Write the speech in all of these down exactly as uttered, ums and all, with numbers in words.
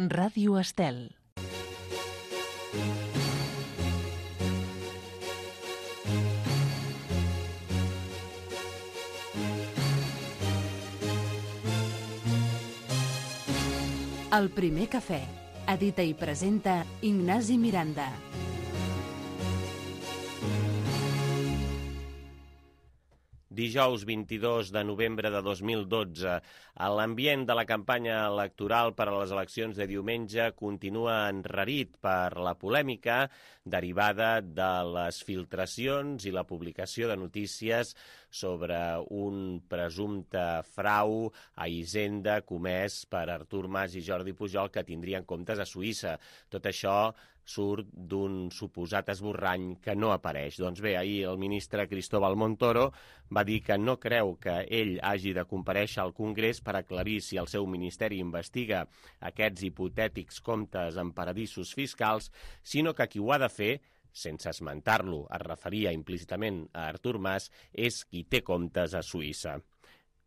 Ràdio Estel. El primer cafè. Edita i presenta Ignasi Miranda. Dijous vint-i-dos de novembre de dos mil dotze. L'ambient de la campanya electoral per a les eleccions de diumenge continua enrarit per la polèmica derivada de les filtracions i la publicació de notícies sobre un presumpte frau a Hisenda comès per Artur Mas i Jordi Pujol que tindrien comptes a Suïssa. Tot això surt d'un suposat esborrany que no apareix. Doncs bé, ahir el ministre Cristóbal Montoro va dir que no creu que ell hagi de comparèixer al Congrés per aclarir si el seu ministeri investiga aquests hipotètics comptes en paradisos fiscals, sinó que qui ho ha de fer, sense esmentar-lo, es referia implícitament a Artur Mas, és qui té comptes a Suïssa.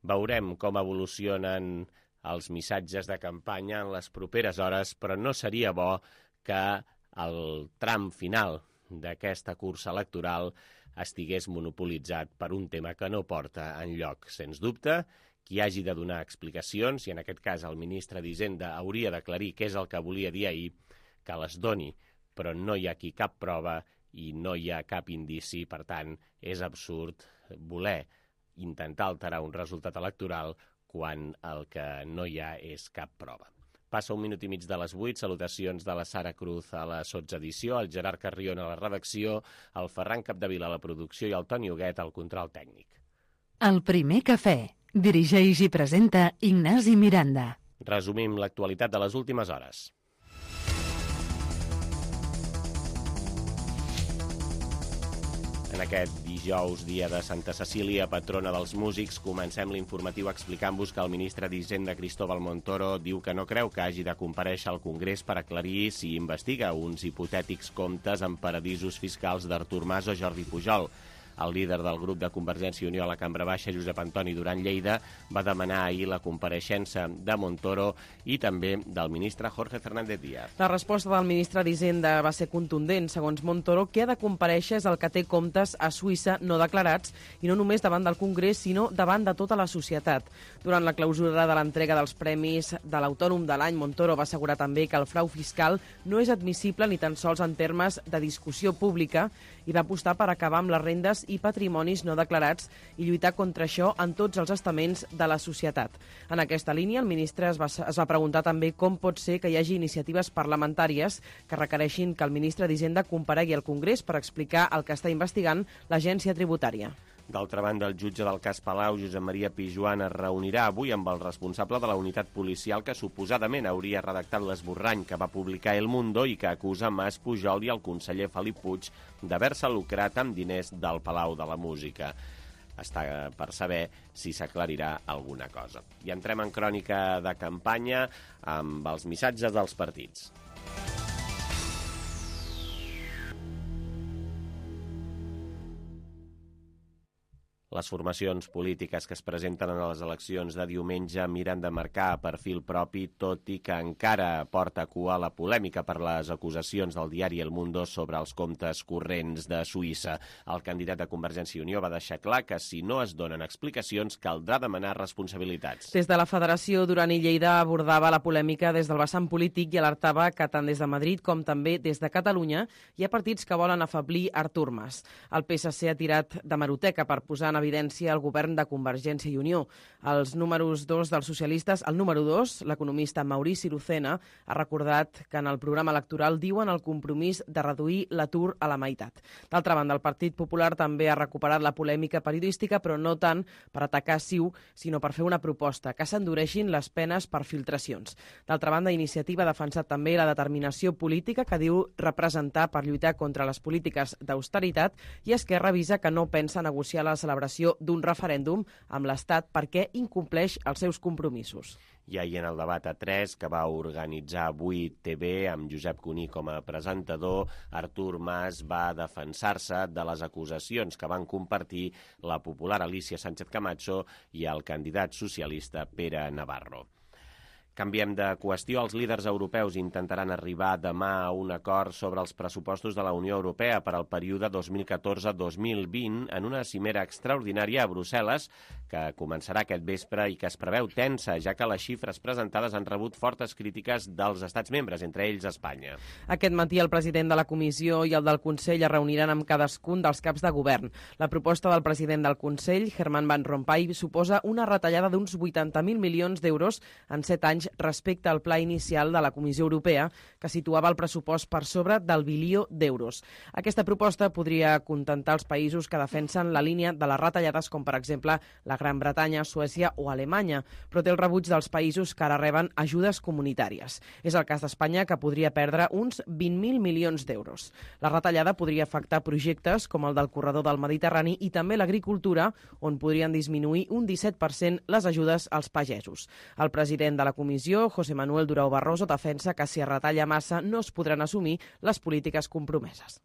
Veurem com evolucionen els missatges de campanya en les properes hores, però no seria bo que el tram final d'aquesta cursa electoral estigués monopolitzat per un tema que no porta enlloc. Sens dubte, qui hagi de donar explicacions, i en aquest cas el ministre d'Hisenda hauria d'aclarir què és el que volia dir ahir, que les doni, però no hi ha aquí cap prova i no hi ha cap indici, per tant, és absurd voler intentar alterar un resultat electoral quan el que no hi ha és cap prova. Passa un minut i mig de les vuit, salutacions de la Sara Cruz a la sotsedició, el Gerard Carrion a la redacció, el Ferran Capdevila a la producció i el Toni Huguet al control tècnic. El primer cafè. Dirigeix i presenta Ignasi Miranda. Resumim l'actualitat de les últimes hores. En aquest dijous, dia de Santa Cecília, patrona dels músics, comencem l'informatiu explicant-vos que el ministre d'Hisenda, Cristóbal Montoro, diu que no creu que hagi de comparèixer al Congrés per aclarir si investiga uns hipotètics comptes en paradisos fiscals d'Artur Mas o Jordi Pujol. El líder del grup de Convergència i Unió a la Cambra Baixa, Josep Antoni Duran Lleida, va demanar ahir la compareixença de Montoro i també del ministre Jorge Fernández Díaz. La resposta del ministre d'Hisenda va ser contundent. Segons Montoro, qui ha de comparèixer és el que té comptes a Suïssa no declarats i no només davant del Congrés, sinó davant de tota la societat. Durant la clausura de l'entrega dels premis de l'Autònom de l'any, Montoro va assegurar també que el frau fiscal no és admissible ni tan sols en termes de discussió pública i va apostar per acabar amb les rendes i patrimonis no declarats i lluitar contra això en tots els estaments de la societat. En aquesta línia, el ministre es va, es va preguntar també com pot ser que hi hagi iniciatives parlamentàries que requereixin que el ministre d'Hisenda comparegui al Congrés per explicar el que està investigant l'agència tributària. D'altra banda, el jutge del cas Palau, Josep Maria Pijuan, es reunirà avui amb el responsable de la unitat policial que suposadament hauria redactat l'esborrany que va publicar El Mundo i que acusa Mas, Pujol i el conseller Felip Puig d'haver-se lucrat amb diners del Palau de la Música. Està per saber si s'aclarirà alguna cosa. I entrem en crònica de campanya amb els missatges dels partits. Les formacions polítiques que es presenten en les eleccions de diumenge miren de marcar a perfil propi, tot i que encara porta cua la polèmica per les acusacions del diari El Mundo sobre els comptes corrents de Suïssa. El candidat de Convergència i Unió va deixar clar que si no es donen explicacions caldrà demanar responsabilitats. Des de la Federació, Duran i Lleida abordava la polèmica des del vessant polític i alertava que tant des de Madrid com també des de Catalunya hi ha partits que volen afeblir Artur Mas. El P S C ha tirat de hemeroteca per posar en evidència el govern de Convergència i Unió. Els números dos dels socialistes, el número dos, l'economista Maurici Lucena, ha recordat que en el programa electoral diuen el compromís de reduir l'atur a la meitat. D'altra banda, el Partit Popular també ha recuperat la polèmica periodística, però no tant per atacar Ciu, sinó per fer una proposta, que s'endureixin les penes per filtracions. D'altra banda, Iniciativa ha defensat també la determinació política que diu representar per lluitar contra les polítiques d'austeritat i Esquerra avisa que no pensa negociar la celebració d'un referèndum amb l'Estat perquè incompleix els seus compromisos. I ahir en el debat a tres que va organitzar avui T V amb Josep Cuní com a presentador, Artur Mas va defensar-se de les acusacions que van compartir la popular Alicia Sánchez Camacho i el candidat socialista Pere Navarro. Canviem de qüestió. Els líders europeus intentaran arribar demà a un acord sobre els pressupostos de la Unió Europea per al període dos mil catorze dos mil vint en una cimera extraordinària a Brussel·les que començarà aquest vespre i que es preveu tensa, ja que les xifres presentades han rebut fortes crítiques dels estats membres, entre ells Espanya. Aquest matí el president de la Comissió i el del Consell es reuniran amb cadascun dels caps de govern. La proposta del president del Consell, Herman Van Rompuy, suposa una retallada d'uns vuitanta mil milions d'euros en set anys respecte al pla inicial de la Comissió Europea, que situava el pressupost per sobre del bilió d'euros. Aquesta proposta podria contentar els països que defensen la línia de les retallades, com per exemple la Gran Bretanya, Suècia o Alemanya, però té el rebuig dels països que ara reben ajudes comunitàries. És el cas d'Espanya, que podria perdre uns vint mil milions d'euros. La retallada podria afectar projectes com el del corredor del Mediterrani i també l'agricultura, on podrien disminuir un disset per cent les ajudes als pagesos. El president de la Comissió, José Manuel Durão Barroso, defensa que si es retalla massa no es podran assumir les polítiques compromeses.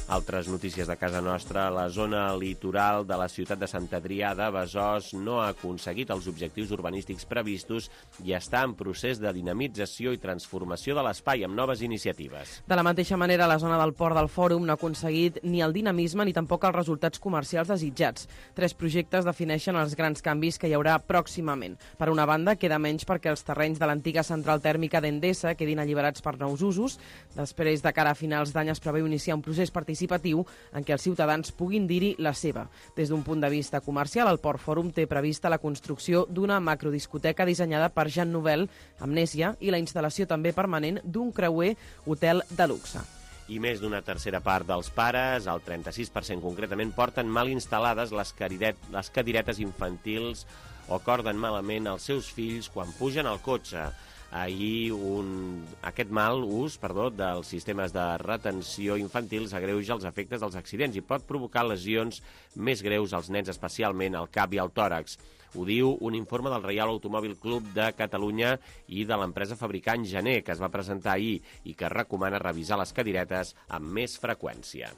Altres notícies de casa nostra. La zona litoral de la ciutat de Sant Adrià de Besòs no ha aconseguit els objectius urbanístics previstos i està en procés de dinamització i transformació de l'espai amb noves iniciatives. De la mateixa manera, la zona del Port del Fòrum no ha aconseguit ni el dinamisme ni tampoc els resultats comercials desitjats. Tres projectes defineixen els grans canvis que hi haurà pròximament. Per una banda, queda menys perquè els terrenys de l'antiga central tèrmica d'Endesa quedin alliberats per nous usos. Després, de cara a finals d'any, es preveu iniciar un procés participatiu en què els ciutadans puguin dir-hi la seva. Des d'un punt de vista comercial, el Port Fòrum té prevista la construcció d'una macrodiscoteca dissenyada per Jean Nouvel, Amnèsia, i la instal·lació també permanent d'un creuer hotel de luxe. I més d'una tercera part dels pares, el trenta-sis per cent concretament, porten mal instal·lades les, caridet, les cadiretes infantils o corden malament els seus fills quan pugen al cotxe. Ahir un, aquest mal ús perdó, dels sistemes de retenció infantil s'agreuja els efectes dels accidents i pot provocar lesions més greus als nens, especialment al cap i al tòrax. Ho diu un informe del Reial Automòbil Club de Catalunya i de l'empresa fabricant Gené, que es va presentar ahir i que recomana revisar les cadiretes amb més freqüència.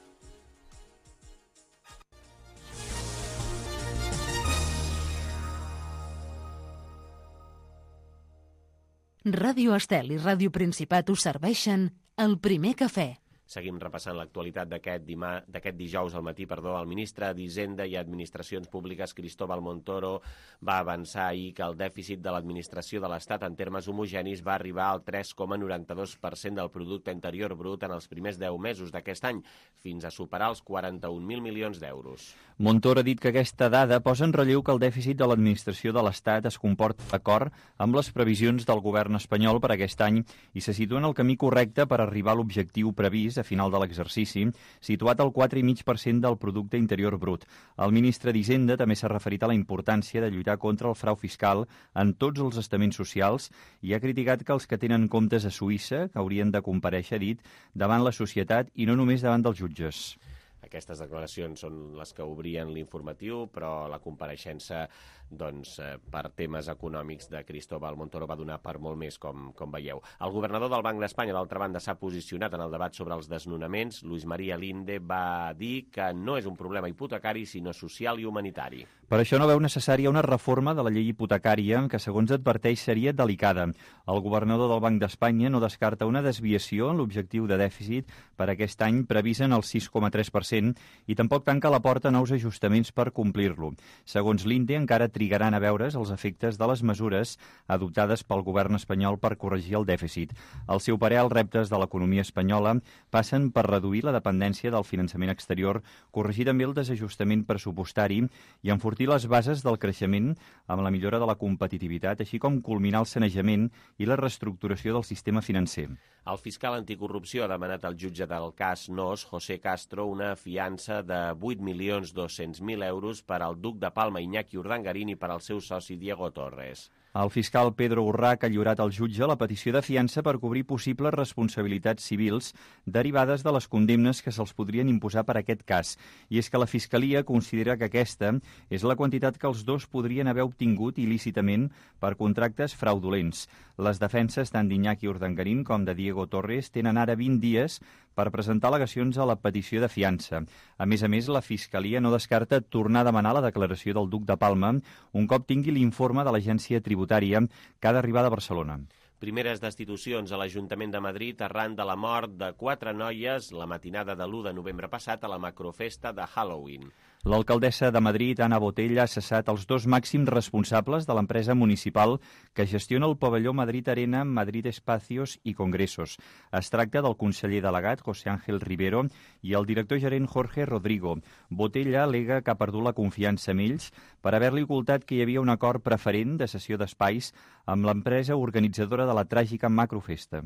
Ràdio Estel i Ràdio Principat us serveixen el primer cafè. Seguim repassant l'actualitat d'aquest dima... d'aquest dijous al matí. Perdó. El ministre d'Hisenda i Administracions Públiques, Cristóbal Montoro, va avançar ahir que el dèficit de l'administració de l'Estat en termes homogenis va arribar al tres coma noranta-dos per cent del producte interior brut en els primers deu mesos d'aquest any, fins a superar els quaranta-un mil milions d'euros. Montoro ha dit que aquesta dada posa en relleu que el dèficit de l'administració de l'Estat es comporta d'acord amb les previsions del govern espanyol per aquest any i se situa en el camí correcte per arribar a l'objectiu previst a final de l'exercici, situat al quatre coma cinc per cent del producte interior brut. El ministre d'Hisenda també s'ha referit a la importància de lluitar contra el frau fiscal en tots els estaments socials i ha criticat que els que tenen comptes a Suïssa, que haurien de comparèixer, ha dit, davant la societat i no només davant dels jutges. Aquestes declaracions són les que obrien l'informatiu, però la compareixença doncs, per temes econòmics de Cristóbal Montoro va donar per molt més, com, com veieu. El governador del Banc d'Espanya, d'altra banda, s'ha posicionat en el debat sobre els desnonaments. Luis María Linde va dir que no és un problema hipotecari, sinó social i humanitari. Per això no veu necessària una reforma de la llei hipotecària, que segons adverteix seria delicada. El governador del Banc d'Espanya no descarta una desviació en l'objectiu de dèficit per aquest any previst en el sis coma tres per cent i tampoc tanca la porta a nous ajustaments per complir-lo. Segons l'Inde, encara trigaran a veure's els efectes de les mesures adoptades pel govern espanyol per corregir el dèficit. Al seu parer, els reptes de l'economia espanyola passen per reduir la dependència del finançament exterior, corregir també el desajustament pressupostari i enfortir les bases del creixement amb la millora de la competitivitat, així com culminar el sanejament i la reestructuració del sistema financer. El fiscal anticorrupció ha demanat al jutge del cas Nos, José Castro, una fiança de vuit milions dos-cents mil euros per al duc de Palma, Iñaki Urdangarín, i per al seu soci Diego Torres. El fiscal Pedro Urrach ha lliurat al jutge la petició de fiança per cobrir possibles responsabilitats civils derivades de les condemnes que se'ls podrien imposar per aquest cas. I és que la Fiscalia considera que aquesta és la quantitat que els dos podrien haver obtingut il·lícitament per contractes fraudulents. Les defenses tant d'Iñaki Urdangarín com de Diego Torres tenen ara vint dies per presentar al·legacions a la petició de fiança. A més a més, la Fiscalia no descarta tornar a demanar la declaració del duc de Palma un cop tingui l'informe de l'Agència Tributària que ha d'arribar de Barcelona. Primeres destitucions a l'Ajuntament de Madrid arran de la mort de quatre noies la matinada de l'u de novembre passat a la macrofesta de Halloween. L'alcaldessa de Madrid, Ana Botella, ha cessat els dos màxims responsables de l'empresa municipal que gestiona el pavelló Madrid Arena, Madrid Espacios i Congressos. Es tracta del conseller delegat, José Ángel Rivero, i el director gerent Jorge Rodrigo. Botella al·lega que ha perdut la confiança en ells per haver-li ocultat que hi havia un acord preferent de cessió d'espais amb l'empresa organitzadora de la tràgica macrofesta.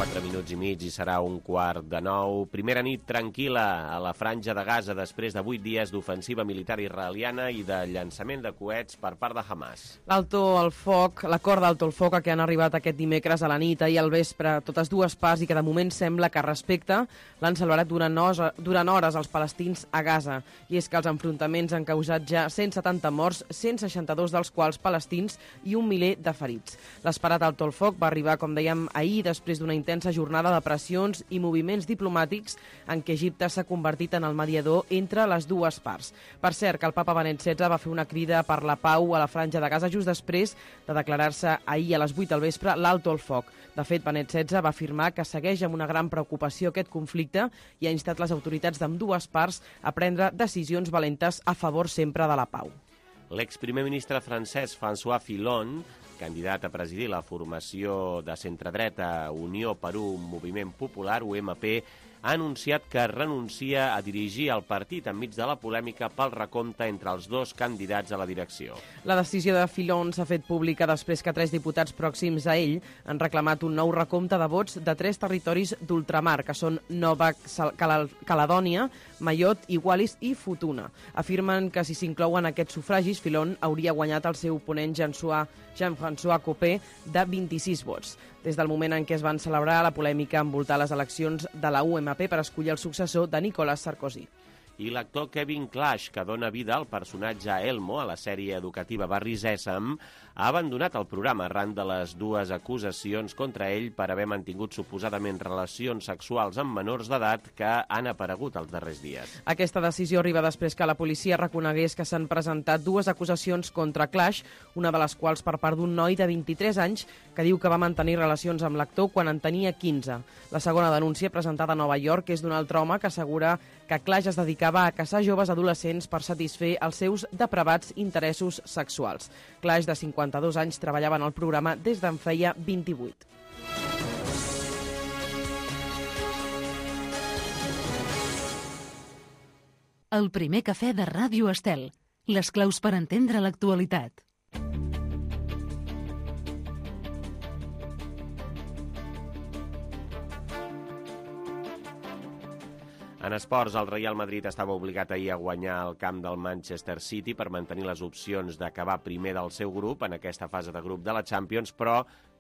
Quatre minuts i mig i serà un quart de nou. Primera nit tranquil·la a la franja de Gaza després de vuit dies d'ofensiva militar israeliana i de llançament de coets per part de Hamas. L'alto al foc, l'acord d'alto al foc a què han arribat aquest dimecres a la nit i al vespre, totes dues parts, i que de moment sembla que respecta, l'han celebrat durant, nos, durant hores els palestins a Gaza. I és que els enfrontaments han causat ja cent setanta morts, cent seixanta-dos dels quals palestins i un miler de ferits. L'esperat alto al foc va arribar, com dèiem, ahir després d'una intensa jornada de pressions i moviments diplomàtics en què Egipte s'ha convertit en el mediador entre les dues parts. Per cert, que el papa Benet setze va fer una crida per la pau a la franja de Gaza just després de declarar-se ahir a les vuit del vespre l'alto al foc. De fet, Benet setze va afirmar que segueix amb una gran preocupació aquest conflicte i ha instat les autoritats d'ambdues parts a prendre decisions valentes a favor sempre de la pau. L'exprimer ministre francès François Fillon, candidat a presidir la formació de centredreta Unió per un Moviment Popular, U M P, ha anunciat que renuncia a dirigir el partit enmig de la polèmica pel recompte entre els dos candidats a la direcció. La decisió de Fillon s'ha fet pública després que tres diputats pròxims a ell han reclamat un nou recompte de vots de tres territoris d'ultramar, que són Nova Caledònia, Mayotte, Wallis i Futuna. Afirmen que si s'inclouen aquests sufragis, Fillon hauria guanyat el seu oponent Jean-François Copé de vint-i-sis vots. Des del moment en què es van celebrar la polèmica envoltar les eleccions de la U M P per escollir el successor de Nicolas Sarkozy. I l'actor Kevin Clash, que dona vida al personatge Elmo a la sèrie educativa Barri Sèsam, ha abandonat el programa arran de les dues acusacions contra ell per haver mantingut suposadament relacions sexuals amb menors d'edat que han aparegut els darrers dies. Aquesta decisió arriba després que la policia reconegués que s'han presentat dues acusacions contra Clash, una de les quals per part d'un noi de vint-i-tres anys que diu que va mantenir relacions amb l'actor quan en tenia quinze. La segona denúncia, presentada a Nova York, és d'un altre home que assegura que Clash es dedicava a caçar joves adolescents per satisfer els seus depravats interessos sexuals. Clash, de cinquanta-dos anys, treballava en el programa des d'en feia vint-i-vuit. El primer cafè de Ràdio Estel. Les claus per entendre l'actualitat. En esports, el Real Madrid estava obligat ahir a guanyar el camp del Manchester City per mantenir les opcions d'acabar primer del seu grup en aquesta fase de grup de la Champions, però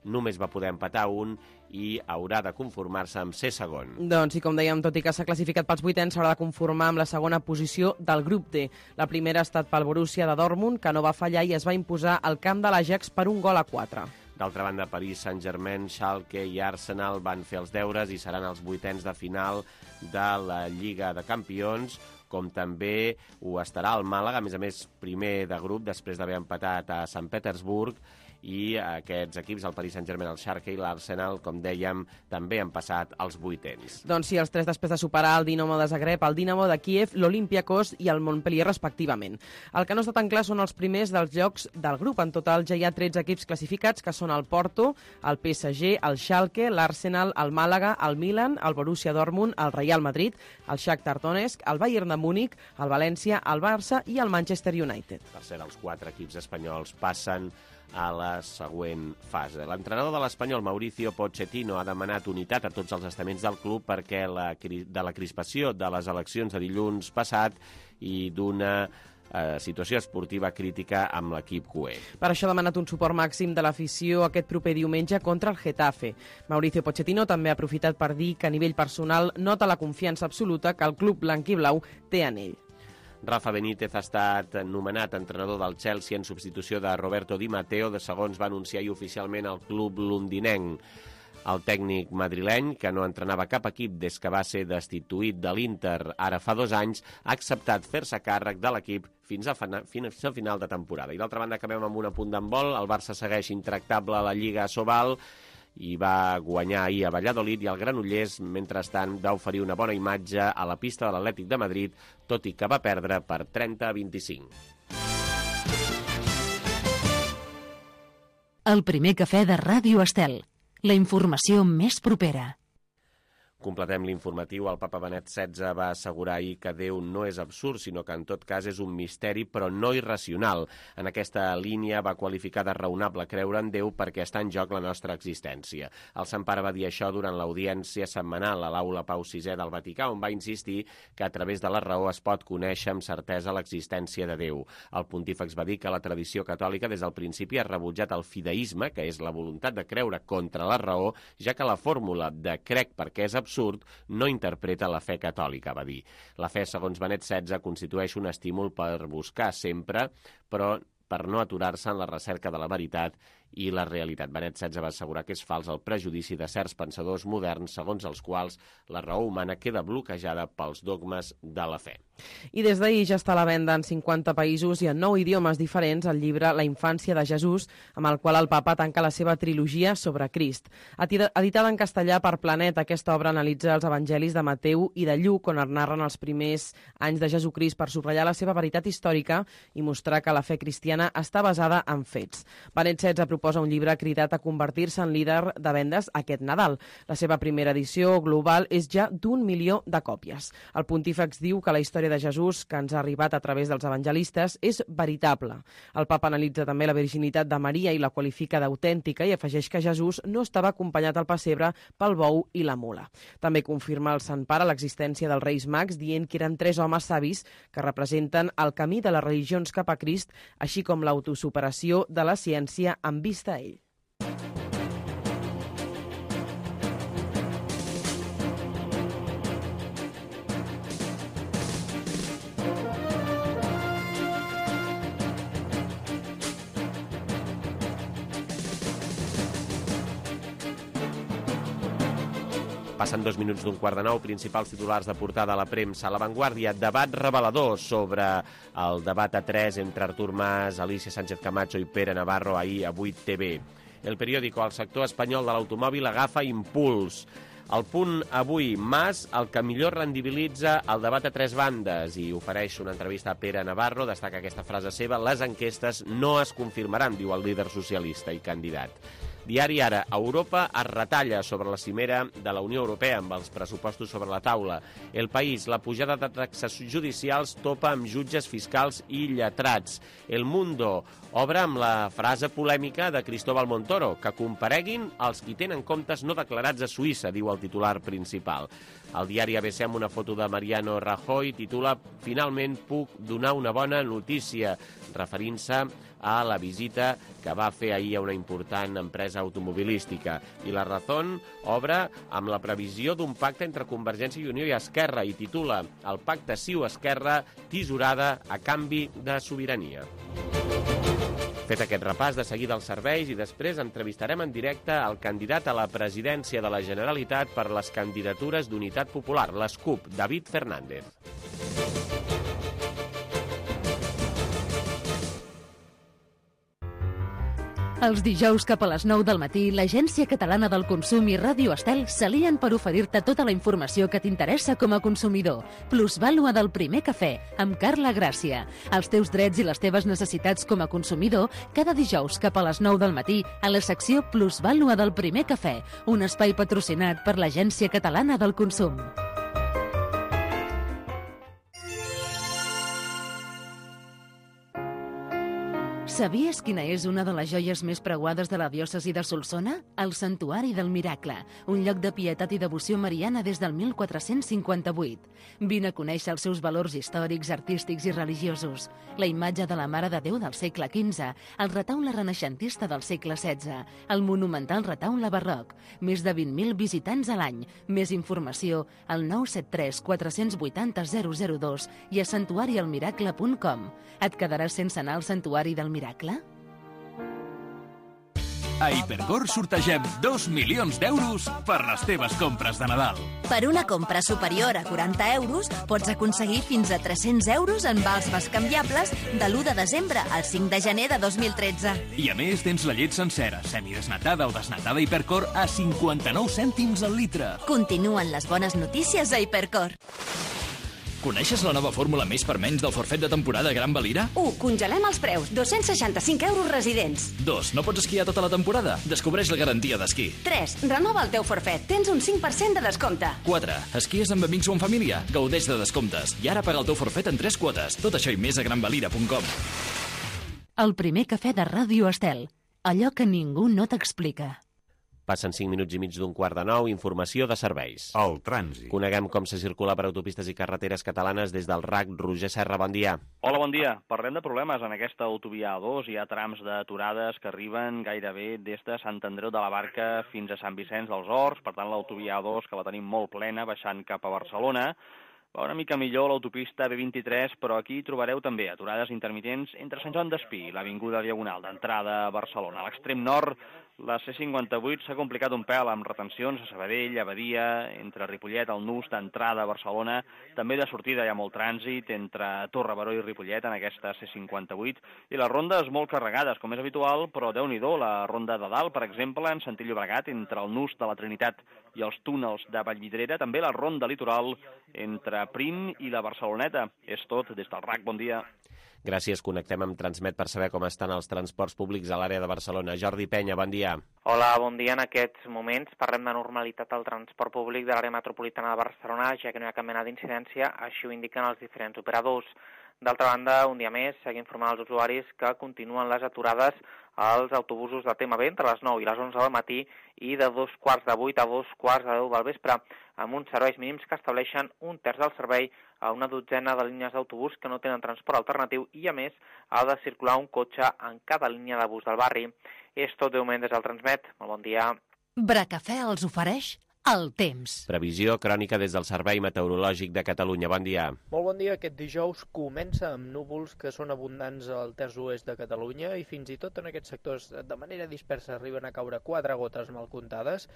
només va poder empatar un i haurà de conformar-se amb ser segon. Doncs, i com dèiem, tot i que s'ha classificat pels vuitens, s'haurà de conformar amb la segona posició del grup D. La primera ha estat pel Borussia de Dortmund, que no va fallar i es va imposar al camp de l'Ajax per un gol a quatre. D'altra banda, Paris Saint-Germain, Schalke i Arsenal van fer els deures i seran els vuitens de final de la Lliga de Campions, com també ho estarà el Màlaga, a més a més primer de grup després d'haver empatat a Sant Petersburg, i aquests equips, el Paris Saint-Germain, el Schalke i l'Arsenal, com dèiem, també han passat als vuitens. Doncs sí, els tres després de superar el Dinamo de Zagreb, el Dinamo de Kíev, l'Olympiakos i el Montpellier, respectivament. El que no està tan clar són els primers dels llocs del grup. En total ja hi ha tretze equips classificats, que són el Porto, el P S G, el Schalke, l'Arsenal, el Màlaga, el Milan, el Borussia Dortmund, el Real Madrid, el Shakhtar Donetsk, el Bayern de Múnich, el València, el Barça i el Manchester United. Per cert, els quatre equips espanyols passen a la següent fase. L'entrenador de l'Espanyol, Mauricio Pochettino, ha demanat unitat a tots els estaments del club perquè la, de la crispació de les eleccions de dilluns passat i d'una eh, situació esportiva crítica amb l'equip cué. Per això ha demanat un suport màxim de l'afició aquest proper diumenge contra el Getafe. Mauricio Pochettino també ha aprofitat per dir que a nivell personal nota la confiança absoluta que el club blanc-i-blau té en ell. Rafa Benítez ha estat nomenat entrenador del Chelsea en substitució de Roberto Di Matteo, de segons va anunciar oficialment el club londinenc. El tècnic madrileny, que no entrenava cap equip des que va ser destituït de l'Inter ara fa dos anys, ha acceptat fer-se càrrec de l'equip fins a, fins a final de temporada. I d'altra banda, acabem amb un apunt d'handbol. El Barça segueix intractable a la Lliga Sobal i va guanyar ahir a Valladolid, i el Granollers, mentrestant, va oferir una bona imatge a la pista de l'Atlètic de Madrid, tot i que va perdre per trenta a vint-i-cinc. El primer cafè de Ràdio Estel. La informació més propera. Completem l'informatiu. El papa Benet setze va assegurar ahir que Déu no és absurd, sinó que en tot cas és un misteri, però no irracional. En aquesta línia va qualificar de raonable creure en Déu perquè està en joc la nostra existència. El Sant Pare va dir això durant l'audiència setmanal a l'Aula Pau sisè del Vaticà, on va insistir que a través de la raó es pot conèixer amb certesa l'existència de Déu. El pontífex va dir que la tradició catòlica des del principi ha rebutjat el fideisme, que és la voluntat de creure contra la raó, ja que la fórmula de crec perquè és absurd absurd no interpreta la fe catòlica, va dir. La fe, segons Benet setze, constitueix un estímul per buscar sempre, però per no aturar-se en la recerca de la veritat i la realitat. Benet setze va assegurar que és fals el prejudici de certs pensadors moderns segons els quals la raó humana queda bloquejada pels dogmes de la fe. I des d'ahir ja està a la venda en cinquanta països i en nou idiomes diferents el llibre La infància de Jesús, amb el qual el papa tanca la seva trilogia sobre Crist. Editada en castellà per Planeta, aquesta obra analitza els evangelis de Mateu i de Lluc, on es narren els primers anys de Jesucrist per subratllar la seva veritat històrica i mostrar que la fe cristiana està basada en fets. Benet setze proposa un llibre cridat a convertir-se en líder de vendes aquest Nadal. La seva primera edició global és ja d'un milió de còpies. El pontífex diu que la història de Jesús, que ens ha arribat a través dels evangelistes, és veritable. El papa analitza també la virginitat de Maria i la qualifica d'autèntica i afegeix que Jesús no estava acompanyat al pessebre pel bou i la mula. També confirma el Sant Pare l'existència dels Reis Mags, dient que eren tres homes savis que representen el camí de les religions cap a Crist, així com l'autosuperació de la ciència amb vista a ell. Passen dos minuts d'un quart de nou, principals titulars de portada a la premsa. A La Vanguardia, debat revelador sobre el debat a tres entre Artur Mas, Alicia Sánchez Camacho i Pere Navarro ahir a vuit T V. El periòdico, el sector espanyol de l'automòbil agafa impuls. El Punt avui, Mas, el que millor rendibilitza el debat a tres bandes, i ofereix una entrevista a Pere Navarro, destaca aquesta frase seva: les enquestes no es confirmaran, diu el líder socialista i candidat. Diari Ara, Europa es retalla sobre la cimera de la Unió Europea amb els pressupostos sobre la taula. El País, la pujada de taxes judicials topa amb jutges fiscals i lletrats. El Mundo obre amb la frase polèmica de Cristóbal Montoro, que compareguin els qui tenen comptes no declarats a Suïssa, diu el titular principal. El diari A B C, amb una foto de Mariano Rajoy, titula "Finalment puc donar una bona notícia", referint-se a la visita que va fer ahir a una important empresa automobilística. I La Razón obre amb la previsió d'un pacte entre Convergència i Unió i Esquerra i titula "El pacte Ciu-Esquerra, tisorada a canvi de sobirania". Fet aquest repàs, de seguida els serveis i després entrevistarem en directe el candidat a la presidència de la Generalitat per les candidatures d'Unitat Popular, les CUP, David Fernández. Els dijous cap a les nou del matí, l'Agència Catalana del Consum i Ràdio Estel s'alien per oferir-te tota la informació que t'interessa com a consumidor. Plusvàlua del primer cafè, amb Carla Gràcia. Els teus drets i les teves necessitats com a consumidor, cada dijous cap a les nou del matí, a la secció Plusvàlua del primer cafè, un espai patrocinat per l'Agència Catalana del Consum. Sabies quina és una de les joies més preuades de la diòcesi de Solsona? El Santuari del Miracle, un lloc de pietat i devoció mariana des del mil quatre-cents cinquanta-vuit. Vine a conèixer els seus valors històrics, artístics i religiosos. La imatge de la Mare de Déu del segle quinze, el retaule renaixentista del segle setze, el monumental retaule barroc, més de vint mil visitants a l'any. Més informació al nou set tres quatre vuit zero zero zero dos i a santuari el miracle punt com. Et quedaràs sense anar al Santuari del Miracle? A Hipercor sortegem dos milions d'euros per les teves compres de Nadal. Per una compra superior a quaranta euros pots aconseguir fins a tres-cents euros en vals bescanviables de l'u de desembre al cinc de gener de dos mil tretze. I a més tens la llet sencera, semidesnatada o desnatada Hipercor a cinquanta-nou cèntims al litre. Continuen les bones notícies a Hipercor. Coneixes la nova fórmula més per menys del forfet de temporada Gran Valira? u. Congelem els preus. dos-cents seixanta-cinc euros residents. dos. No pots esquiar tota la temporada? Descobreix la garantia d'esquí. tres. Renova el teu forfet. Tens un cinc per cent de descompte. quatre. Esquies amb amics o en família? Gaudeix de descomptes. I ara paga el teu forfet en tres quotes. Tot això i més a gran valira punt com. El primer cafè de Ràdio Estel. Allò que ningú no t'explica. Passen cinc minuts i mig d'un quart de nou, informació de serveis. El trànsit. Coneguem com se circula per autopistes i carreteres catalanes des del R A C. Roger Serra, bon dia. Hola, bon dia. Parlem de problemes en aquesta autovia A dos. Hi ha trams d'aturades que arriben gairebé des de Sant Andreu de la Barca fins a Sant Vicenç dels Horts. Per tant, l'autovia A dos, que la tenim molt plena, baixant cap a Barcelona. Va una mica millor l'autopista B vint-i-tres, però aquí trobareu també aturades intermitents entre Sant Joan d'Espí i l'avinguda Diagonal d'entrada a Barcelona. A l'extrem nord, la C cinquanta-vuit s'ha complicat un pèl amb retencions a Sabadell, a Badia, entre Ripollet, el nus d'entrada a Barcelona. També de sortida hi ha molt trànsit entre Torre-Baró i Ripollet en aquesta C cinquanta-vuit. I les rondes molt carregades, com és habitual, però déu-n'hi-do, la ronda de dalt, per exemple, en sentit Llobregat, entre el nus de la Trinitat i els túnels de Vallvidrera. També la ronda litoral entre Prim i la Barceloneta. És tot des del R A C. Bon dia. Gràcies. Connectem amb Transmet per saber com estan els transports públics a l'àrea de Barcelona. Jordi Penya, bon dia. Hola, bon dia. En aquests moments parlem de normalitat al transport públic de l'àrea metropolitana de Barcelona, ja que no hi ha cap mena d'incidència, així ho indiquen els diferents operadors. D'altra banda, un dia més, seguim informant als usuaris que continuen les aturades als autobusos de T M B entre les nou i les onze del matí i de dos quarts de vuit a dos quarts de deu del vespre, amb uns serveis mínims que estableixen un terç del servei a una dotzena de línies d'autobús que no tenen transport alternatiu i, a més, ha de circular un cotxe en cada línia de bus del barri. És tot de moment des del Transmet. Molt bon dia. Bracafè els ofereix el temps. Previsió crònica des del Servei Meteorològic de Catalunya. Bon dia. Molt bon dia. Aquest dijous comença amb núvols que són abundants al terç oest de Catalunya i fins i tot en aquests sectors de manera dispersa arriben a caure quatre gotes mal comptades,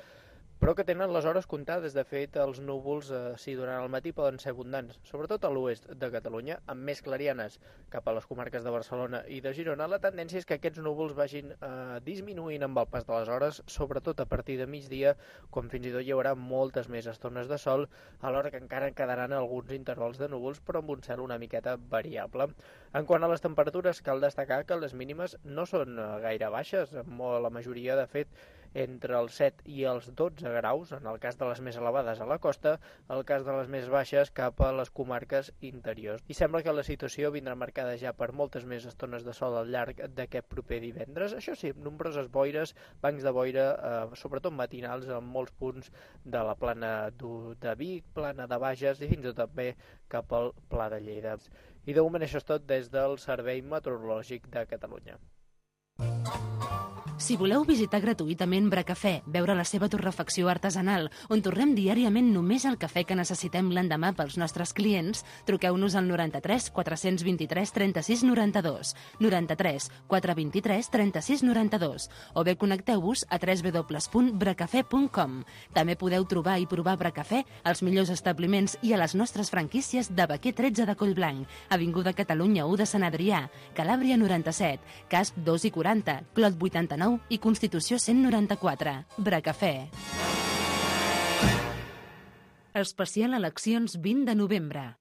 però que tenen les hores comptades. De fet, els núvols, eh, si durant el matí poden ser abundants, sobretot a l'oest de Catalunya, amb més clarianes cap a les comarques de Barcelona i de Girona. La tendència és que aquests núvols vagin eh, disminuint amb el pas de les hores, sobretot a partir de migdia, quan fins i tot hi haurà moltes més estones de sol, alhora que encara quedaran alguns intervals de núvols, però amb un cel una miqueta variable. En quant a les temperatures, cal destacar que les mínimes no són gaire baixes, molt la majoria, de fet, entre els set i els dotze graus, en el cas de les més elevades a la costa, el cas de les més baixes cap a les comarques interiors. I sembla que la situació vindrà marcada ja per moltes més estones de sol al llarg d'aquest proper divendres. Això sí, nombroses boires, bancs de boira, eh, sobretot matinals, en molts punts de la plana de Vic, plana de Bages i fins i tot també cap al Pla de Lleida. I de moment això és tot des del Servei Meteorològic de Catalunya. Si voleu visitar gratuïtament Bracafè, veure la seva torrefacció artesanal, on torrem diàriament només el cafè que necessitem l'endemà pels nostres clients, truqueu-nos al noranta-tres quatre vint-i-tres trenta-sis noranta-dos, noranta-tres quatre vint-i-tres trenta-sis noranta-dos, o bé connecteu-vos a w w w punt bracafè punt com. També podeu trobar i provar Bracafè als millors establiments i a les nostres franquícies de Baquer tretze de Collblanc, Avinguda Catalunya u de Sant Adrià, Calàbria noranta-set, Casp dos i quaranta, Clot vuitanta-nou i Constitució cent noranta-quatre. Bracafè. Especial eleccions vint de novembre.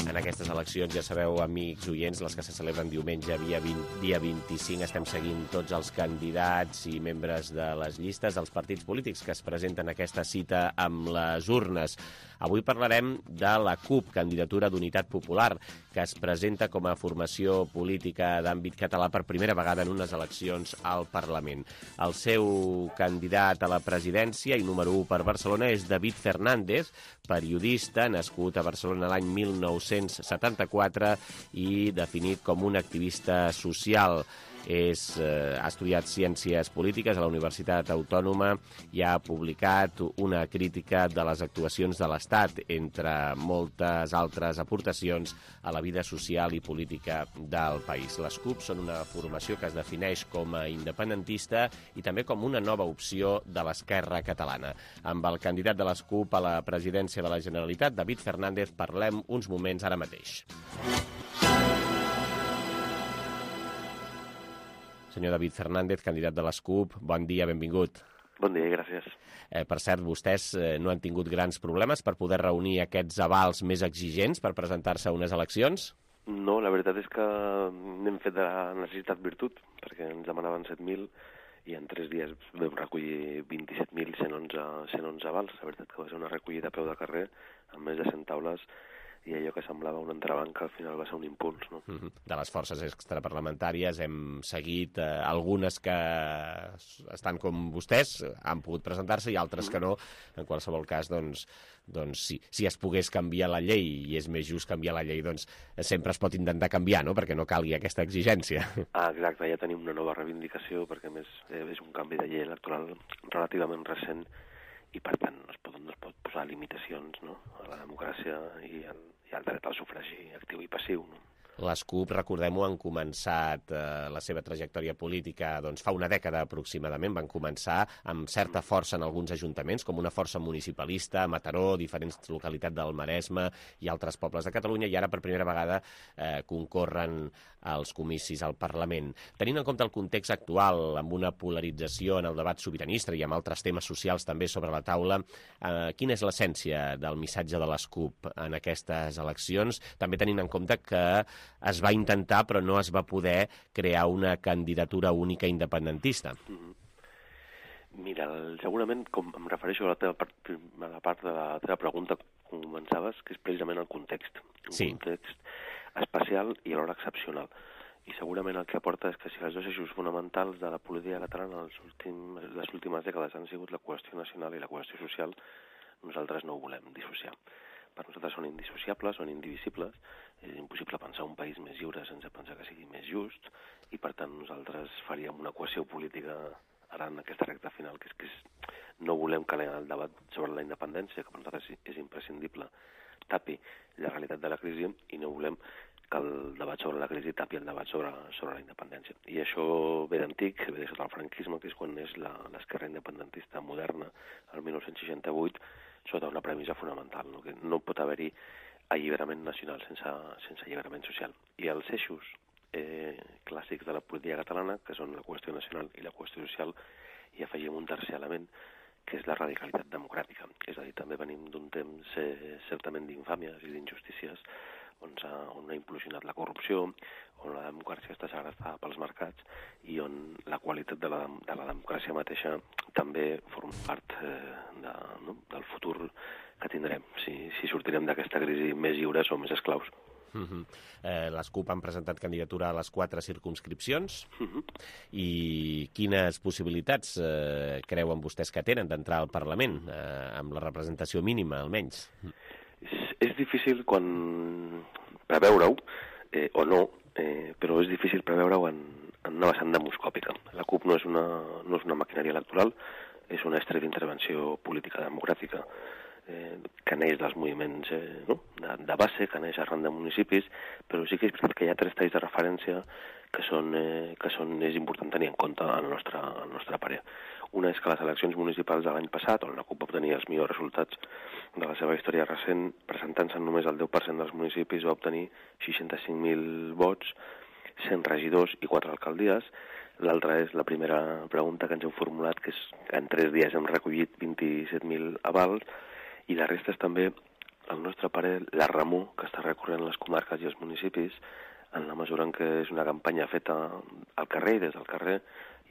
En aquestes eleccions, ja sabeu, amics, oients, les que se celebren diumenge, dia, vint, dia vint-i-cinc, estem seguint tots els candidats i membres de les llistes dels partits polítics que es presenten a aquesta cita amb les urnes. Avui parlarem de la CUP, Candidatura d'Unitat Popular, que es presenta com a formació política d'àmbit català per primera vegada en unes eleccions al Parlament. El seu candidat a la presidència i número u per Barcelona és David Fernández, periodista, nascut a Barcelona l'any mil nou-cents setanta-quatre i definit com un activista social. És, eh, ha estudiat Ciències Polítiques a la Universitat Autònoma i ha publicat una crítica de les actuacions de l'Estat, entre moltes altres aportacions a la vida social i política del país. Les CUP són una formació que es defineix com a independentista i també com una nova opció de l'esquerra catalana. Amb el candidat de les CUP a la presidència de la Generalitat, David Fernández, parlem uns moments ara mateix. Senyor David Fernández, candidat de les CUP, bon dia, benvingut. Bon dia, gràcies. Eh, per cert, vostès eh, no han tingut grans problemes per poder reunir aquests avals més exigents per presentar-se a unes eleccions? No, la veritat és que n'hem fet de la necessitat virtut, perquè ens demanaven set mil i en tres dies vam recollir vint-i-set mil cent onze avals. La veritat que va ser una recollida a peu de carrer amb més de cent taules i allò que semblava un entrebanc al final va ser un impuls, no? Uh-huh. De les forces extraparlamentàries hem seguit eh, algunes que estan com vostès, han pogut presentar-se i altres que no. En qualsevol cas, doncs, doncs si, si es pogués canviar la llei i és més just canviar la llei, doncs sempre es pot intentar canviar, no?, perquè no calgui aquesta exigència. Ah, exacte, ja tenim una nova reivindicació perquè a més eh, és un canvi de llei electoral relativament recent i per tant no es pot, no es pot posar limitacions, no?, a la democràcia i al, i al dret al sufragi actiu i passiu, no? Les CUP, recordem-ho, han començat eh, la seva trajectòria política doncs, fa una dècada aproximadament. Van començar amb certa força en alguns ajuntaments, com una força municipalista a Mataró, diferents localitats del Maresme i altres pobles de Catalunya, i ara per primera vegada eh, concorren als comicis al Parlament. Tenint en compte el context actual, amb una polarització en el debat sobiranista i amb altres temes socials també sobre la taula, eh, quina és l'essència del missatge de les CUP en aquestes eleccions? També tenint en compte que es va intentar però no es va poder crear una candidatura única independentista. Mm-hmm. Mira, segurament, com em refereixo a la, teva part, a la part de la teva pregunta que començaves, que és precisament el context. Un sí. context especial i alhora excepcional. I segurament el que aporta és que si els dos eixos fonamentals de la política catalana les últimes, les últimes dècades han sigut la qüestió nacional i la qüestió social, nosaltres no ho volem dissociar. Per nosaltres són indissociables, són indivisibles, és impossible pensar un país més lliure sense pensar que sigui més just, i per tant nosaltres faríem una equació política ara en aquesta recta final, que és que és, no volem que el debat sobre la independència, que per nosaltres és imprescindible, tapi la realitat de la crisi, i no volem que el debat sobre la crisi tapi el debat sobre, sobre la independència. I això ve d'antic, ve de sota el franquisme, que és quan és l'esquerra independentista moderna, el dinou seixanta-vuit, sota una premissa fonamental, no? Que no pot haver-hi alliberament nacional sense, sense alliberament social. I els eixos eh, clàssics de la política catalana, que són la qüestió nacional i la qüestió social, i afegim un tercer element, que és la radicalitat democràtica. És a dir, també venim d'un temps eh, certament d'infàmies i d'injustícies, on, on ha implosionat la corrupció, on la democràcia està segrestada pels mercats i on la qualitat de la, de la democràcia mateixa també forma part eh, de, no? del futur que tindrem, si, si sortirem d'aquesta crisi més lliures o més esclaus. Uh-huh. eh, les CUP han presentat candidatura a les quatre circumscripcions. Uh-huh. I quines possibilitats eh, creuen vostès que tenen d'entrar al Parlament, eh, amb la representació mínima, almenys? És, és difícil quan preveure-ho, eh, o no, eh, però és difícil preveure-ho en, en una vessant demoscòpica. La CUP no és una, no és una maquinària electoral, és un estri d'intervenció política democràtica eh, que neix dels moviments eh, no? de, de base, que neix arran de municipis, però sí que és veritat que hi ha tres talls de referència que són, eh, que són és important tenir en compte al nostre, al nostre parer. Una és que les eleccions municipals de l'any passat, on la CUP va obtenir els millors resultats de la seva història recent, presentant-se només el deu per cent dels municipis, va obtenir seixanta-cinc mil vots, cent regidors i quatre alcaldies. L'altra és la primera pregunta que ens hem formulat, que és que en tres dies hem recollit vint-i-set mil avals, i la resta és també al nostre parer, la remor que està recorrent les comarques i els municipis, en la mesura en què és una campanya feta al carrer i des del carrer,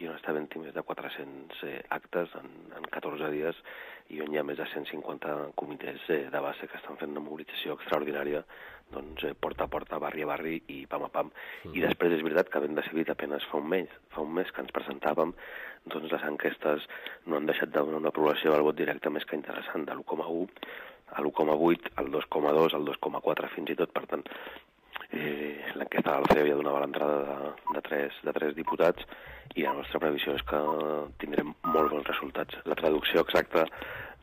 i on està havent-hi més de quatre-cents eh, actes en, en catorze dies, i on hi ha més de cent cinquanta comitès eh, de base que estan fent una mobilització extraordinària, doncs, eh, porta a porta, barri a barri i pam a pam. Mm. I després és veritat que havent decidit apenas fa un mes, fa un mes que ens presentàvem, doncs les enquestes no han deixat de donar una població del vot directe més que interessant, de l'u coma u a l'u coma vuit, al dos coma dos, al dos coma quatre fins i tot. Per tant, eh, l'enquesta de la C E O ja donava l'entrada de, de, tres, de tres diputats, i la nostra previsió és que tindrem molt bons resultats. La traducció exacta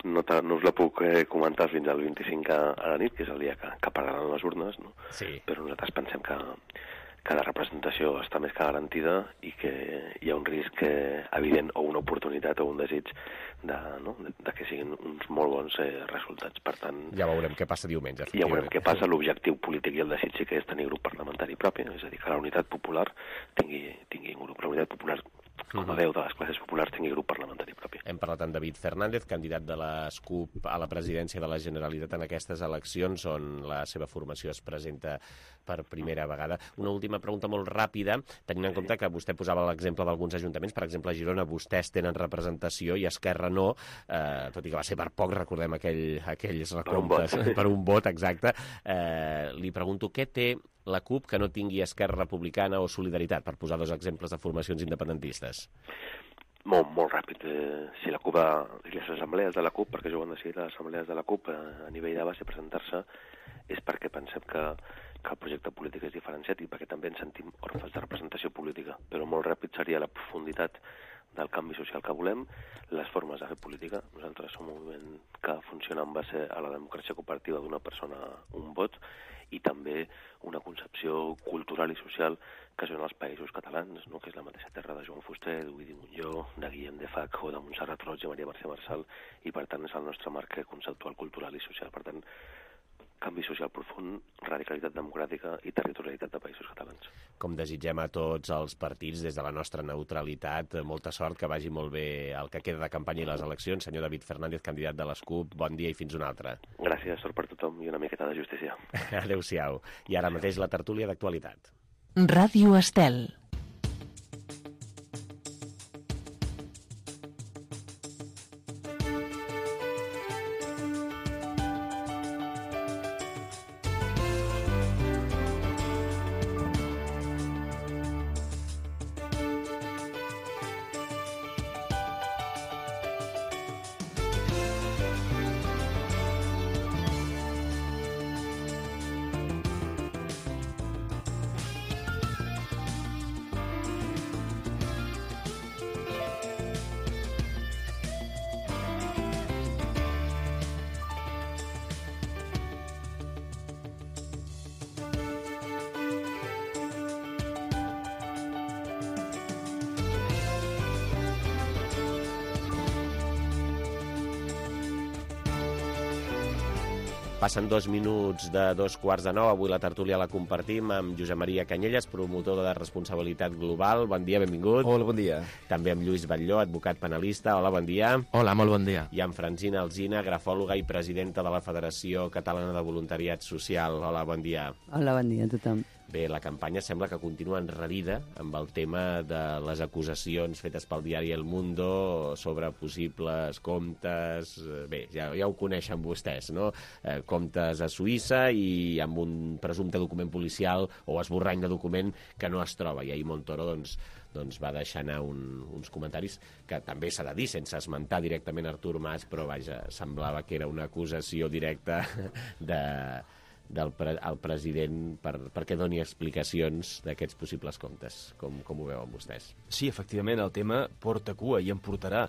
no, no us la puc eh, comentar fins al vint-i-cinc a, a la nit, que és el dia que, que pararan les urnes, no? Sí. Però nosaltres pensem que, que la representació està més que garantida i que hi ha un risc eh, evident o una oportunitat o un desig de, no? de, de que siguin uns molt bons eh, resultats. Per tant, ja veurem què passa diumenge. Ja veurem què passa. L'objectiu polític i el desig sí que és tenir grup parlamentari propi, és a dir, que la Unitat Popular tingui, tingui un grup. La Unitat Popular, com a veu de les classes populars, tingui grup parlamentari propi. Hem parlat amb David Fernández, candidat de la SCUP a la presidència de la Generalitat en aquestes eleccions, on la seva formació es presenta per primera vegada. Una última pregunta molt ràpida, tenint en compte que vostè posava l'exemple d'alguns ajuntaments, per exemple, a Girona vostès tenen representació i Esquerra no, eh, tot i que va ser per poc, recordem aquell, aquells recomptes per un vot, per un vot exacte. Eh, li pregunto, què té la CUP que no tingui Esquerra Republicana o Solidaritat, per posar dos exemples de formacions independentistes? Molt, molt ràpid. Eh, si la CUP ha, si les assemblees de la CUP, perquè jo ho han decidit les assemblees de la CUP a, a nivell de base presentar-se, és perquè pensem que, que el projecte polític és diferenciat i perquè també ens sentim orfes de representació política. Però molt ràpid seria la profunditat del canvi social que volem, les formes de fer política. Nosaltres som un moviment que funciona en base a la democràcia cooperativa d'una persona, un vot, i també una concepció cultural i social que són els països catalans, no? Que és la mateixa terra de Joan Fuster, d'Ovidi Montllor, de Guillem de Fac o de Montserrat Roig i Maria Mercè Marçal, i per tant és el nostre marc conceptual, cultural i social. Per tant, canvi social profund, radicalitat democràtica i territorialitat de països catalans. Com desitgem a tots els partits, des de la nostra neutralitat, molta sort, que vagi molt bé el que queda de campanya i les eleccions. Senyor David Fernández, candidat de l'SCUP, bon dia i fins una altra. Gràcies, sort per tothom i una miqueta de justícia. Adéu-siau. I ara mateix la tertúlia d'actualitat. Ràdio Estel. Passen dos minuts de dos quarts de nou. Avui la tertúlia la compartim amb Josep Maria Canyelles, promotor de responsabilitat global. Bon dia, benvingut. Hola, bon dia. També amb Lluís Batlló, advocat penalista. Hola, bon dia. Hola, molt bon dia. I amb Francina Alsina, grafòloga i presidenta de la Federació Catalana de Voluntariat Social. Hola, bon dia. Hola, bon dia a tothom. Bé, la campanya sembla que continua enrarida amb el tema de les acusacions fetes pel diari El Mundo sobre possibles comptes... Bé, ja, ja ho coneixen vostès, no? Eh, comptes a Suïssa i amb un presumpte document policial o esborrany de document que no es troba. I ahir Montoro, doncs, doncs va deixar anar un, uns comentaris que també s'ha de dir, sense esmentar directament Artur Mas, però vaja, semblava que era una acusació directa de... del pre el president per, perquè doni explicacions d'aquests possibles comptes. Com, com ho veuen vostès? Sí, efectivament, el tema porta cua i en portarà.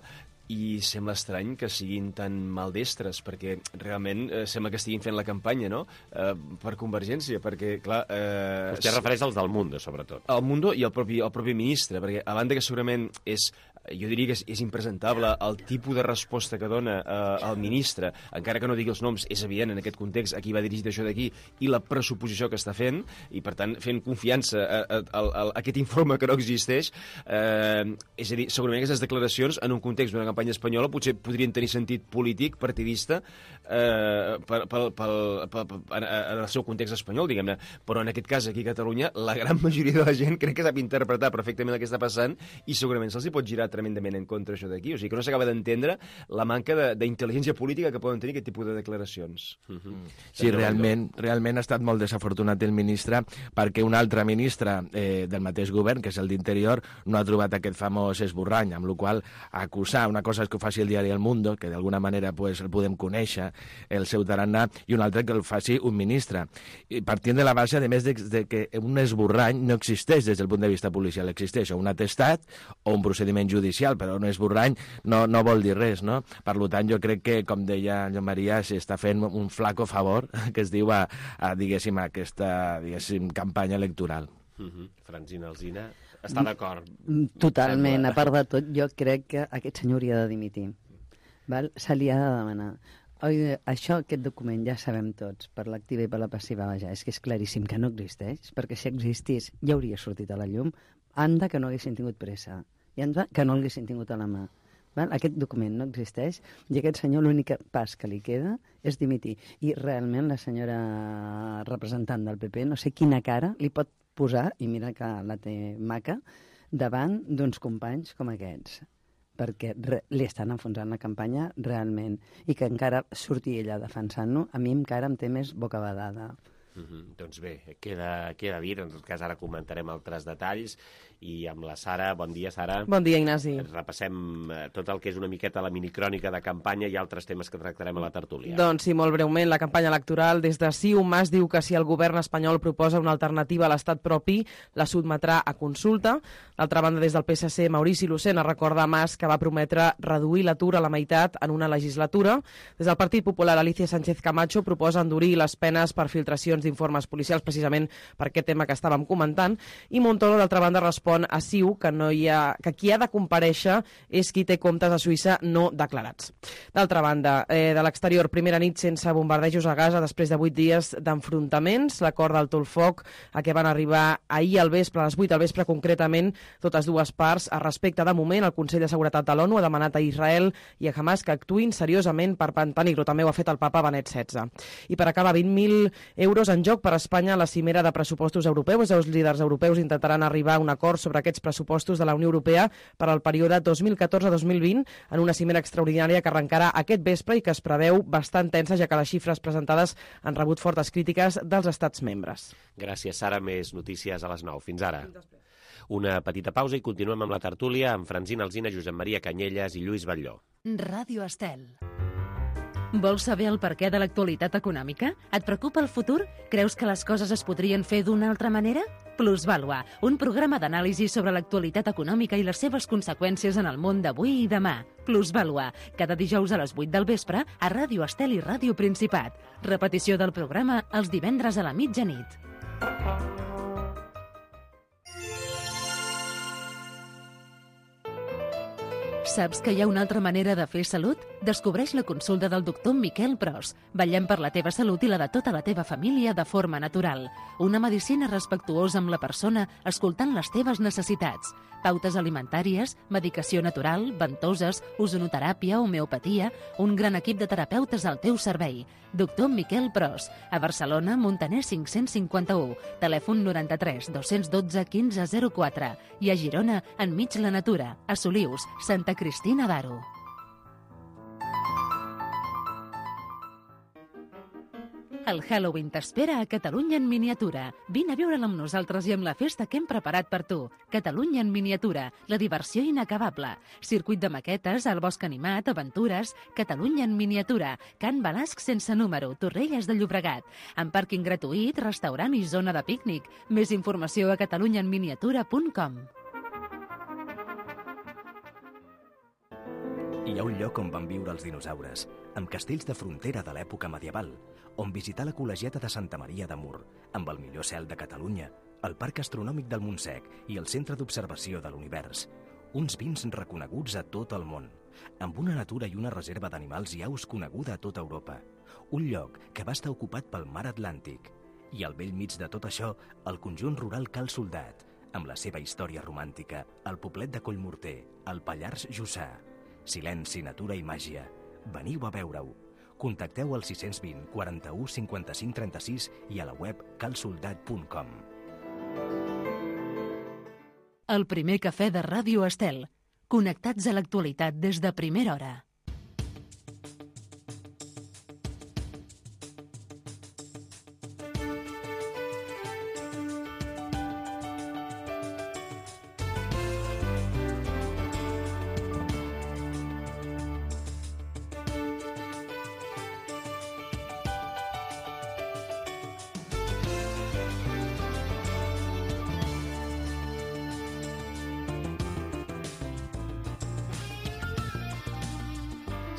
I sembla estrany que siguin tan maldestres, perquè realment eh, sembla que estiguin fent la campanya, no?, eh, per Convergència, perquè, clar... Eh, Vostè refereix als del Mundo, sobretot. El Mundo i el propi, el propi ministre, perquè a banda que segurament és jo diria que és, és impresentable el tipus de resposta que dona eh, el ministre, encara que no digui els noms, és evident en aquest context a qui va dirigit això d'aquí i la pressuposició que està fent, i per tant fent confiança a, a, a, a aquest informe que no existeix, eh, és a dir, segurament aquestes declaracions en un context d'una campanya espanyola potser podrien tenir sentit polític, partidista, eh, pel, pel, pel, pel, en, en el seu context espanyol, diguem-ne, però en aquest cas aquí a Catalunya la gran majoria de la gent crec que sap interpretar perfectament el que està passant i segurament se'ls hi pot girar tremendament en contra això d'aquí, o sigui que no s'acaba d'entendre la manca d'intel·ligència política que poden tenir aquest tipus de declaracions. Mm-hmm. Sí, realment, realment ha estat molt desafortunat el ministre perquè un altre ministre eh, del mateix govern, que és el d'Interior, no ha trobat aquest famós esborrany, amb la qual acusar, una cosa és que ho faci el diari El Mundo, que d'alguna manera pues, el podem conèixer, el seu tarannà, i una altra que el faci un ministre. I partint de la base, a més de, de que un esborrany no existeix des del punt de vista policial, existeix o un atestat o un procediment judicial, però un esborrany no, no vol dir res, no? Per tant, jo crec que, com deia Joan Maria, s'està fent un flaco favor, que es diu a, a diguéssim, a aquesta diguéssim, campanya electoral. Mm-hmm. Francina Alsina està d'acord? Totalment, a part de tot, jo crec que aquest senyor hauria de dimitir. Val? Se li ha de demanar. Oi, això, aquest document, ja sabem tots, per l'activa i per la passiva, vaja, és que és claríssim que no existeix, perquè si existís ja hauria sortit a la llum. Anda que no haguessin tingut pressa, i anda que no l'haguessin tingut a la mà. Val? Aquest document no existeix i aquest senyor l'únic pas que li queda és dimitir. I realment la senyora representant del P P, no sé quina cara li pot posar, i mira que la té maca, davant d'uns companys com aquests, perquè re, li estan enfonsant la campanya realment, i que encara surti ella defensant-lo, a mi encara em té més bocabadada. Mm-hmm. Doncs bé, queda, queda dit, en tot cas ara comentarem altres detalls, i amb la Sara, bon dia Sara. Bon dia Ignasi. Repassem tot el que és una miqueta la minicrònica de campanya i altres temes que tractarem a la tertúlia. Doncs sí, molt breument, la campanya electoral des de CiU, Mas diu que si el govern espanyol proposa una alternativa a l'estat propi, la sotmetrà a consulta. D'altra banda, des del P S C, Maurici Lucena recorda a Mas que va prometre reduir l'atur a la meitat en una legislatura. Des del Partit Popular, Alicia Sánchez Camacho proposa endurir les penes per filtracions d'informes policials, precisament per aquest tema que estàvem comentant, i Montoro, d'altra banda, respon a CiU que, no hi ha, que qui ha de comparèixer és qui té comptes a Suïssa no declarats. D'altra banda, eh, de l'exterior, primera nit sense bombardejos a Gaza després de vuit dies d'enfrontaments, l'acord del Tolfoc a què van arribar ahir al vespre, a les vuit al vespre concretament, totes dues parts. A respecte de moment, el Consell de Seguretat de l'ONU ha demanat a Israel i a Hamas que actuïn seriosament per mantenir-lo. També ho ha fet el papa Benet setze. I per acabar, vint mil euros en joc per a Espanya a la cimera de pressupostos europeus. Els líders europeus intentaran arribar a un acord sobre aquests pressupostos de la Unió Europea per al període dos mil catorze dos mil vint en una cimera extraordinària que arrencarà aquest vespre i que es preveu bastant tensa, ja que les xifres presentades han rebut fortes crítiques dels estats membres. Gràcies, Sara. Més notícies a les nou. Fins ara. Una petita pausa i continuem amb la tertúlia amb Francina Alsina, Josep Maria Canyelles i Lluís Batlló. Ràdio Estel. Vols saber el perquè de l'actualitat econòmica? Et preocupa el futur? Creus que les coses es podrien fer d'una altra manera? Plusvàlua, un programa d'anàlisi sobre l'actualitat econòmica i les seves conseqüències en el món d'avui i demà. Plusvàlua, cada dijous a les vuit del vespre a Ràdio Estel i Ràdio Principat. Repetició del programa els divendres a la mitjanit. Saps que hi ha una altra manera de fer salut? Descobreix la consulta del doctor Miquel Pros. Vetllem per la teva salut i la de tota la teva família de forma natural. Una medicina respectuosa amb la persona, escoltant les teves necessitats. Pautes alimentàries, medicació natural, ventoses, ozonoteràpia, homeopatia, un gran equip de terapeutes al teu servei. Doctor Miquel Pros, a Barcelona, Montaner cinc-cents cinquanta-u, telèfon noranta-tres dos-cents dotze quinze zero quatre i a Girona, enmig la natura, a Solius, Santa Cristina d'Aro. El Halloween t'espera a Catalunya en miniatura. Vine a viure'l amb nosaltres i amb la festa que hem preparat per tu. Catalunya en miniatura, la diversió inacabable. Circuit de maquetes, el bosc animat, aventures... Catalunya en miniatura, Can Balasc sense número, Torrelles de Llobregat. Amb pàrquing gratuït, restaurant i zona de pícnic. Més informació a catalunya en miniatura punt com. Hi ha un lloc on van viure els dinosaures, amb castells de frontera de l'època medieval, on visitar la col·legiata de Santa Maria de Mur, amb el millor cel de Catalunya, el Parc Astronòmic del Montsec i el Centre d'Observació de l'Univers. uns vins reconeguts a tot el món, amb una natura i una reserva d'animals i aus coneguda a tota Europa. Un lloc que va estar ocupat pel mar Atlàntic. I al vell mig de tot això, el conjunt rural Cal Soldat, amb la seva història romàntica, el poblet de Collmorter, el Pallars Jussà. Silenci, natura i màgia. Veniu a veure-ho. Contacteu al sis dos zero, quaranta-u, cinquanta-cinc, trenta-sis i a la web cal soldat punt com. El primer cafè de Ràdio Estel. Connectats a l'actualitat des de primera hora.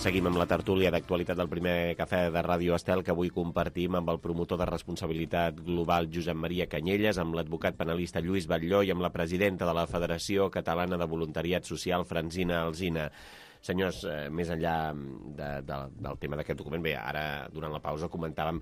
Seguim amb la tertúlia d'actualitat del primer cafè de Ràdio Estel, que avui compartim amb el promotor de responsabilitat global Josep Maria Canyelles, amb l'advocat penalista Lluís Batlló i amb la presidenta de la Federació Catalana de Voluntariat Social, Francina Alsina. Senyors, eh, més enllà de, de, del tema d'aquest document, bé, ara durant la pausa comentàvem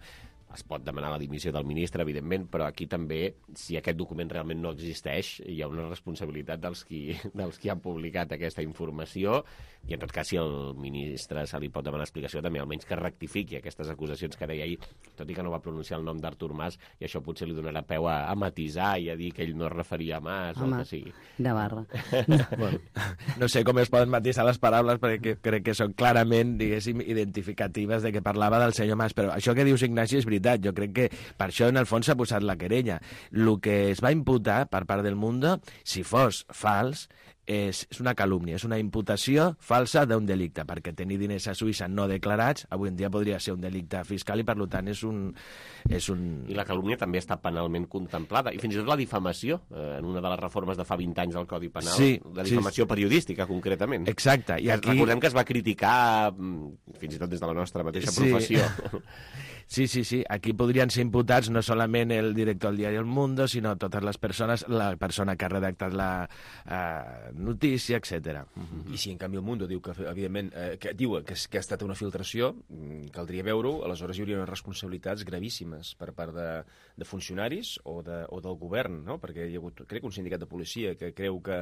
es pot demanar la dimissió del ministre, evidentment, però aquí també, si aquest document realment no existeix, hi ha una responsabilitat dels qui, dels qui han publicat aquesta informació, i en tot cas, si al ministre se li pot demanar explicació, també almenys que rectifiqui aquestes acusacions que deia ahir, tot i que no va pronunciar el nom d'Artur Mas, i això potser li donarà peu a, a matisar i a dir que ell no es referia a Mas, Home, o el que sigui. De barra. Bueno, no sé com es poden matisar les paraules, perquè crec que són clarament, diguéssim, identificatives de que parlava del senyor Mas, però això que dius, Ignasi, és veritat. Jo crec que per això en el fons s'ha posat la querella. El que es va imputar per part del Mundo, si fos fals, és, és una calúmnia, és una imputació falsa d'un delicte, perquè tenir diners a Suïssa no declarats avui en dia podria ser un delicte fiscal i per tant és un... És un... I la calúmnia també està penalment contemplada, i fins i tot la difamació, eh, en una de les reformes de fa vint anys del Codi Penal, sí, la difamació sí. periodística, concretament. Exacte. I aquí... Recordem que es va criticar, fins i tot des de la nostra mateixa sí. professió. Sí, sí, sí. Aquí podrien ser imputats no solament el director del diari El Mundo, sinó totes les persones, la persona que ha redactat la uh, notícia, etcètera. I si en canvi El Mundo diu que, evidentment, eh, que diu que, que ha estat una filtració, caldria veure-ho, aleshores hi hauria unes responsabilitats gravíssimes per part de, de funcionaris o, de, o del govern, no? Perquè hi ha hagut, crec, un sindicat de policia que creu que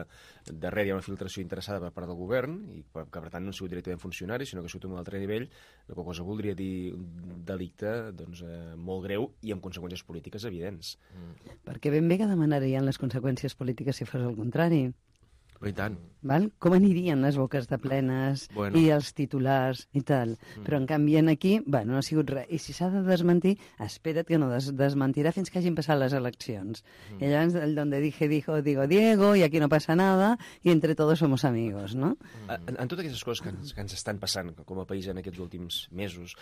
darrere hi ha una filtració interessada per part del govern i que, per tant, no ha sigut directament funcionari, sinó que ha sigut a un altre nivell, la qual cosa voldria dir un delicte doncs, eh, molt greu i amb conseqüències polítiques evidents. Mm. Perquè ben bé que demanarien les conseqüències polítiques si fos el contrari. I tant. Val? Com anirien les boques de plenes bueno. i els titulars i tal. Mm. Però en canvi aquí, bueno, no ha sigut res. I si s'ha de desmentir, espera't que no des desmentirà fins que hagin passat les eleccions. Mm. I llavors, el donde dije, dijo, digo Diego, i aquí no passa nada, i entre todos somos amigos, no? Mm. En, en totes aquestes coses que ens, que ens estan passant com a país en aquests últims mesos,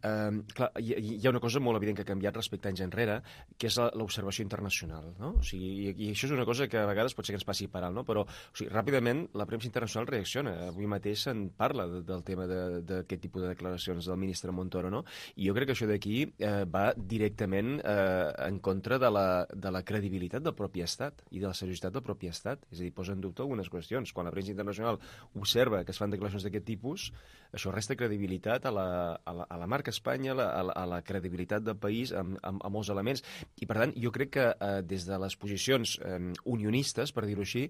eh, clar, hi, hi ha una cosa molt evident que ha canviat respecte a anys enrere, que és l'observació internacional, no? O sigui, i, i això és una cosa que a vegades pot ser que ens passi per alt, no? Però, o sigui, ràpidament la premsa internacional reacciona. Avui mateix se'n parla de, del tema d'aquest tipus de declaracions del ministre Montoro, no? I jo crec que això d'aquí eh, va directament eh, en contra de la, de la credibilitat del propi Estat i de la seriositat del propi Estat. És a dir, posa en dubte algunes qüestions. Quan la premsa internacional observa que es fan declaracions d'aquest tipus, això resta credibilitat a la, a la, a la marca Espanya, a la, a la, a la credibilitat del país, amb, amb, amb molts elements. I, per tant, jo crec que eh, des de les posicions eh, unionistes, per dir-ho així,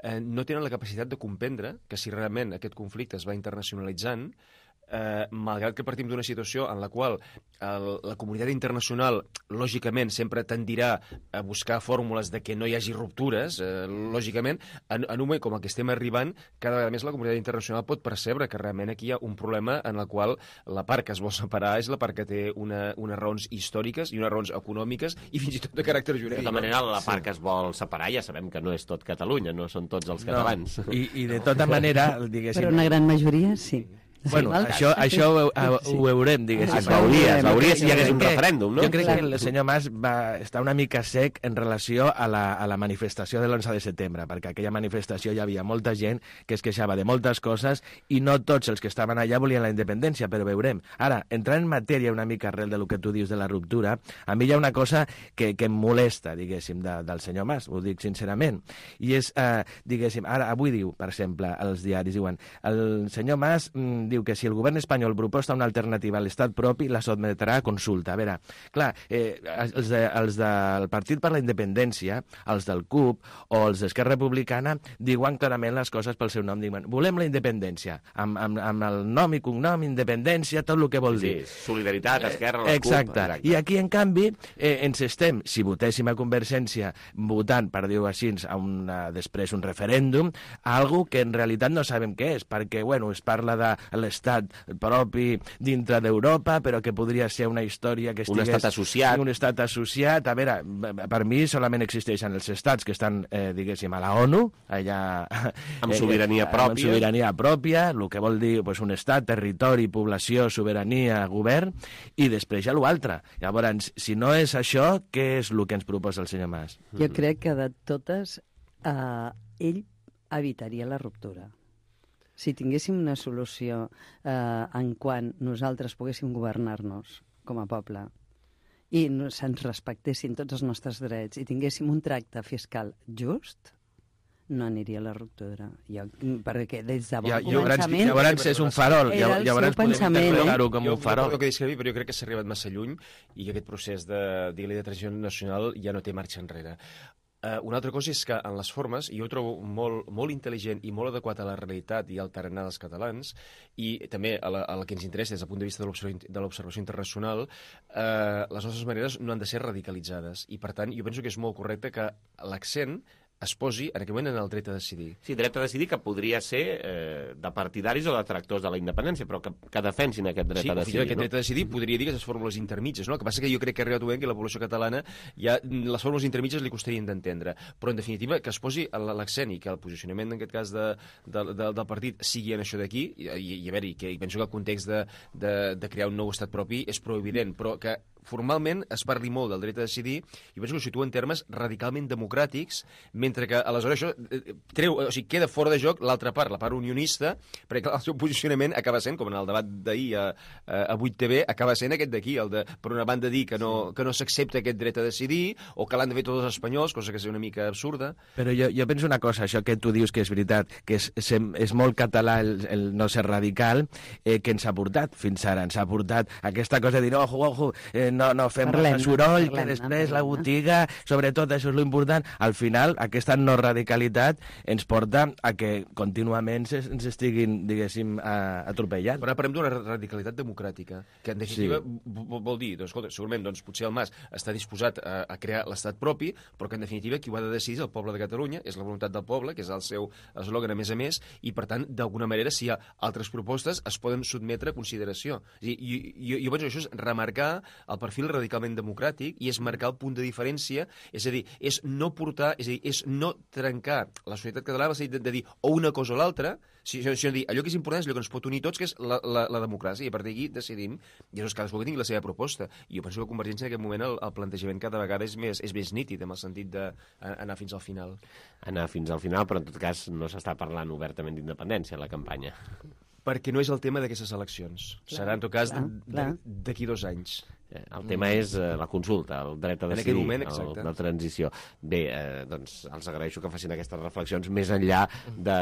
eh, no tenen la capacitat de comprendre que si realment aquest conflicte es va internacionalitzant, eh, malgrat que partim d'una situació en la qual el, la comunitat internacional lògicament sempre tendirà a buscar fórmules de que no hi hagi ruptures, eh, lògicament, en, en un moment com el que estem arribant, cada vegada més la comunitat internacional pot percebre que realment aquí hi ha un problema en el qual la part que es vol separar és la part que té una, unes raons històriques i unes raons econòmiques i fins i tot de caràcter jurídic. De tota manera, la part sí. que es vol separar ja sabem que no és tot Catalunya, no són tots els catalans. No. I, I de tota manera, diguéssim... Però una gran majoria, sí. Bueno, això, això ho, ho, ho veurem, diguéssim. Es veuria, es veuria si hi hagués un referèndum, no? Jo crec que el senyor Mas va estar una mica sec en relació a la, a la manifestació de l'onze de setembre, perquè aquella manifestació hi havia molta gent que es queixava de moltes coses i no tots els que estaven allà volien la independència, però veurem. Ara, entrant en matèria una mica arrel de lo que tu dius de la ruptura, a mi hi ha una cosa que, que em molesta, diguéssim, de, del senyor Mas, ho dic sincerament, i és, eh, diguéssim, ara, avui diu, per exemple, als diaris, diuen, el senyor Mas mm, diu que si el govern espanyol proposta una alternativa a l'estat propi, la sotmetrà a consulta. A veure, clar, eh, els, de, els del Partit per la Independència, els del C U P o els d'Esquerra Republicana diuen clarament les coses pel seu nom. Diuen, volem la independència, amb, amb, amb el nom i cognom, independència, tot el que vol dir. Sí, solidaritat, Esquerra, la exacte. C U P. Exacte. I aquí, en canvi, eh, ens estem, si votéssim a Convergència, votant, per dir-ho així, a una, després un referèndum, a algo que en realitat no sabem què és, perquè, bueno, es parla de l'estat propi dintre d'Europa, però que podria ser una història que estigués... Un estat associat. Un estat associat. A veure, per mi solament existeixen els estats que estan, eh, diguéssim, a la ONU, allà... Amb sobirania eh, pròpia. Amb sobirania pròpia, el que vol dir pues, un estat, territori, població, sobirania, govern, i després hi ha l'altre. Llavors, si no és això, què és el que ens proposa el senyor Mas? Jo crec que de totes, eh, ell evitaria la ruptura. Si tinguéssim una solució eh, en quan nosaltres poguéssim governar-nos com a poble i no, se'ns respectessin tots els nostres drets i tinguéssim un tracte fiscal just, no aniria a la ruptura. Jo, perquè des de bon ja, començament... Llavors és un farol. Era el llavors seu pensament, eh? Com un farol. Jo, jo, jo que discrepi, però jo crec que s'ha arribat massa lluny i aquest procés de, de transició nacional ja no té marxa enrere. Uh, una altra cosa és que en les formes, i jo ho trobo molt, molt intel·ligent i molt adequat a la realitat i al tarannà dels catalans, i també a la, a la que ens interessa des del punt de vista de l'observació internacional, uh, les nostres maneres no han de ser radicalitzades. I, per tant, jo penso que és molt correcte que l'accent es posi en aquell moment en el dret a decidir. Sí, dret a decidir que podria ser eh, de partidaris o de tractors de la independència, però que, que defensin aquest dret sí, a decidir. Sí, aquest no? dret a decidir podria dir que les fórmules intermitges, no? El que passa que jo crec que ha arribat un moment que la població catalana ja les fórmules intermitges li costarien d'entendre, però en definitiva que es posi l'accent i que el posicionament en aquest cas de, de, de, del partit sigui en això d'aquí, i, i, i a veure, que penso que el context de, de, de crear un nou estat propi és prou evident, però que formalment es parli molt del dret a decidir, i penso que ho situa en termes radicalment democràtics, mentre que aleshores això treu, o sigui, queda fora de joc l'altra part, la part unionista, perquè el seu posicionament acaba sent, com en el debat d'ahir a, a vuit T V, acaba sent aquest d'aquí, el de, per una banda, dir que no, que no s'accepta aquest dret a decidir, o que l'han de fer tots els espanyols, cosa que és una mica absurda. Però jo, jo penso una cosa, això que tu dius que és veritat, que és, és, és molt català el, el no ser radical, eh, que ens ha portat fins ara, ens ha portat aquesta cosa de dir, ojo, ojo, eh, no, no fem parlem, soroll, parlem, que després parlem, la botiga, sobretot això és l'important. Al final, aquesta no radicalitat ens porta a que contínuament ens estiguin, diguéssim, atropellant. Però ara parlem d'una radicalitat democràtica, que en definitiva sí. vol dir, doncs, escolta, segurament doncs, potser el Mas està disposat a, a crear l'estat propi, però que en definitiva qui ho ha de decidir és el poble de Catalunya, és la voluntat del poble, que és el seu eslògan a més a més, i per tant, d'alguna manera, si hi ha altres propostes, es poden sotmetre a consideració. És a dir, jo, jo penso que això és remarcar el perfil radicalment democràtic i és marcar el punt de diferència, és a dir, és no portar, és a dir, és no trencar la societat catalana, és a dir, de, de dir o una cosa o l'altra, sinó si, si dir, allò que és important és allò que ens pot unir tots, que és la, la, la democràcia, i a partir d'aquí decidim, i això és cadascú que tingui la seva proposta. I jo penso que Convergència en aquest moment el, el plantejament cada vegada és més, és més nítid, en el sentit d'anar fins al final. Anar fins al final, però en tot cas no s'està parlant obertament d'independència a la campanya. Perquè no és el tema d'aquestes eleccions. Clar, serà, en tot cas, d'aquí dos anys. El tema és eh, la consulta, el dret a decidir, moment, el, la transició. Bé, eh, doncs els agraeixo que facin aquestes reflexions més enllà de,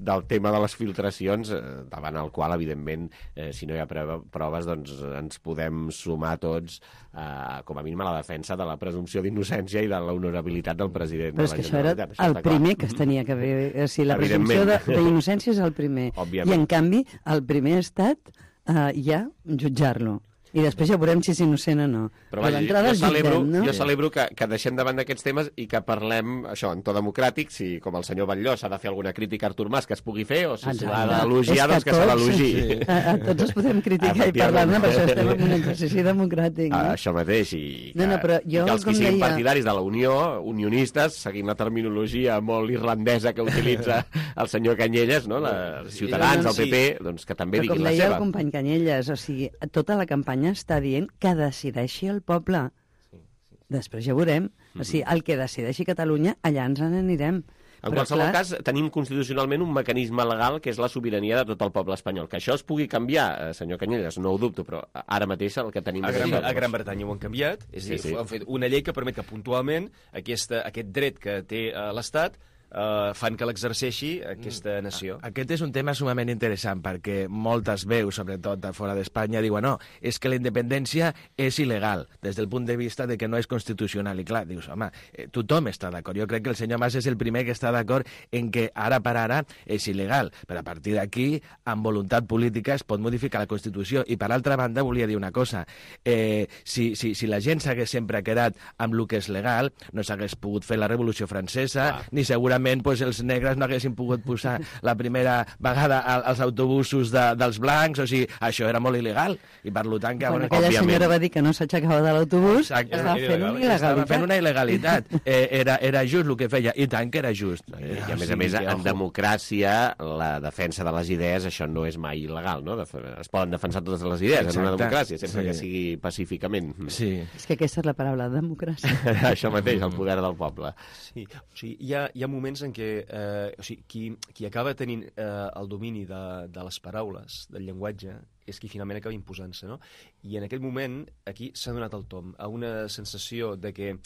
del tema de les filtracions, eh, davant el qual, evidentment, eh, si no hi ha prova, proves, doncs ens podem sumar tots, eh, com a mínim, a la defensa de la presumpció d'innocència i de l'honorabilitat del president. Però és que això era el primer que es tenia que fer. O sigui, la presumpció d'innocència és el primer. Òbviament. I, en canvi, el primer ha estat eh, ja jutjar-lo. I després ja veurem si és innocent o no. Però, però vaja, jo, celebro, jutgem, no? jo celebro que, que deixem davant d'aquests temes i que parlem, això, en to democràtic, si com el senyor Batlló s'ha de fer alguna crítica a Artur Mas que es pugui fer, o si s'ha d'elogiar, doncs que, que se l'elogi. Sí. A, a tots els podem criticar i parlar-ne, per això estem en un exercici democràtic. No? Ah, això mateix, i que, no, no, però jo, i que els que siguin deia... partidaris de la Unió, unionistes, seguint la terminologia molt irlandesa que utilitza el senyor Canyelles, no? La, els ciutadans, el P P, doncs que també diguin la seva. Com deia el company Canyelles, o sigui, tota la campanya està dient que decideixi el poble. Sí, sí. Després ja veurem. Mm-hmm. O sigui, el que decideixi Catalunya, allà ens n'anirem. En Però, qualsevol clar... cas, tenim constitucionalment un mecanisme legal que és la sobirania de tot el poble espanyol. Que això es pugui canviar, senyor Canyelles, no ho dubto, però ara mateix el que tenim... A Gran, a Gran Bretanya ho han canviat, és a dir, sí, sí. han fet una llei que permet que puntualment aquesta, aquest dret que té uh, l'Estat Uh, fan que l'exerceixi aquesta nació. Aquest és un tema sumament interessant perquè moltes veus, sobretot de fora d'Espanya, diuen no, és que la independència és il·legal des del punt de vista de que no és constitucional. I clar, dius, home, eh, tothom està d'acord. Jo crec que el senyor Mas és el primer que està d'acord en que ara per ara és il·legal, però a partir d'aquí, amb voluntat política, es pot modificar la Constitució. I per altra banda, volia dir una cosa. Eh, si, si, si la gent s'hagués sempre quedat amb el que és legal, no s'hagués pogut fer la Revolució Francesa, ah. ni segurament pues, els negres no haguessin pogut posar la primera vegada als autobusos de, dels blancs, o sigui, això era molt il·legal, i per tant que... Quan aquella òbviament... senyora va dir que no s'aixecava de l'autobús, estava fent una il·legalitat. Estava fent una il·legalitat. Eh, era, era just el que feia, i tant que era just. I a més a més, en democràcia, la defensa de les idees, això no és mai il·legal, no? Es poden defensar totes les idees Exacte. en una democràcia, sempre sí. que sigui pacíficament. Sí. És que aquesta és la paraula, democràcia. Això mateix, el poder del poble. Sí, o sigui, hi ha, hi ha moments en què eh, o sigui, qui, qui acaba tenint eh, el domini de, de les paraules, del llenguatge, és qui finalment acaba imposant-se, no? I en aquell moment, aquí s'ha donat el tom a una sensació de que,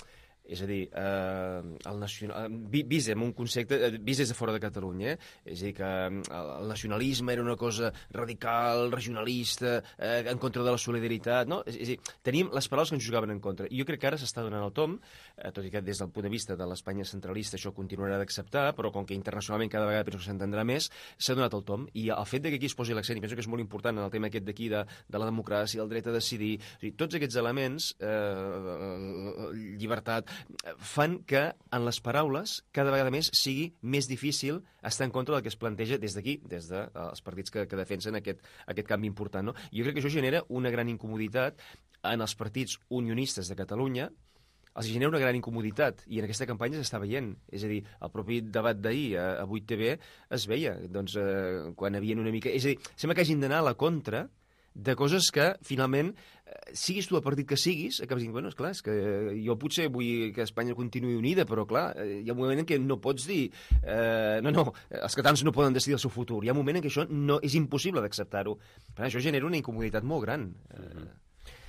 és a dir, eh, el nacional... vist en un concepte, vist des de fora de Catalunya, eh? És a dir, que el nacionalisme era una cosa radical, regionalista, eh, en contra de la solidaritat, no? És, és a dir, teníem les paraules que ens jugaven en contra. I jo crec que ara s'està donant el tom, eh, tot i que des del punt de vista de l'Espanya centralista això continuarà d'acceptar, però com que internacionalment cada vegada penso que s'entendrà més, s'ha donat el tom. I el fet de que aquí es posi l'accent, i penso que és molt important en el tema aquest d'aquí, de, de la democràcia, el dret a decidir, o sigui, tots aquests elements, eh, llibertat, fan que en les paraules cada vegada més sigui més difícil estar en contra del que es planteja des d'aquí, des dels de, partits que, que defensen aquest, aquest canvi important. No? Jo crec que això genera una gran incomoditat en els partits unionistes de Catalunya, els genera una gran incomoditat, i en aquesta campanya s'està veient. És a dir, el propi debat d'ahir a, a vuit T V es veia, doncs, eh, quan havien una mica... És a dir, sembla que hagin d'anar a la contra de coses que, finalment, siguis tu el partit que siguis, acabes dient, bueno, esclar, és que jo potser vull que Espanya continuï unida, però, clar, hi ha un moment en què no pots dir eh, no, no, els catalans no poden decidir el seu futur. Hi ha un moment en què això no, és impossible d'acceptar-ho. Per tant, això genera una incomoditat molt gran. Mm-hmm.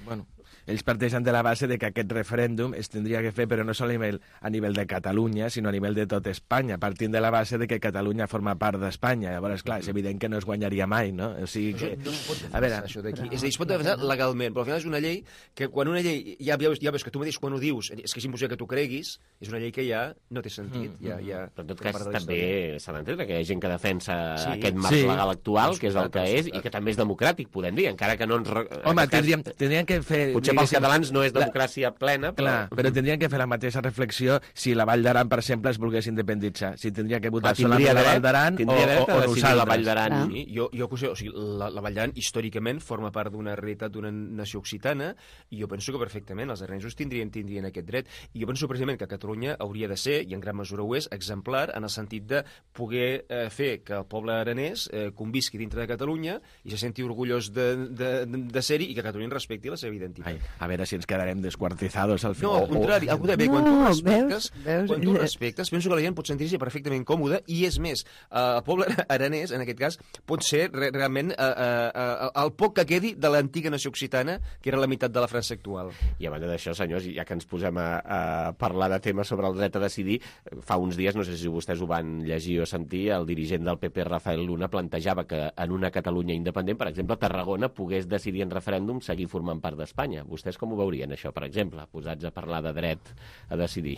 Bueno, ells parteixen de la base de que aquest referèndum es tindria que fer, però no sol a nivell, a nivell de Catalunya, sinó a nivell de tot Espanya, partint de la base de que Catalunya forma part d'Espanya. Llavors, clar, és evident que no es guanyaria mai, no? O sigui que... No es pot defensar, a veure, això d'aquí. És a dir, es pot defensar legalment, però al final és una llei que quan una llei, ja, ja, veus, ja veus que tu mateix quan ho dius, és que és impossible que tu creguis, és una llei que ja no té sentit. Mm, ja, ja, però en tot cas també s'ha d'entendre que hi ha gent que defensa sí. aquest marc sí. legal actual, que és el que és, i que també és democràtic, podem dir, encara que no ens... Home, tindríem, tindríem que fer... Potser pels catalans no és democràcia plena, però... Clar, però tindrien que fer la mateixa reflexió si la Vall d'Aran, per exemple, es volgués independitzar. Si tindria que votar solament la Vall d'Aran o, o, o nosaltres. La Vall d'Aran. Ah. Sí, jo, jo, o sigui, la, la Vall d'Aran històricament forma part d'una realitat d'una nació occitana, i jo penso que perfectament els aranesos tindrien, tindrien aquest dret. I jo penso precisament que Catalunya hauria de ser, i en gran mesura ho és, exemplar en el sentit de poder eh, fer que el poble aranès eh, convisqui dintre de Catalunya i se senti orgullós de, de, de, de ser-hi, i que Catalunya respecti la seva identitat. Ai, a veure si ens quedarem desquartizados al final. No, al contrari, al contrari. No, quan tu respectes, veus, veus, quan tu respectes, penso que la gent pot sentir-se perfectament còmoda, i és més, eh, el poble aranès, en aquest cas, pot ser re realment eh, eh, el poc que quedi de l'antiga nació occitana, que era la meitat de la França actual. I a banda d'això, senyors, ja que ens posem a, a parlar de temes sobre el dret a decidir, fa uns dies, no sé si vostès ho van llegir o sentir, el dirigent del P P, Rafael Luna, plantejava que en una Catalunya independent, per exemple, Tarragona pogués decidir en referèndum seguir formant part d'Espanya. Vostès com ho veurien, això, per exemple, posats a parlar de dret a decidir?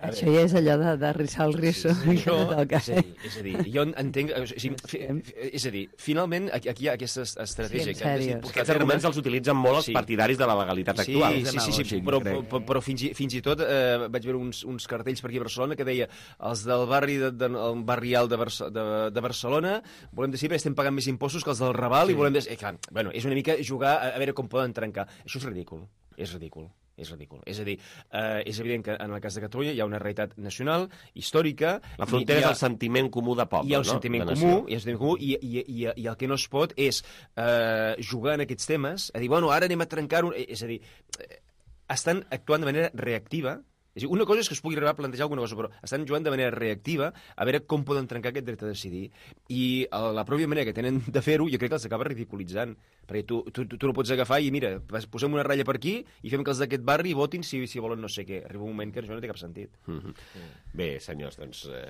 Això ja és allò de, de rissar el risso. Sí, sí, això, és, a dir, és a dir, jo entenc... O sigui, fi, és a dir, finalment, aquí, aquí hi ha aquesta estratègia... Sí, en sèrio. Que aquests arguments els utilitzen molt els sí. partidaris de la legalitat actual. Sí, sí, sí, sí, però, però, però fins, i, fins i tot eh, vaig veure uns, uns cartells per aquí a Barcelona que deia els del barri de, de, el barri alt de, Barça, de, de Barcelona volem decidir perquè estem pagant més impostos que els del Raval sí. i volem... Des... Eh, clar, bueno, és una mica jugar a, a veure com poden trencar. Això és ridícul, és ridícul. És ridícul. És a dir, eh, és evident que en el cas de Catalunya hi ha una realitat nacional, històrica... La frontera ha... és el sentiment comú de poble, no? Hi ha el sentiment no? comú, hi ha el sentiment comú i, i, i, i el que no es pot és eh, jugar en aquests temes, a dir, bueno, ara anem a trencar-ho... És a dir, estan actuant de manera reactiva. És a dir, una cosa és que es pugui arribar a plantejar alguna cosa, però estan jugant de manera reactiva a veure com poden trencar aquest dret a decidir. I la pròpia manera que tenen de fer-ho jo crec que els acaba ridiculitzant. Perquè tu, tu, tu no pots agafar i, mira, posem una ratlla per aquí i fem que els d'aquest barri votin si, si volen no sé què. Arriba un moment que això no té cap sentit. Mm-hmm. Mm. Bé, senyors, doncs eh,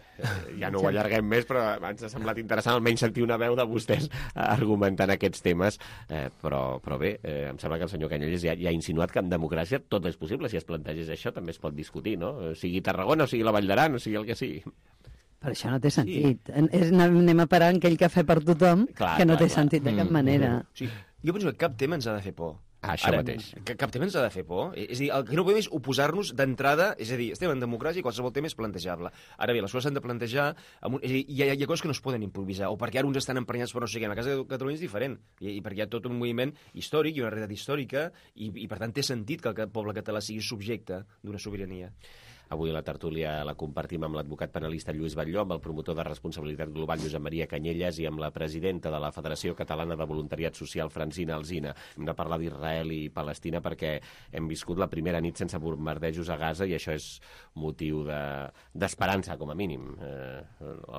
ja no ho allarguem més, però ens ha semblat interessant almenys sentir una veu de vostès argumentant aquests temes. Eh, però, però bé, eh, em sembla que el senyor Canyelles ja, ja ha insinuat que en democràcia tot és possible. Si es plantegés això també es pot discutir, no? Sigui Tarragona, o sigui la Vall d'Aran, o sigui el que sigui. Però això no té sentit. Sí. Anem a parar en aquell cafè per tothom, clar, que no clar, té clar. sentit de cap mm. manera. Sí. Jo penso que cap tema ens ha de fer por. Ah, això Ara, mateix. Que cap tema ens ha de fer por. És a dir, el que no podem és oposar-nos d'entrada, és a dir, estem en democràcia i qualsevol tema és plantejable. Ara bé, les coses s'han de plantejar, amb un, és a dir, hi ha, hi ha coses que no es poden improvisar, o perquè ara uns estan emprenyats per no sé què. En el cas de Catalunya és diferent, i, i perquè hi ha tot un moviment històric i una realitat històrica, i, i per tant té sentit que el poble català sigui subjecte d'una sobirania. Avui la tertúlia la compartim amb l'advocat penalista Lluís Batlló, amb el promotor de responsabilitat global Josep Maria Canyelles i amb la presidenta de la Federació Catalana de Voluntariat Social Francina Alsina. Hem de parlar d'Israel i Palestina perquè hem viscut la primera nit sense bombardejos a Gaza i això és motiu d'esperança, de, com a mínim. Eh,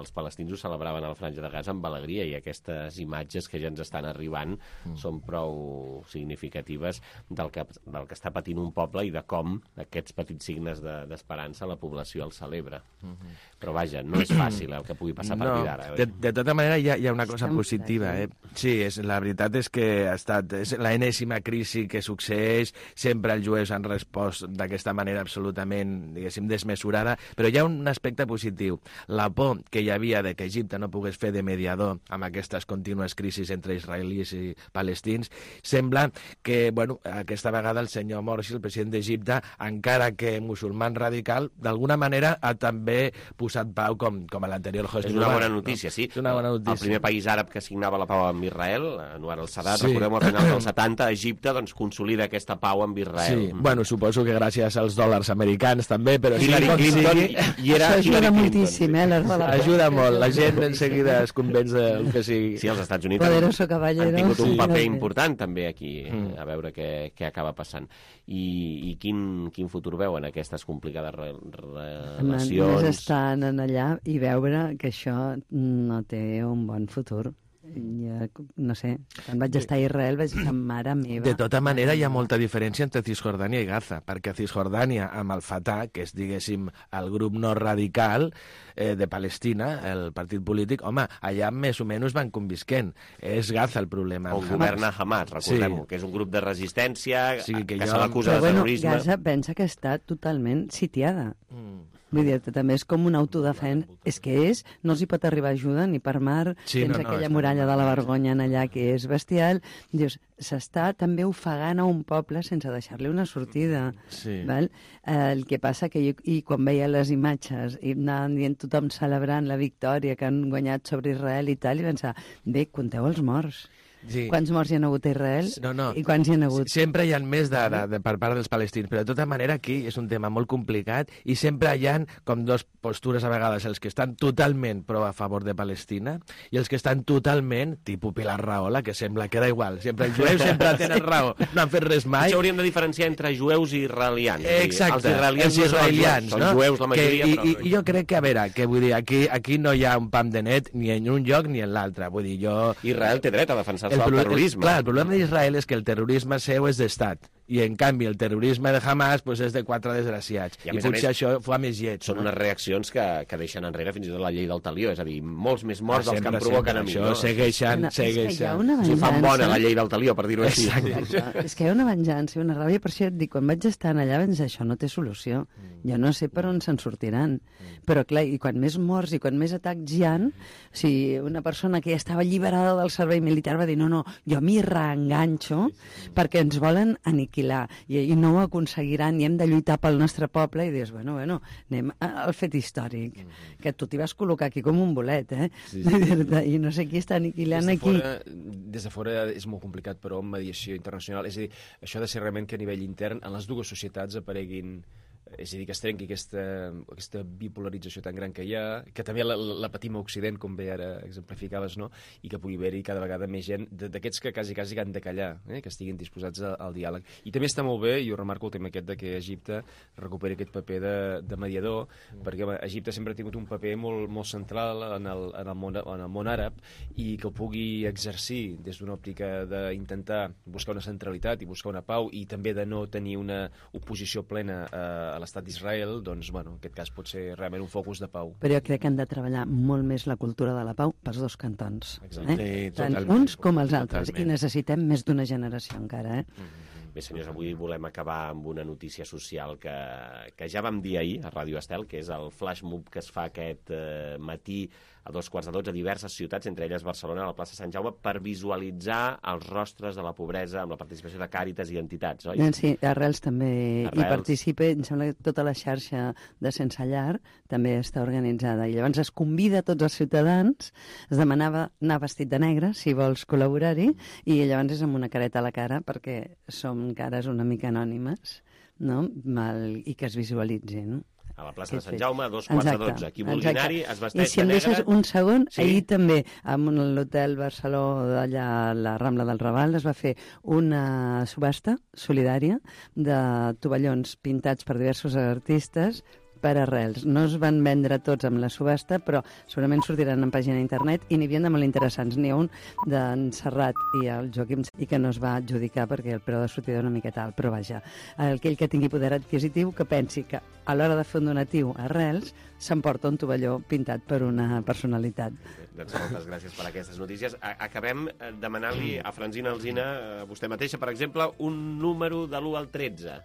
els palestins ho celebraven a la Franja de Gaza amb alegria i aquestes imatges que ja ens estan arribant mm. són prou significatives del que, del que està patint un poble i de com aquests petits signes d'esperança la població el celebra. Uh-huh. Però vaja, no és fàcil el que pugui passar a partir no, d'ara. De, de tota manera, hi ha, hi ha una cosa positiva. Eh? Sí, és, la veritat és que ha estat és la enèsima crisi que succeeix, sempre els jueus han respost d'aquesta manera absolutament, diguéssim, desmesurada, però hi ha un aspecte positiu. La por que hi havia de que Egipte no pogués fer de mediador amb aquestes contínues crisis entre israelis i palestins, sembla que, bueno, aquesta vegada el senyor Morsi, el president d'Egipte, encara que musulman radical, d'alguna manera ha també posat pau com, com a l'anterior Hosni És una bona notícia, no? Sí. És una bona notícia. El primer país àrab que signava la pau amb Israel, Anwar al-Sadat, sí. recordem, al final dels setanta, Egipte doncs, consolida aquesta pau amb Israel. Sí. Bueno, suposo que gràcies als dòlars americans també, però Hillary sí, Clinton sí. i era Això ajuda moltíssim, eh? Ajuda molt, la gent en seguida es convenç del que sigui. Sí, els Estats Units Poderoso han, han tingut un paper important també aquí, mm. a veure què, què acaba passant. I, i quin, quin futur veuen aquestes complicades relacions? Només estar en allà i veure que això no té un bon futur. Ja, no sé, quan vaig estar a Israel vaig dir, mare meva... De tota manera, hi ha molta diferència entre Cisjordània i Gaza, perquè a Cisjordània, amb el Fatah, que és, diguéssim, el grup no radical eh, de Palestina, el partit polític, home, allà més o menys van convisquent. És Gaza el problema. On governa Hamas, recordem-ho, sí. que és un grup de resistència, sí, que, que jo... se l'acusa de bueno, terrorisme. Gaza pensa que està totalment sitiada. Mm. Vull dir, també és com un autodefensa. És que és, no els hi pot arribar ajuda ni per mar, sí, tens no, no, aquella muralla de la vergonya en allà que és bestial. Dius, s'està també ofegant a un poble sense deixar-li una sortida. Sí. Val? Eh, el que passa que jo, i quan veia les imatges i anaven dient tothom celebrant la victòria que han guanyat sobre Israel i tal, i pensar, bé, compteu els morts. Sí. Quants morts hi ha hagut a Israel no, no. i quants hi ha hagut? Sempre hi ha més de, de, de, per part dels palestins, però de tota manera aquí és un tema molt complicat i sempre hi ha com dos postures a vegades, els que estan totalment pro a favor de Palestina i els que estan totalment, tipus Pilar Rahola, que sembla que da igual, sempre els jueus sempre tenen raó, no han fet res mai. Això hauríem de diferenciar entre jueus i israelians. Exacte, els israelians, els israelians no? no? Són jueus la majoria, que, i, però... I, I jo crec que, a veure, que vull dir, aquí, aquí no hi ha un pam de net ni en un lloc ni en l'altre, vull dir, jo... Israel té dret a defensar-se del terrorisme. El, clar, el problema d'Israel és que el terrorisme seu és d'estat i en canvi el terrorisme de Hamas pues, és de quatre desgraciats. I, I potser més, això fa més lleig. Són no? unes reaccions que, que deixen enrere fins i tot la llei del talió, és a dir, molts més morts dels que em provoquen a mi. Això no? segueixen, no, segueixen. Si fan bona la llei del talió, per dir-ho així. És que hi ha una venjança i una ràbia, per això et dic, quan vaig estar allà vaig dir, això no té solució. Jo no sé per on se'n sortiran. Però clar, i quan més morts i quan més atacs hi ha, o sigui, una persona que ja estava alliberada del servei militar va dir, no, no, jo m'hi reenganxo perquè ens volen aniquilar i, i no ho aconseguiran i hem de lluitar pel nostre poble, i dius, bueno, bueno, anem al fet històric, mm-hmm. que tu t'hi vas col·locar aquí com un bolet, eh? Sí, sí. I no sé qui està aniquilant des de aquí. Fora, des de fora és molt complicat, però amb mediació internacional, és a dir, això ha de ser realment que a nivell intern en les dues societats apareguin, és a dir, que es trenqui aquesta, aquesta bipolarització tan gran que hi ha, que també la, la patim a Occident, com bé ara exemplificaves, no? I que pugui haver-hi cada vegada més gent d'aquests que quasi, quasi han de callar, eh? Que estiguin disposats al, al diàleg. I també està molt bé, i jo remarco el tema aquest de que Egipte recuperi aquest paper de, de mediador, mm. perquè home, Egipte sempre ha tingut un paper molt, molt central en el, en, el món, en el món àrab, i que el pugui exercir des d'una òptica d'intentar buscar una centralitat i buscar una pau, i també de no tenir una oposició plena a, a l'estat d'Israel, doncs, bueno, en aquest cas pot ser realment un focus de pau. Però jo crec que han de treballar molt més la cultura de la pau pels dos cantons. Exacte. Eh? Sí, tant totalment. uns com els altres. Totalment. I necessitem més d'una generació encara, eh? Mm-hmm. Bé, senyors, avui volem acabar amb una notícia social que, que ja vam dir ahir a Ràdio Estel, que és el flash mob que es fa aquest eh, matí a dos quarts de dotze a diverses ciutats, entre elles Barcelona, a la plaça Sant Jaume, per visualitzar els rostres de la pobresa amb la participació de Càritas i entitats, oi? Sí, Arrels també Arrels. hi participa, em sembla que tota la xarxa de Sense Llar també està organitzada, i llavors es convida a tots els ciutadans, es demanava anar vestit de negre, si vols col·laborar-hi, i llavors és amb una careta a la cara, perquè som cares una mica anònimes, no? Mal, i que es visualitzin, no? A la plaça de Sant Jaume, a dos quarts de dotze. Qui vulgui anar-hi es vesteix de negre. I si em deixes un segon, sí? Ahir també, a l'hotel Barceló, d'allà a la Rambla del Raval, es va fer una subhasta solidària de tovallons pintats per diversos artistes per Arrels. No es van vendre tots amb la subhasta, però segurament sortiran en pàgina d'internet, i n'hi havia de molt interessants. N'hi ha un d'en Serrat i el Joaquim, i que no es va adjudicar perquè el preu de sortida era una miqueta alt, però vaja, aquell que tingui poder adquisitiu que pensi que a l'hora de fer un donatiu a Arrels s'emporta un tovalló pintat per una personalitat. Doncs moltes gràcies per aquestes notícies. Acabem demanant-li a Francina Alsina, a vostè mateixa, per exemple, un número de l'u al tretze.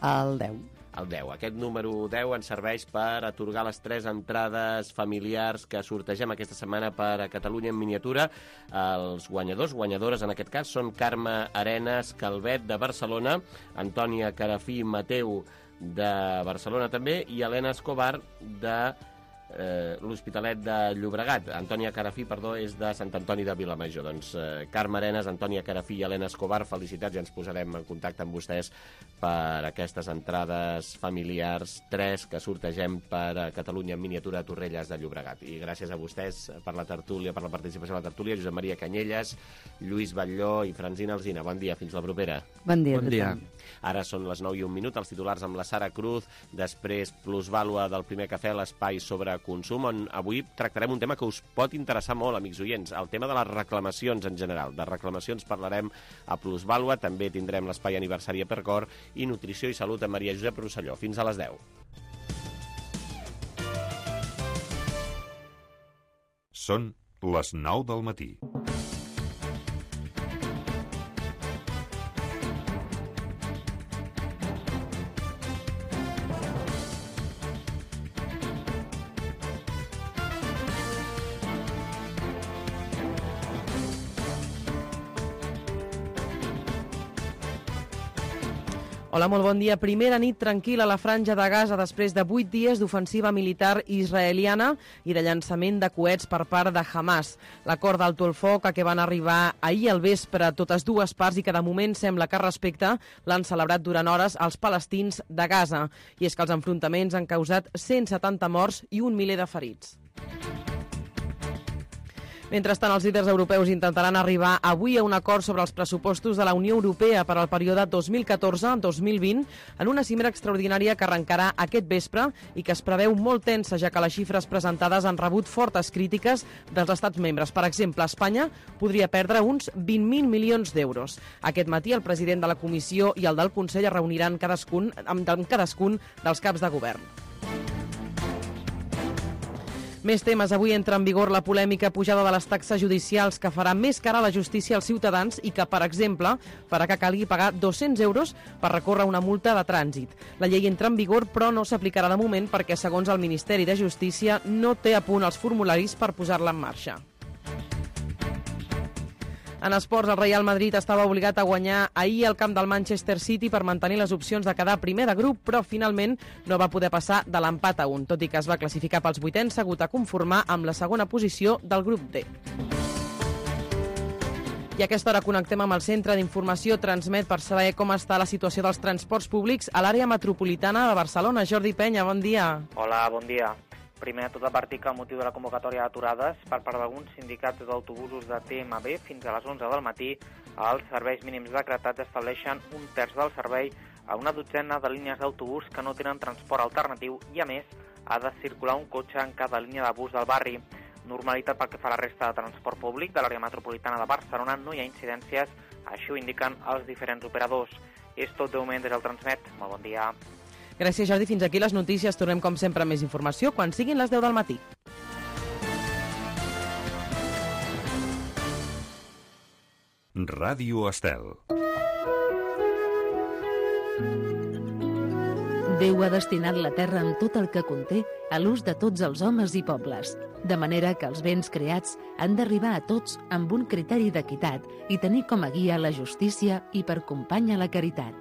El deu. El deu. Aquest número deu ens serveix per atorgar les tres entrades familiars que sortegem aquesta setmana per a Catalunya en miniatura. Els guanyadors, guanyadores en aquest cas, són Carme Arenas Calvet de Barcelona, Antònia Carafí Mateu de Barcelona també, i Helena Escobar de eh, l'Hospitalet de Llobregat. Antònia Carafí, perdó, és de Sant Antoni de Vilamajor. Doncs eh, Carme Arenas, Antònia Carafí i Helena Escobar, felicitats, i ens posarem en contacte amb vostès per aquestes entrades familiars, tres que sortegem per a Catalunya en miniatura a Torrelles de Llobregat. I gràcies a vostès per la tertúlia, per la participació a la tertúlia, Josep Maria Canyelles, Lluís Batlló i Francina Alsina. Bon dia, fins la propera. Bon dia. Bon dia. Ara són les nou i un minut, els titulars amb la Sara Cruz, després plusvàlua del primer cafè, l'espai sobre consum, on avui tractarem un tema que us pot interessar molt, amics oients, el tema de les reclamacions en general. De reclamacions parlarem a plusvàlua, també tindrem l'espai aniversari a Percor i nutrició i salut amb Maria Josep Rosselló. Fins a les deu. Són les nou del matí. Hola, molt bon dia. Primera nit tranquil·la a la Franja de Gaza després de vuit dies d'ofensiva militar israeliana i de llançament de coets per part de Hamas. L'acord d'alto el foc a què van arribar ahir al vespre totes dues parts i que de moment sembla que respecte l'han celebrat durant hores els palestins de Gaza. I és que els enfrontaments han causat cent setanta morts i un miler de ferits. Mentrestant, els líders europeus intentaran arribar avui a un acord sobre els pressupostos de la Unió Europea per al període dos mil catorze dos mil vint en una cimera extraordinària que arrencarà aquest vespre i que es preveu molt tensa, ja que les xifres presentades han rebut fortes crítiques dels estats membres. Per exemple, Espanya podria perdre uns vint mil milions d'euros. Aquest matí el president de la Comissió i el del Consell es reuniran cadascun, amb cadascun dels caps de govern. Més temes. Avui entra en vigor la polèmica pujada de les taxes judicials que farà més cara a la justícia als ciutadans i que, per exemple, farà que calgui pagar dos-cents euros per recórrer una multa de trànsit. La llei entra en vigor, però no s'aplicarà de moment perquè, segons el Ministeri de Justícia, no té a punt els formularis per posar-la en marxa. En esports, el Real Madrid estava obligat a guanyar ahir al camp del Manchester City per mantenir les opcions de quedar primer de grup, però finalment no va poder passar de l'empat a un, tot i que es va classificar pels vuitens, s'ha hagut a conformar amb la segona posició del grup D. I a aquesta hora connectem amb el Centre d'Informació Transmet per saber com està la situació dels transports públics a l'àrea metropolitana de Barcelona. Jordi Penya, bon dia. Hola, bon dia. Primer de tot advertir que el motiu de la convocatòria d'aturades per part d'alguns sindicats d'autobusos de T M B fins a les onze del matí, els serveis mínims decretats estableixen un terç del servei a una dotzena de línies d'autobús que no tenen transport alternatiu i, a més, ha de circular un cotxe en cada línia de bus del barri. Normalitat pel que fa a la resta de transport públic de l'àrea metropolitana de Barcelona, no hi ha incidències, així ho indiquen els diferents operadors. És tot de moment des del Transmet. Molt bon dia. Gràcies, Jordi. Fins aquí les notícies. Tornem, com sempre, amb més informació quan siguin les deu del matí. Ràdio Estel. Déu ha destinat la terra amb tot el que conté a l'ús de tots els homes i pobles, de manera que els béns creats han d'arribar a tots amb un criteri d'equitat i tenir com a guia la justícia i per companya la caritat.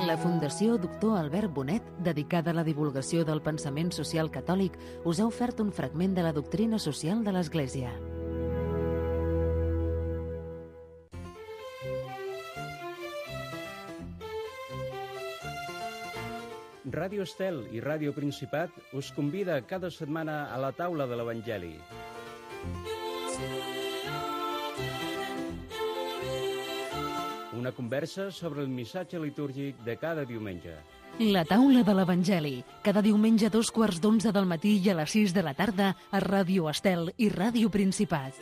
La Fundació Doctor Albert Bonet, dedicada a la divulgació del pensament social catòlic, us ha ofert un fragment de la doctrina social de l'Església. Ràdio Estel i Ràdio Principat us convida cada setmana a la taula de l'Evangeli. Una conversa sobre el missatge litúrgic de cada diumenge. La taula de l'Evangeli, cada diumenge a dos quarts d'onze del matí i a les sis de la tarda a Ràdio Estel i Ràdio Principat.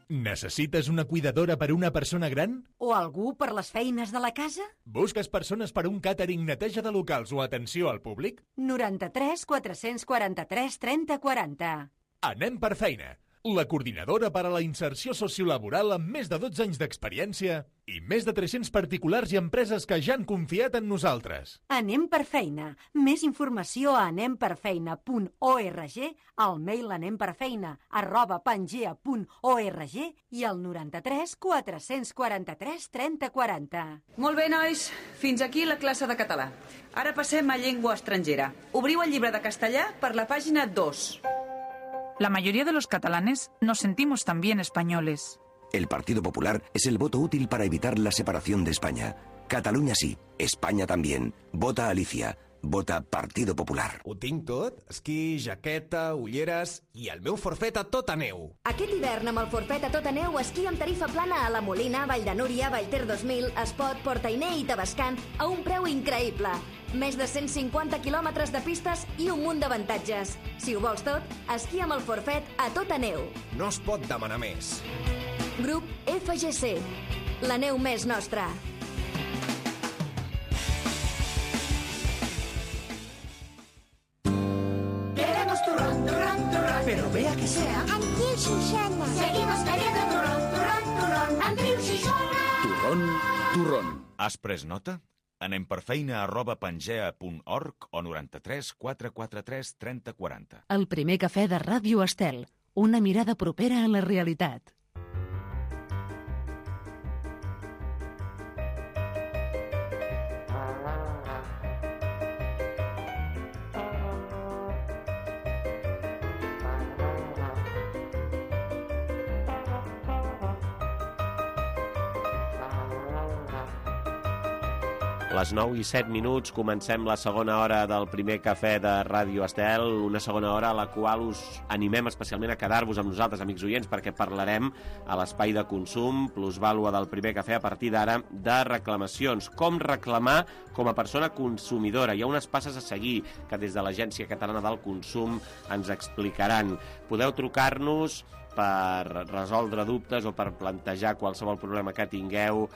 Necessites una cuidadora per a una persona gran? O algú per les feines de la casa? Busques persones per a un càtering, neteja de locals o atenció al públic? noranta-tres quatre-cents quaranta-tres trenta quaranta. Anem per feina. La coordinadora per a la inserció sociolaboral amb més de dotze anys d'experiència i més de tres-cents particulars i empreses que ja han confiat en nosaltres. Anem per feina. Més informació a anem per feina punt org, al mail anemperfeina arroba pangea punt org i al noranta-tres quatre-cents quaranta-tres trenta quaranta. Molt bé, nois. Fins aquí la classe de català. Ara passem a llengua estrangera. Obriu el llibre de castellà per la pàgina dos. La mayoría de los catalanes nos sentimos también españoles. El Partido Popular es el voto útil para evitar la separación de España. Cataluña sí, España también. Vota Alicia. Vota Partido Popular. Ho tinc tot? Esquí, jaqueta, ulleres i el meu forfet a tota neu. Aquest hivern amb el forfet a tota neu esquí amb tarifa plana a la Molina, Vall de Núria, Vallter dos mil, Espot, Portainer i Tavascan a un preu increïble. Més de cent cinquanta quilòmetres de pistes i un munt d'avantatges. Si ho vols tot, esquí amb el forfet a tota neu. No es pot demanar més. Grup F G C. La neu més nostra. Pero vea que sea. Amb Triu Xixona. Seguimos bebiendo turrón, turrón, turrón. Amb Triu Xixona. Turrón, turrón. Has pres nota? Anem per feina arroba pangea punt org o noranta-tres quatre quatre tres trenta quaranta. El primer cafè de Ràdio Estel. Una mirada propera a la realitat. Les nou i set minuts, comencem la segona hora del primer cafè de Ràdio Estel, una segona hora a la qual us animem especialment a quedar-vos amb nosaltres, amics oients, perquè parlarem a l'espai de consum, plusvàlua del primer cafè, a partir d'ara, de reclamacions. Com reclamar com a persona consumidora. Hi ha unes passes a seguir que des de l'Agència Catalana del Consum ens explicaran. Podeu trucar-nos per resoldre dubtes o per plantejar qualsevol problema que tingueu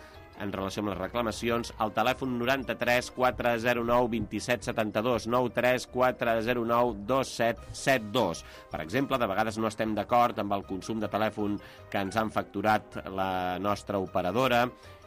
en relació amb les reclamacions, al telèfon noranta-tres quatre zero nou dos set set dos, noranta-tres quatre zero nou dos set set dos. Per exemple, de vegades no estem d'acord amb el consum de telèfon que ens han facturat la nostra operadora,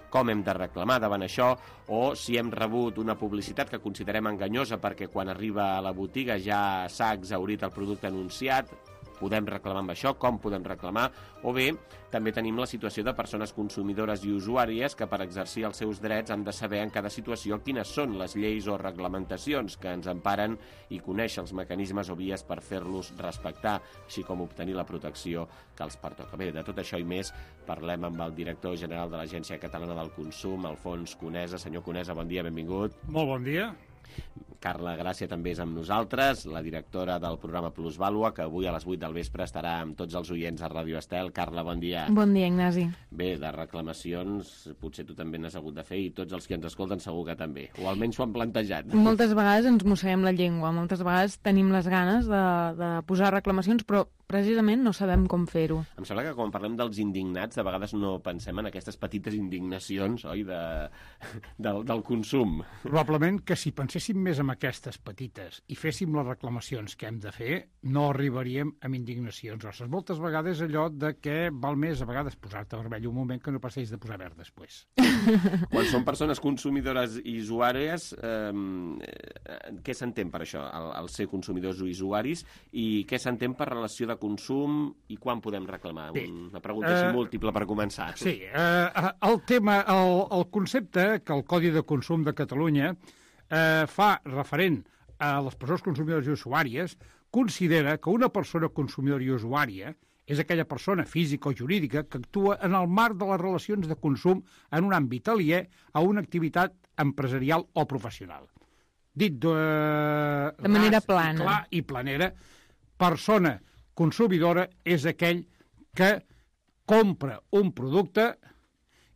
com hem de reclamar davant això, o si hem rebut una publicitat que considerem enganyosa perquè quan arriba a la botiga ja s'ha exhaurit el producte anunciat, podem reclamar amb això, com podem reclamar, o bé també tenim la situació de persones consumidores i usuàries que per exercir els seus drets han de saber en cada situació quines són les lleis o reglamentacions que ens emparen i conèixer els mecanismes o vies per fer-los respectar, així com obtenir la protecció que els pertoca. Bé, de tot això i més parlem amb el director general de l'Agència Catalana del Consum, Alfons Conesa. Senyor Conesa, bon dia, benvingut. Molt bon dia. Carla Gràcia també és amb nosaltres, la directora del programa Plusvàlua, que avui a les vuit del vespre estarà amb tots els oients a Ràdio Estel. Carla, bon dia. Bon dia, Ignasi. Bé, de reclamacions potser tu també n'has hagut de fer i tots els que ens escolten segur que també, o almenys s'ho han plantejat. Moltes vegades ens mosseguem la llengua, moltes vegades tenim les ganes de, de posar reclamacions, però precisament no sabem com fer-ho. Em sembla que quan parlem dels indignats, de vegades no pensem en aquestes petites indignacions, oi, de, del, del consum. Probablement que si penséssim més en aquestes petites i féssim les reclamacions que hem de fer, no arribaríem amb indignacions grosses. Moltes vegades allò de que val més a vegades posar-te vermell un moment que no passeix de posar verd després. Quan són persones consumidores i usuàries, eh, què s'entén per això, el, el ser consumidors o usuaris, i què s'entén per relació de consum i quan podem reclamar? Bé, Una pregunta així eh, múltiple per començar. Sí, eh, el tema, el, el concepte que el Codi de Consum de Catalunya eh, fa referent a les persones consumidores i usuàries, considera que una persona consumidora i usuària és aquella persona física o jurídica que actua en el marc de les relacions de consum en un àmbit aliè a una activitat empresarial o professional. Dit de, de manera plana. I clar i planera, persona consumidora és aquell que compra un producte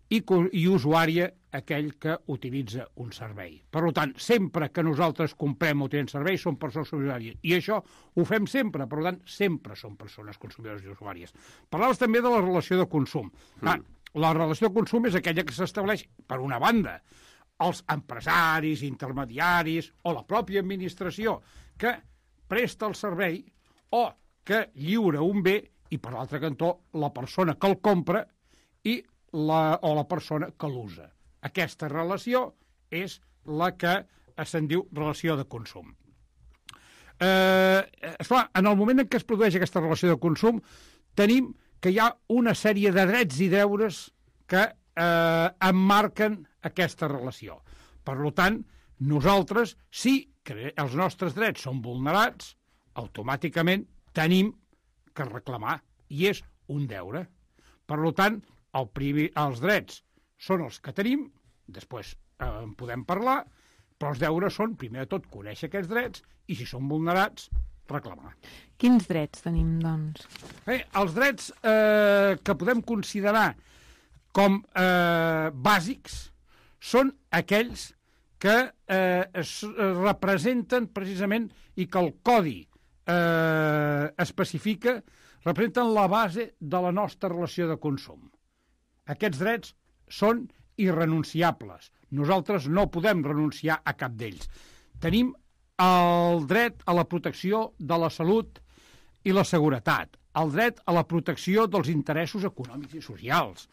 i, i usuària aquell que utilitza un servei. Per tant, sempre que nosaltres comprem o tenim serveis, som persones usuàries. I això ho fem sempre, per tant, sempre som persones consumidores i usuàries. Parlaves també de la relació de consum. Mm. Clar, la relació de consum és aquella que s'estableix, per una banda, els empresaris, intermediaris o la pròpia administració que presta el servei o que lliura un bé i, per l'altre cantó, la persona que el compra i la, o la persona que l'usa. Aquesta relació és la que se'n diu relació de consum. Eh, esclar, en el moment en què es produeix aquesta relació de consum, tenim que hi ha una sèrie de drets i deures que eh, emmarquen aquesta relació. Per tant, nosaltres, si els nostres drets són vulnerats, automàticament tenim que reclamar, i és un deure. Per tant, el primer, els drets són els que tenim, després eh, en podem parlar, però els deures són, primer de tot, conèixer aquests drets i, si són vulnerats, reclamar. Quins drets tenim, doncs? Bé, els drets eh, que podem considerar com eh, bàsics són aquells que eh, es representen precisament i que el Codi eh, especifica, representen la base de la nostra relació de consum. Aquests drets són irrenunciables. Nosaltres no podem renunciar a cap d'ells. Tenim el dret a la protecció de la salut i la seguretat, el dret a la protecció dels interessos econòmics i socials,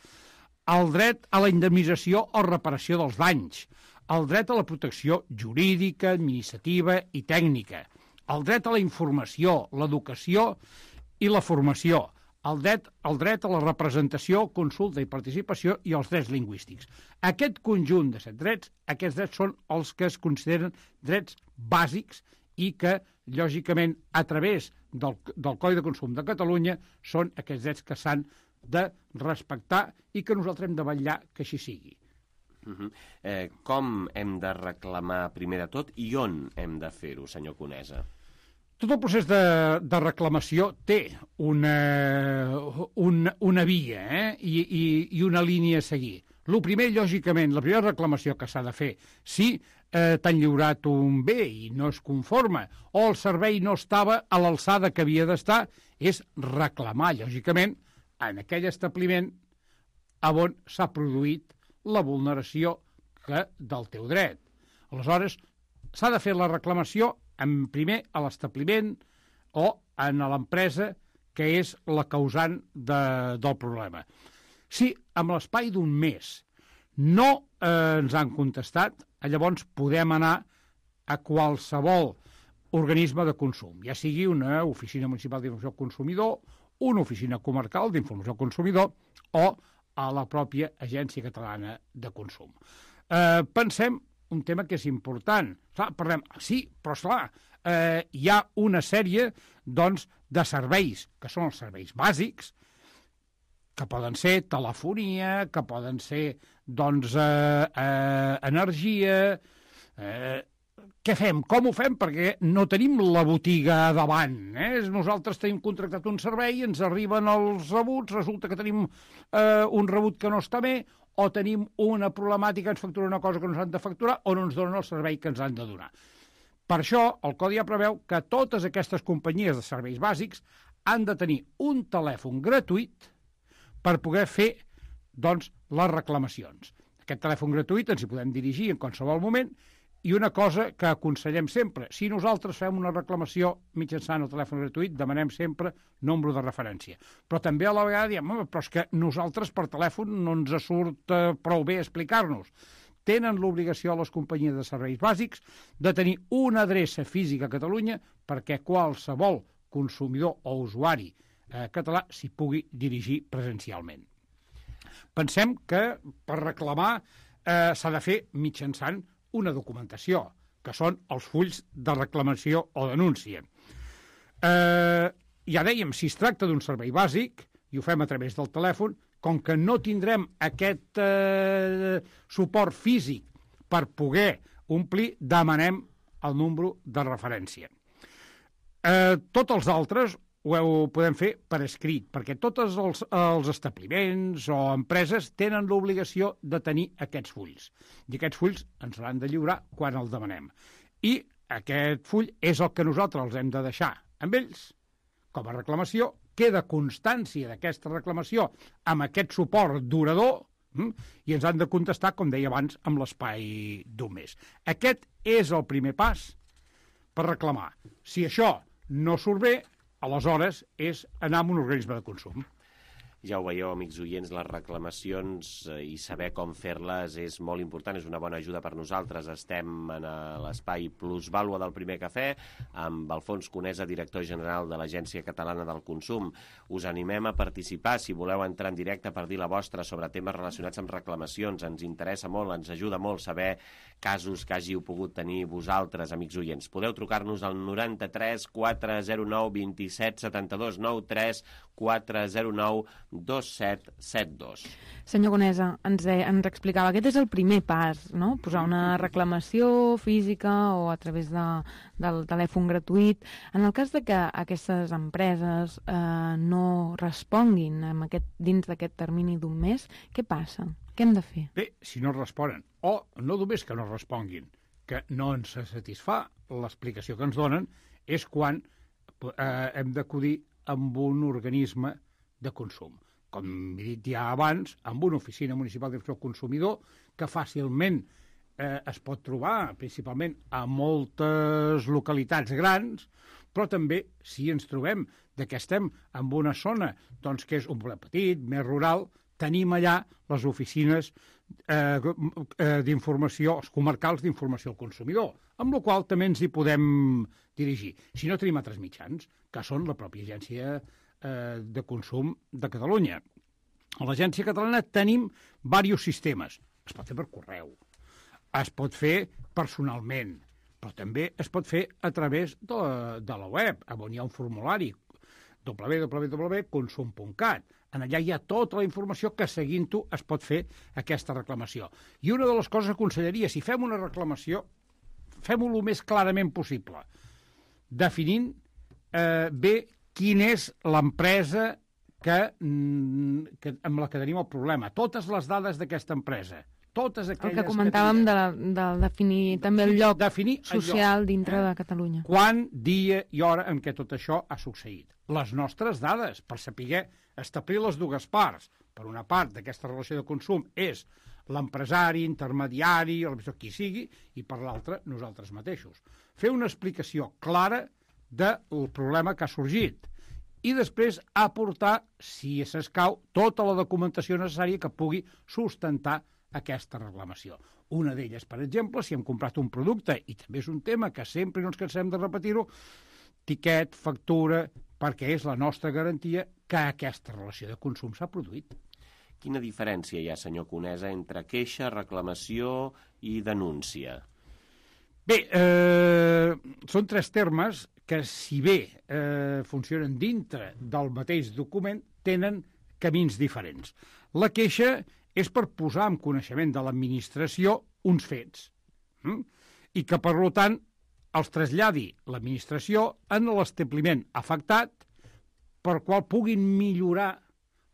el dret a la indemnització o reparació dels danys, el dret a la protecció jurídica, administrativa i tècnica, el dret a la informació, l'educació i la formació, el dret, el dret a la representació, consulta i participació i els drets lingüístics. Aquest conjunt de set drets, aquests drets són els que es consideren drets bàsics i que, lògicament, a través del, del Codi de Consum de Catalunya, són aquests drets que s'han de respectar i que nosaltres hem de vetllar que així sigui. Uh-huh. eh, com hem de reclamar primer de tot i on hem de fer-ho, senyor Conesa? Tot el procés de, de reclamació té una, una, una via eh? I, i, i una línia a seguir. El primer, lògicament, la primera reclamació que s'ha de fer, si eh, t'han lliurat un bé i no es conforma o el servei no estava a l'alçada que havia d'estar, és reclamar, lògicament, en aquell establiment on s'ha produït la vulneració que, del teu dret. Aleshores, s'ha de fer la reclamació en primer a l'establiment o en l'empresa que és la causant de, del problema. Si amb l'espai d'un mes no eh, ens han contestat, llavors podem anar a qualsevol organisme de consum, ja sigui una oficina municipal d'informació al consumidor, una oficina comarcal d'informació al consumidor o a la pròpia Agència Catalana de Consum. Eh, pensem un tema que és important. Clar, parlem, sí, però esclar, eh, hi ha una sèrie doncs, de serveis, que són els serveis bàsics, que poden ser telefonia, que poden ser doncs, eh, eh, energia. Eh, què fem? Com ho fem? Perquè no tenim la botiga davant. Eh? Nosaltres tenim contractat un servei, ens arriben els rebuts, resulta que tenim eh, un rebut que no està bé, o tenim una problemàtica, ens factura una cosa que no ens han de facturar, o no ens donen el servei que ens han de donar. Per això, el codi ja preveu que totes aquestes companyies de serveis bàsics han de tenir un telèfon gratuït per poder fer doncs, les reclamacions. Aquest telèfon gratuït ens hi podem dirigir en qualsevol moment, i una cosa que aconsellem sempre, si nosaltres fem una reclamació mitjançant el telèfon gratuït, demanem sempre nombre de referència. Però també a la vegada diem, però és que nosaltres per telèfon no ens surt eh, prou bé explicar-nos. Tenen l'obligació a les companyies de serveis bàsics de tenir una adreça física a Catalunya perquè qualsevol consumidor o usuari eh, català s'hi pugui dirigir presencialment. Pensem que per reclamar eh, s'ha de fer mitjançant una documentació, que són els fulls de reclamació o denúncia. Eh, ja dèiem, si es tracta d'un servei bàsic, i ho fem a través del telèfon, com que no tindrem aquest eh, suport físic per poder omplir, demanem el número de referència. Eh, tots els altres ho podem fer per escrit, perquè tots els, els establiments o empreses tenen l'obligació de tenir aquests fulls. I aquests fulls ens l'han de lliurar quan el demanem. I aquest full és el que nosaltres els hem de deixar amb ells, com a reclamació, queda constància d'aquesta reclamació amb aquest suport durador hm? i ens han de contestar, com deia abans, amb l'espai d'un mes. Aquest és el primer pas per reclamar. Si això no surt bé, aleshores és anar a un organisme de consum. Ja ho veieu, amics oients, les reclamacions i saber com fer-les és molt important, és una bona ajuda per nosaltres. Estem en l'espai Plusvàlua del Primer Cafè amb Alfons Conesa, director general de l'Agència Catalana del Consum. Us animem a participar si voleu entrar en directe per dir la vostra sobre temes relacionats amb reclamacions. Ens interessa molt, ens ajuda molt saber casos que hàgiu pogut tenir vosaltres, amics oients. Podeu trucar-nos al noranta-tres quatre zero nou dos set set dos, noranta-tres quatre zero nou dos set set dos. Senyor Conesa, ens, eh, ens explicava, aquest és el primer pas, no? Posar una reclamació física o a través de, del telèfon gratuït. En el cas de que aquestes empreses eh, no responguin amb aquest, dins d'aquest termini d'un mes, què passa? Què hem de fer? Bé, si no responen, o no només que no responguin, que no ens satisfà l'explicació que ens donen, és quan eh, hem d'acudir amb un organisme de consum. Com he dit ja abans, amb una oficina municipal d'informació al consumidor que fàcilment eh, es pot trobar, principalment a moltes localitats grans, però també si ens trobem de que estem en una zona doncs, que és un poble petit, més rural, tenim allà les oficines eh, d'informació, els comarcals d'informació al consumidor, amb la qual també ens hi podem dirigir. Si no tenim altres mitjans, que són la pròpia agència de consum de Catalunya. A l'Agència Catalana tenim diversos sistemes. Es pot fer per correu, es pot fer personalment, però també es pot fer a través de, de la web, on hi ha un formulari. w w w punt consum punt cat. En allà hi ha tota la informació que seguint-ho es pot fer aquesta reclamació. I una de les coses que aconsellaria, si fem una reclamació, fem-ho el més clarament possible, definint eh, bé quina és l'empresa que, que, amb la que tenim el problema. Totes les dades d'aquesta empresa. Totes aquelles el que comentàvem que de, de definir també el lloc definir social el lloc, dintre eh? de Catalunya. Quan, dia i hora en què tot això ha succeït. Les nostres dades, per saber establir les dues parts. Per una part d'aquesta relació de consum és l'empresari, intermediari, el qui sigui, i per l'altra nosaltres mateixos. Fer una explicació clara del problema que ha sorgit i després aportar, si s'escau, tota la documentació necessària que pugui sustentar aquesta reclamació. Una d'elles, per exemple, si hem comprat un producte, i també és un tema que sempre no ens cansem de repetir-ho, tiquet, factura, perquè és la nostra garantia que aquesta relació de consum s'ha produït. Quina diferència hi ha, senyor Conesa, entre queixa, reclamació i denúncia? Bé, eh, són tres termes que, si bé eh, funcionen dintre del mateix document, tenen camins diferents. La queixa és per posar en coneixement de l'administració uns fets, hm? i que, per tant, els traslladi l'administració en l'establiment afectat per qual puguin millorar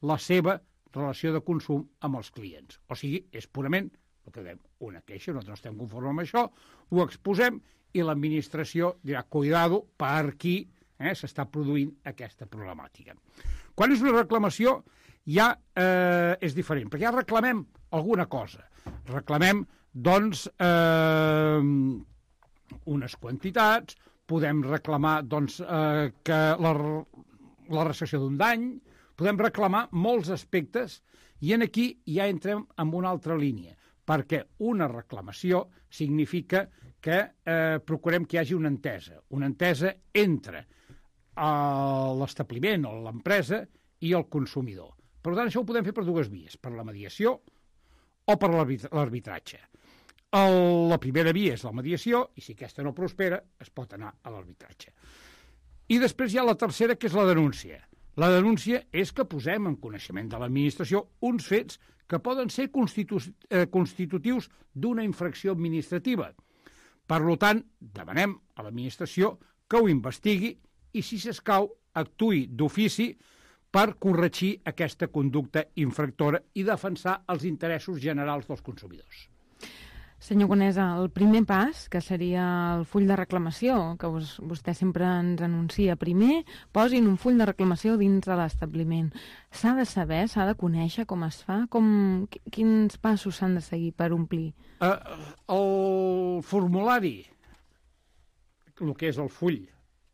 la seva relació de consum amb els clients. O sigui, és purament el que dèiem, una queixa, nosaltres no estem conformes amb això, ho exposem i l'administració dirà, cuidado, per aquí eh, s'està produint aquesta problemàtica. Quan és una reclamació, ja eh, és diferent, perquè ja reclamem alguna cosa. Reclamem, doncs, eh, unes quantitats, podem reclamar, doncs, eh, que la, la recepció d'un dany, podem reclamar molts aspectes, i en aquí ja entrem en una altra línia, perquè una reclamació significa que eh, procurem que hi hagi una entesa, una entesa entre l'establiment o l'empresa i el consumidor. Per tant, això ho podem fer per dues vies, per la mediació o per l'arbitratge. La primera via és la mediació, i si aquesta no prospera, es pot anar a l'arbitratge. I després hi ha la tercera, que és la denúncia. La denúncia és que posem en coneixement de l'administració uns fets que poden ser constitu eh, constitutius d'una infracció administrativa. Per tant, demanem a l'administració que ho investigui i, si s'escau, actuï d'ofici per corregir aquesta conducta infractora i defensar els interessos generals dels consumidors. Senyor Conesa, el primer pas, que seria el full de reclamació, que vos, vostè sempre ens anuncia primer, posin un full de reclamació dins de l'establiment. S'ha de saber, s'ha de conèixer com es fa? Com, quins passos s'han de seguir per omplir? Uh, el formulari, el que és el full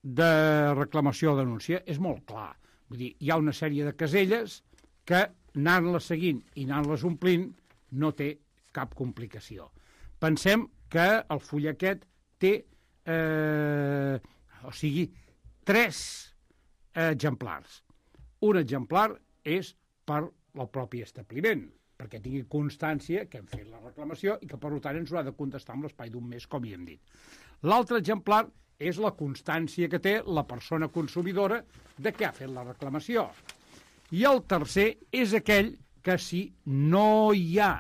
de reclamació o denúncia, és molt clar. Vull dir, hi ha una sèrie de caselles que, anant-les seguint i anant-les omplint, no té cap complicació. Pensem que el full aquest té, eh, o sigui, tres exemplars. Un exemplar és per al propi establiment, perquè tingui constància que hem fet la reclamació i que, per tant, ens ho ha de contestar en l'espai d'un mes, com hi hem dit. L'altre exemplar és la constància que té la persona consumidora de què ha fet la reclamació. I el tercer és aquell que, si no hi ha,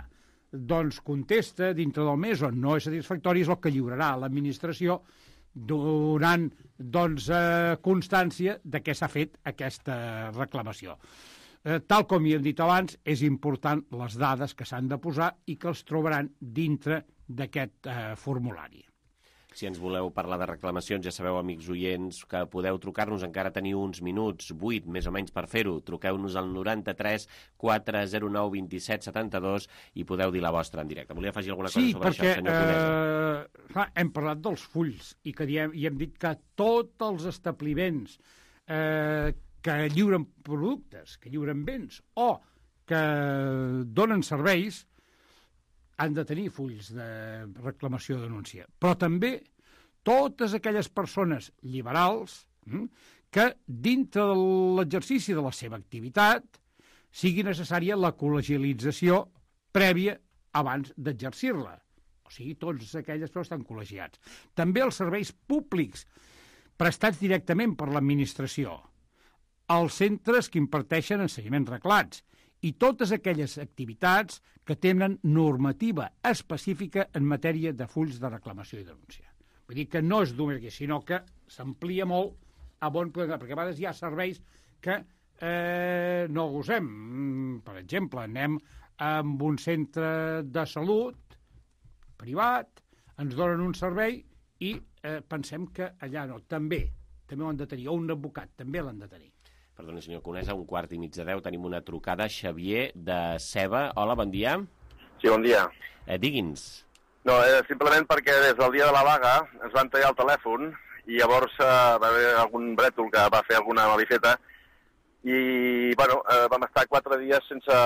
doncs contesta dintre del mes o no és satisfactori, és el que lliurarà a l'administració donant doncs, eh, constància de què s'ha fet aquesta reclamació. Eh, tal com hi hem dit abans, és important les dades que s'han de posar i que els trobaran dintre d'aquest eh, formulari. Si ens voleu parlar de reclamacions, ja sabeu, amics oients, que podeu trucar-nos, encara teniu uns minuts, vuit més o menys per fer-ho. Truqueu-nos al noranta-tres quatre zero nou vint set setanta-dos i podeu dir la vostra en directe. Volia afegir alguna cosa sí, sobre perquè, això, senyor Conesa? Sí, perquè eh, hem parlat dels fulls i, que diem, i hem dit que tots els establiments eh, que lliuren productes, que lliuren béns o que donen serveis han de tenir fulls de reclamació o denúncia. Però també totes aquelles persones liberals hm, que dintre de l'exercici de la seva activitat sigui necessària la col·legialització prèvia abans d'exercir-la. O sigui, tots aquelles persones estan col·legiats. També els serveis públics prestats directament per l'administració. els centres que imparteixen ensenyaments reglats i totes aquelles activitats que tenen normativa específica en matèria de fulls de reclamació i denúncia. Vull dir que no és només aquí, sinó que s'amplia molt a bon poder, perquè a vegades hi ha serveis que eh, no gosem. Per exemple, anem amb un centre de salut privat, ens donen un servei i eh, pensem que allà no. També, també ho han de tenir, o un advocat, també l'han de tenir. Perdoni, senyor Conesa, un quart i mig de deu tenim una trucada. Xavier, de Ceba. Hola, bon dia. Sí, bon dia. Eh, digui'ns. No, eh, simplement perquè des del dia de la vaga ens van tallar el telèfon i llavors eh, va haver algun brètol que va fer alguna malifeta i, bueno, eh, vam estar quatre dies sense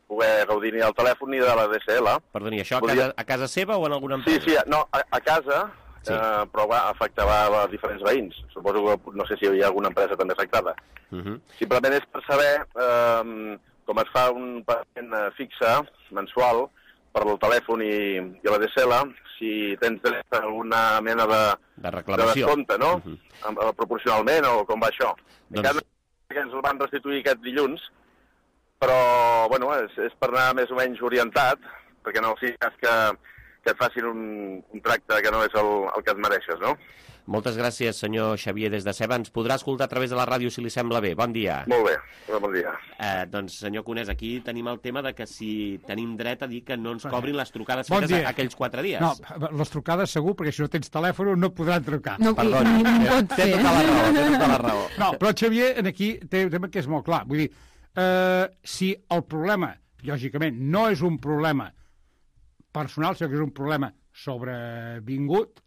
poder gaudir ni del telèfon ni de la D S L. Perdoni, això a casa, a casa seva o en alguna empresa? Sí, sí, no, a, a casa, sí. eh, però va, afectava a diferents veïns. Suposo que no sé si hi ha alguna empresa també afectada. Uh -huh. Simplement és per saber eh, com es fa un pagament fixe, mensual, per el telèfon i, i la D S L, si tens dret a alguna mena de, de reclamació, de descompte, no? Uh -huh. eh, proporcionalment, o com va això. Doncs... Encara que ens el van restituir aquest dilluns, però, bueno, és, és per anar més o menys orientat, perquè no sigui cas que, que et facin un, un tracte que no és el, el que et mereixes, no? Moltes gràcies, senyor Xavier, des de Ceba. Ens podrà escoltar a través de la ràdio, si li sembla bé. Bon dia. Molt bé, bon dia. Eh, doncs, senyor Conés, aquí tenim el tema de que si tenim dret a dir que no ens cobrin les trucades bon fetes a, aquells quatre dies. No, les trucades segur, perquè si no tens telèfon no podran trucar. No, perdoni, no, no pot té fer. tota la raó, té tota la raó. No, però Xavier, aquí té un tema que és molt clar. Vull dir, eh, si el problema, lògicament, no és un problema personal, sinó que és un problema sobrevingut,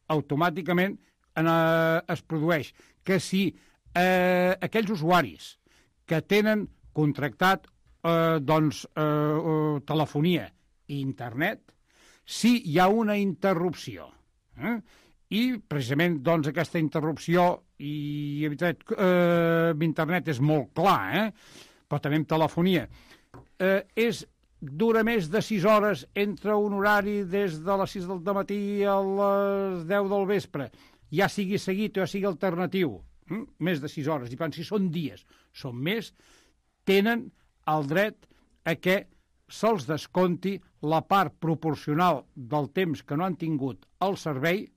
automàticament eh, es produeix que si eh, aquells usuaris que tenen contractat eh, doncs, eh, telefonia i internet, si hi ha una interrupció, eh, i precisament doncs, aquesta interrupció i eh, internet és molt clar, eh, però també amb telefonia, eh, és dura més de sis hores entre un horari des de les sis del matí a les deu del vespre, ja sigui seguit o ja sigui alternatiu, hm? més de sis hores, i per tant, si són dies, són més, tenen el dret a que se'ls desconti la part proporcional del temps que no han tingut el servei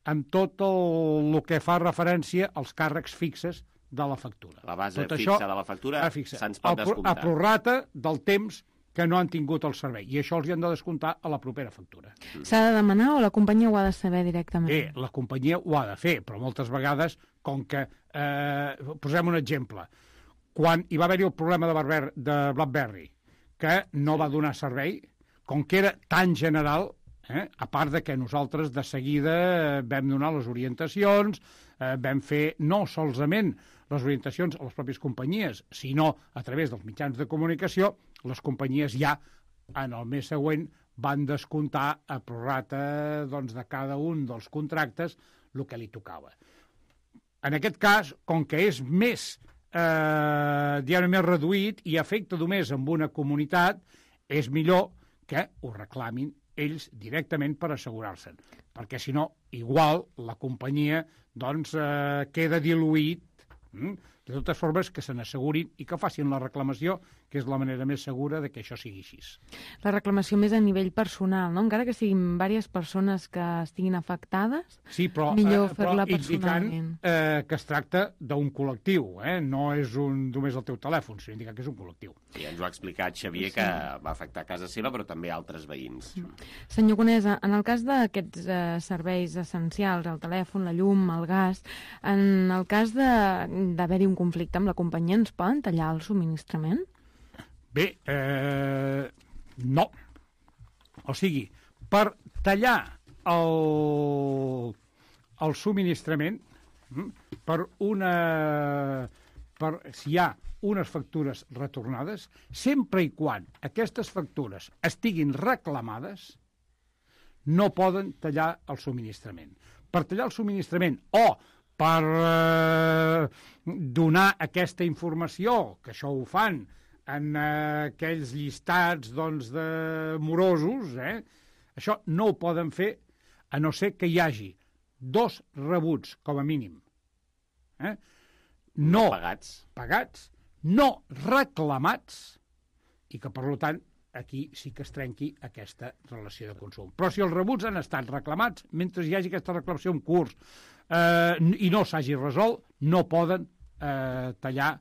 amb tot el, el que fa referència als càrrecs fixes de la factura. La base tot fixa això, de la factura fixa, se'ns pot descomptar. A prorrata del temps que no han tingut el servei. I això els hi han de descomptar a la propera factura. S'ha de demanar o la companyia ho ha de saber directament? Bé, la companyia ho ha de fer, però moltes vegades, com que... Eh, posem un exemple. Quan hi va haver-hi el problema de, Barber, de BlackBerry, que no va donar servei, com que era tan general, eh, a part de que nosaltres de seguida vam donar les orientacions, eh, vam fer no solament les orientacions a les pròpies companyies, sinó a través dels mitjans de comunicació, les companyies ja, en el mes següent, van descomptar a prorrata doncs, de cada un dels contractes el que li tocava. En aquest cas, com que és més, eh, diguem, més reduït i afecta només amb una comunitat, és millor que ho reclamin ells directament per assegurar-se'n, perquè si no, igual la companyia doncs, eh, queda diluït. Mm? De totes formes, que se n'assegurin i que facin la reclamació, que és la manera més segura de que això sigui així. La reclamació més a nivell personal, no? Encara que siguin diverses persones que estiguin afectades, sí, però, millor eh, fer-la però personalment. Indicant eh, que es tracta d'un col·lectiu, eh? No és un, només el teu telèfon, sinó indicar que és un col·lectiu. I ens ho ha explicat Xavier, que va afectar a casa seva, però també a altres veïns. Senyor Conesa, en el cas d'aquests eh, serveis essencials, el telèfon, la llum, el gas, en el cas d'haver-hi un conflicte amb la companyia, ens poden tallar el subministrament? Bé, eh, no. O sigui, per tallar el, el subministrament, per una, per, si hi ha unes factures retornades, sempre i quan aquestes factures estiguin reclamades, no poden tallar el subministrament. Per tallar el subministrament o per eh, donar aquesta informació, que això ho fan en eh, aquells llistats doncs, de morosos, eh? Això no ho poden fer a no ser que hi hagi dos rebuts, com a mínim. Eh? no pagats, pagats, no reclamats, i que, per tant, aquí sí que es trenqui aquesta relació de consum. Però si els rebuts han estat reclamats, mentre hi hagi aquesta reclamació en curs eh, i no s'hagi resolt, no poden eh, tallar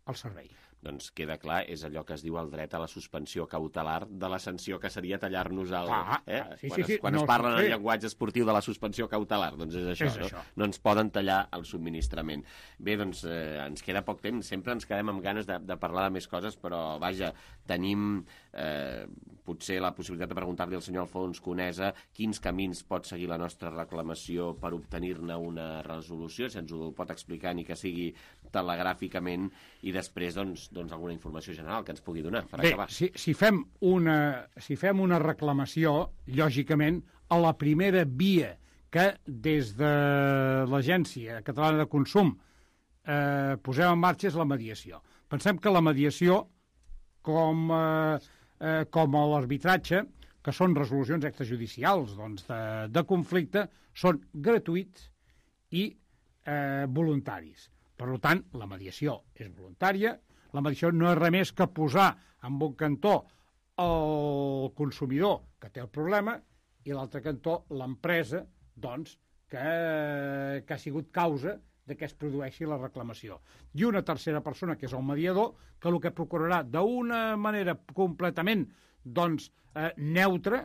el servei. Doncs queda clar, és allò que es diu el dret a la suspensió cautelar de la sanció, que seria tallar-nos el... Ah, eh? sí, quan sí, sí. es, quan no, es parla sí. en el llenguatge esportiu de la suspensió cautelar, doncs és això, és no? això. No ens poden tallar el subministrament. Bé, doncs eh, ens queda poc temps, sempre ens quedem amb ganes de, de parlar de més coses, però vaja, tenim eh, potser la possibilitat de preguntar-li al senyor Alfons Conesa quins camins pot seguir la nostra reclamació per obtenir-ne una resolució, si ens ho pot explicar ni que sigui telegràficament, i després doncs, doncs alguna informació general que ens pugui donar per Bé, acabar. si, si, fem una, si fem una reclamació, lògicament, a la primera via que des de l'Agència Catalana de Consum eh, posem en marxa és la mediació. Pensem que la mediació, com, eh, eh, com l'arbitratge, que són resolucions extrajudicials doncs, de, de conflicte, són gratuïts i eh, voluntaris. Per tant, la mediació és voluntària. La mediació no és res més que posar en un cantó el consumidor que té el problema i l'altre cantó l'empresa doncs, que, que ha sigut causa de que es produeixi la reclamació. I una tercera persona, que és el mediador, que el que procurarà d'una manera completament doncs, eh, neutra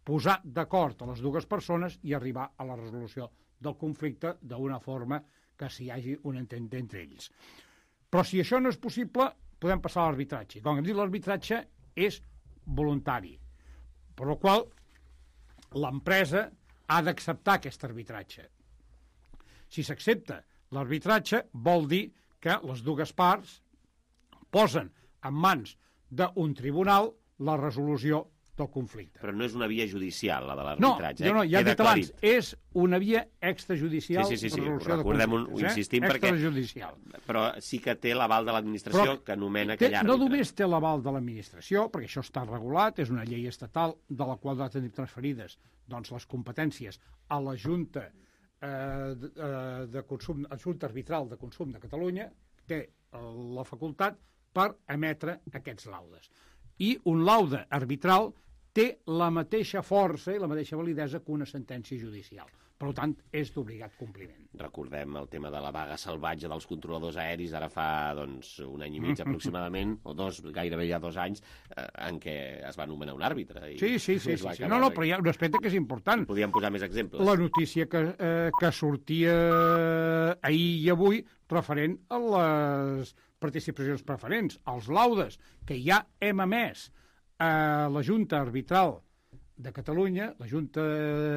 posar d'acord a les dues persones i arribar a la resolució del conflicte d'una forma que s'hi hagi un entente entre ells. Però si això no és possible, podem passar a l'arbitratge. Com hem dit, l'arbitratge és voluntari, per la qual l'empresa ha d'acceptar aquest arbitratge. Si s'accepta l'arbitratge, vol dir que les dues parts posen en mans d'un tribunal la resolució del conflicte. Però no és una via judicial, la de No, l'arbitratge. jo no, ja he Queda dit abans, aclarit. és una via extrajudicial Sí, sí, sí, sí. de resolució de Recordem, conflictes. ho insistim, perquè... Extrajudicial. Però sí que té l'aval de l'administració, Però que anomena té, aquell no àrbitre. només té l'aval de l'administració, perquè això està regulat, és una llei estatal de la qual ha de tenir transferides doncs, les competències a la Junta eh, de, eh, de consum, la Junta Arbitral de Consum de Catalunya, té eh, la facultat per emetre aquests laudes. I un laude arbitral té la mateixa força i la mateixa validesa que una sentència judicial. Per tant, és d'obligat compliment. Recordem el tema de la vaga salvatge dels controladors aeris, ara fa doncs, un any i mig aproximadament, o dos, gairebé ja dos anys, eh, en què es va nomenar un àrbitre. I sí, sí, sí. sí, sí. No, no, però hi ha un aspecte que és important. Podríem posar més exemples. La notícia que, eh, que sortia ahir i avui referent a les participacions preferents, als laudes que ja hem emès a la Junta Arbitral de Catalunya, la Junta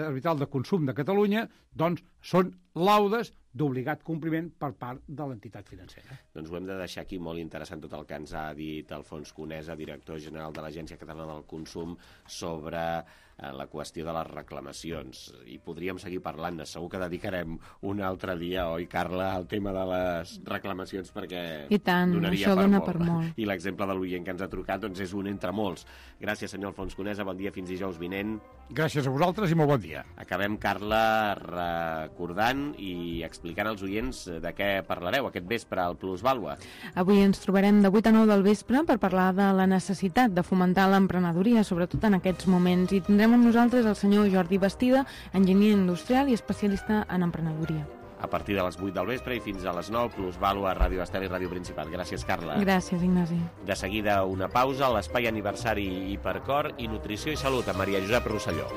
Arbitral de Consum de Catalunya, doncs són laudes d'obligat compliment per part de l'entitat financera. Doncs ho hem de deixar aquí, molt interessant tot el que ens ha dit Alfons Conesa, director general de l'Agència Catalana del Consum, sobre eh, la qüestió de les reclamacions. I podríem seguir parlant, segur que dedicarem un altre dia, oi, Carla, al tema de les reclamacions, perquè I tant, donaria això per dona molt. per molt. I l'exemple de l'oient que ens ha trucat doncs, és un entre molts. Gràcies, senyor Alfons Conesa, bon dia, fins dijous vinent. Gràcies a vosaltres i molt bon dia. Acabem, Carla, recordant i explicant als oients de què parlareu aquest vespre al Plusvàlua. Avui ens trobarem de vuit a nou del vespre per parlar de la necessitat de fomentar l'emprenedoria, sobretot en aquests moments. I tindrem amb nosaltres el senyor Jordi Bastida, enginyer industrial i especialista en emprenedoria. A partir de les vuit del vespre i fins a les nou, Plusvàlua, Ràdio Estel i Ràdio Principat. Gràcies, Carla. Gràcies, Ignasi. De seguida, una pausa, l'espai aniversari Hipercor i Nutrició i Salut amb Maria Josep Rosselló.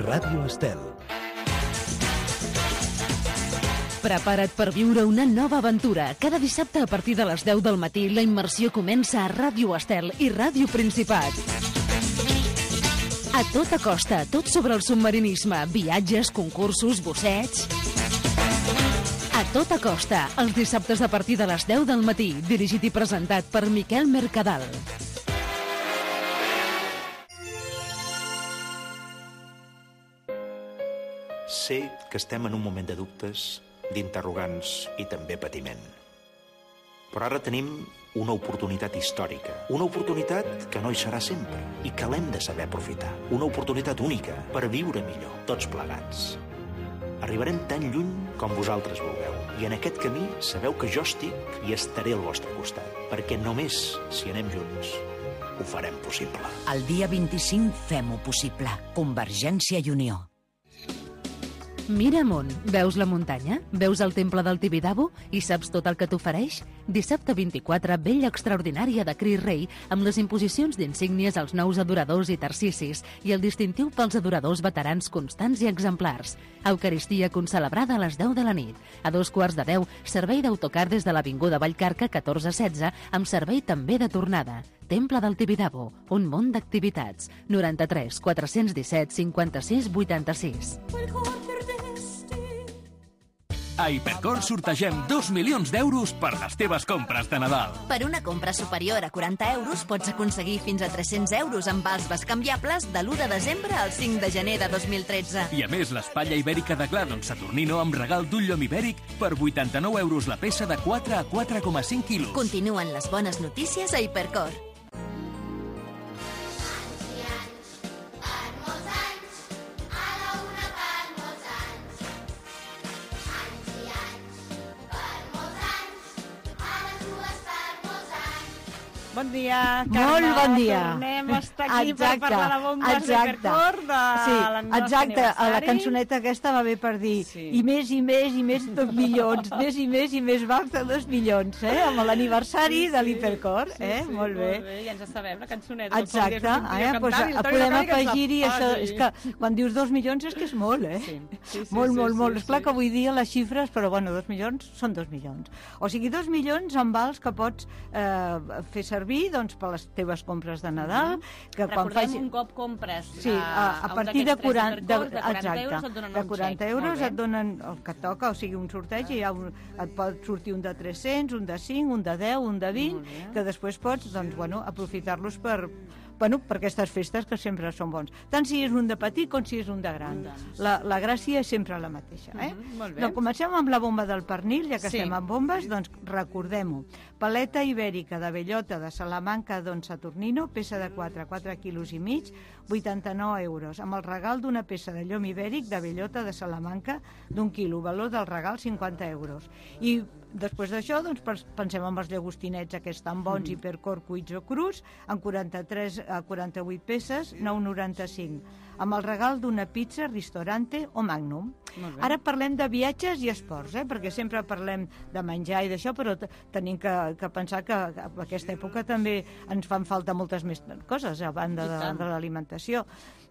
Ràdio Estel. Prepara't per viure una nova aventura. Cada dissabte a partir de les deu del matí la immersió comença a Ràdio Estel i Ràdio Principat. A tota costa, tot sobre el submarinisme, viatges, concursos, bussets... A tota costa, els dissabtes a partir de les deu del matí, dirigit i presentat per Miquel Mercadal. Sé que estem en un moment de dubtes, d'interrogants i també patiment. Però ara tenim una oportunitat històrica, una oportunitat que no hi serà sempre i que l'hem de saber aprofitar. Una oportunitat única per viure millor, tots plegats. Arribarem tan lluny com vosaltres vulgueu. I en aquest camí sabeu que jo estic i estaré al vostre costat, perquè només si anem junts ho farem possible. El dia vint-i-cinc fem-ho possible. Convergència i Unió. Mira amunt, veus la muntanya? Veus el temple del Tibidabo? I saps tot el que t'ofereix? Dissabte vint-i-quatre, vella extraordinària de Cris Rei, amb les imposicions d'insígnies als nous adoradors i tercicis i el distintiu pels adoradors veterans constants i exemplars. Eucaristia concelebrada a les deu de la nit. A dos quarts de deu, servei d'autocar des de l'Avinguda Vallcarca catorze setze, amb servei també de tornada. Temple del Tibidabo, un món d'activitats. noranta-tres quatre-cents disset cinquanta-sis vuitanta-sis. A Hipercor sortegem dos milions d'euros per les teves compres de Nadal. Per una compra superior a quaranta euros pots aconseguir fins a tres-cents euros en vals bescanviables de l'u de desembre al cinc de gener de dos mil tretze. I a més, l'espatlla ibèrica de Gladon Saturnino amb regal d'un llom ibèric per vuitanta-nou euros la peça de quatre a quatre coma cinc quilos. Continuen les bones notícies a Hipercor. Bon dia, Carme. Molt bon dia. Tornem a estar aquí exacte, per parlar de bombes exacte. d'Hipercor de sí, l'aniversari. Exacte, la cançoneta aquesta va bé per dir sí. i més i més i més dos milions, més i més i més baix de dos milions, eh? Amb l'aniversari sí, sí. de l'Hipercor, eh? Sí, sí, molt bé. Molt bé, ja ens sabem, la cançoneta. Exacte, eh? Pues, podem afegir-hi això, és que quan dius dos milions és que és molt, eh? Sí. Sí, sí, molt, sí, molt, sí, molt. Sí, Esclar sí. que avui dia les xifres, però bueno, dos milions són dos milions. O sigui, dos milions en vals que pots eh, fer servir, doncs, per les teves compres de Nadal, que Recordem, quan faci... un cop compres sí, a, a, a partir de quaranta, de, de quaranta euros et donen, de quaranta euros et donen el que toca, o sigui, un sorteig, i ha un, et pot sortir un de tres-cents, un de cinc, un de deu, un de vint, que després pots, doncs, bueno, aprofitar-los per... Bueno, per aquestes festes que sempre són bons. Tant si és un de petit com si és un de gran. La, la gràcia és sempre la mateixa. Eh? Uh-huh, molt bé. Doncs comencem amb la bomba del pernil, ja que sí. estem amb bombes, doncs recordem-ho. Paleta ibèrica de bellota de Salamanca Don Saturnino, peça de quatre, quatre quilos i mig, vuitanta-nou euros, amb el regal d'una peça de llom ibèric de bellota de Salamanca d'un quilo, valor del regal cinquanta euros. I després d'això, doncs, pensem en els llagostinets aquests tan bons, mm. Hipercor cuits o crus, en quaranta-tres a quaranta-vuit peces, nou coma noranta-cinc, amb el regal d'una pizza, ristorante o magnum. Ara parlem de viatges i esports, eh? Perquè sempre parlem de menjar i d'això, però tenim que, que pensar que a aquesta època també ens fan falta moltes més coses a banda de, de l'alimentació.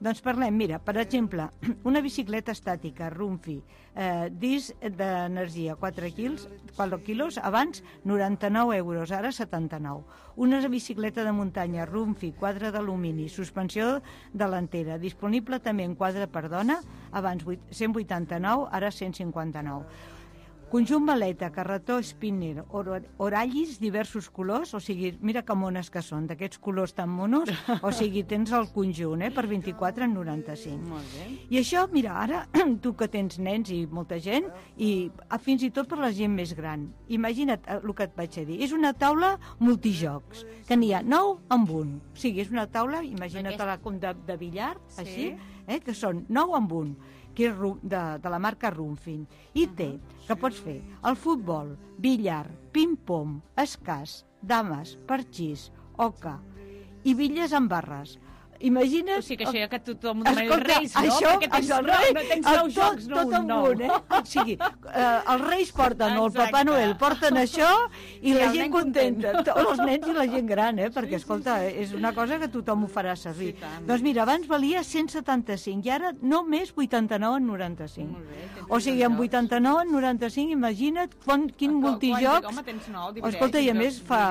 Doncs parlem, mira, per exemple, una bicicleta estàtica, Rumfi, eh, disc d'energia, quatre quilos, quatre quilos, abans noranta-nou euros, ara setanta-nou. Una bicicleta de muntanya, Rumfi, quadre d'alumini, suspensió delantera, disponible també en quadre per dona, abans cent vuitanta-nou, ara cent cinquanta-nou. Conjunt maleta, carretó, spinner, or orallis, diversos colors, o sigui, mira que mones que són, d'aquests colors tan monos, o sigui, tens el conjunt, eh, per vint-i-quatre en noranta-cinc. Molt bé. I això, mira, ara, tu que tens nens i molta gent, i fins i tot per la gent més gran, imagina't el que et vaig a dir, és una taula multijocs, que n'hi ha nou amb un, o sigui, és una taula, imagina't-la com de, de billar, sí. Així, eh, que són nou amb un, que és de, de la marca Rumfin, i té, que pots fer el futbol, billar, ping-pong, escàs, dames, parxís, oca i bitlles amb barres. Imagina't... O sigui que això ja que tothom ho demana els Reis, no? Això, perquè tens, això, no, no tens nou tot, jocs, no tot un nou. un, eh? O sigui, eh, els Reis porten, o el Papa Noel porten això, i, I la gent contenta. Content. Els nens i la gent gran, eh? Perquè, sí, escolta, sí, sí. és una cosa que tothom ho farà servir. Sí, doncs mira, abans valia cent setanta-cinc, i ara només vuitanta-nou en noranta-cinc. Bé, o sigui, amb vuitanta-nou en noranta-cinc, imagina't quan, quin a, multijocs... Home, tens nou, escolta, i a més fa...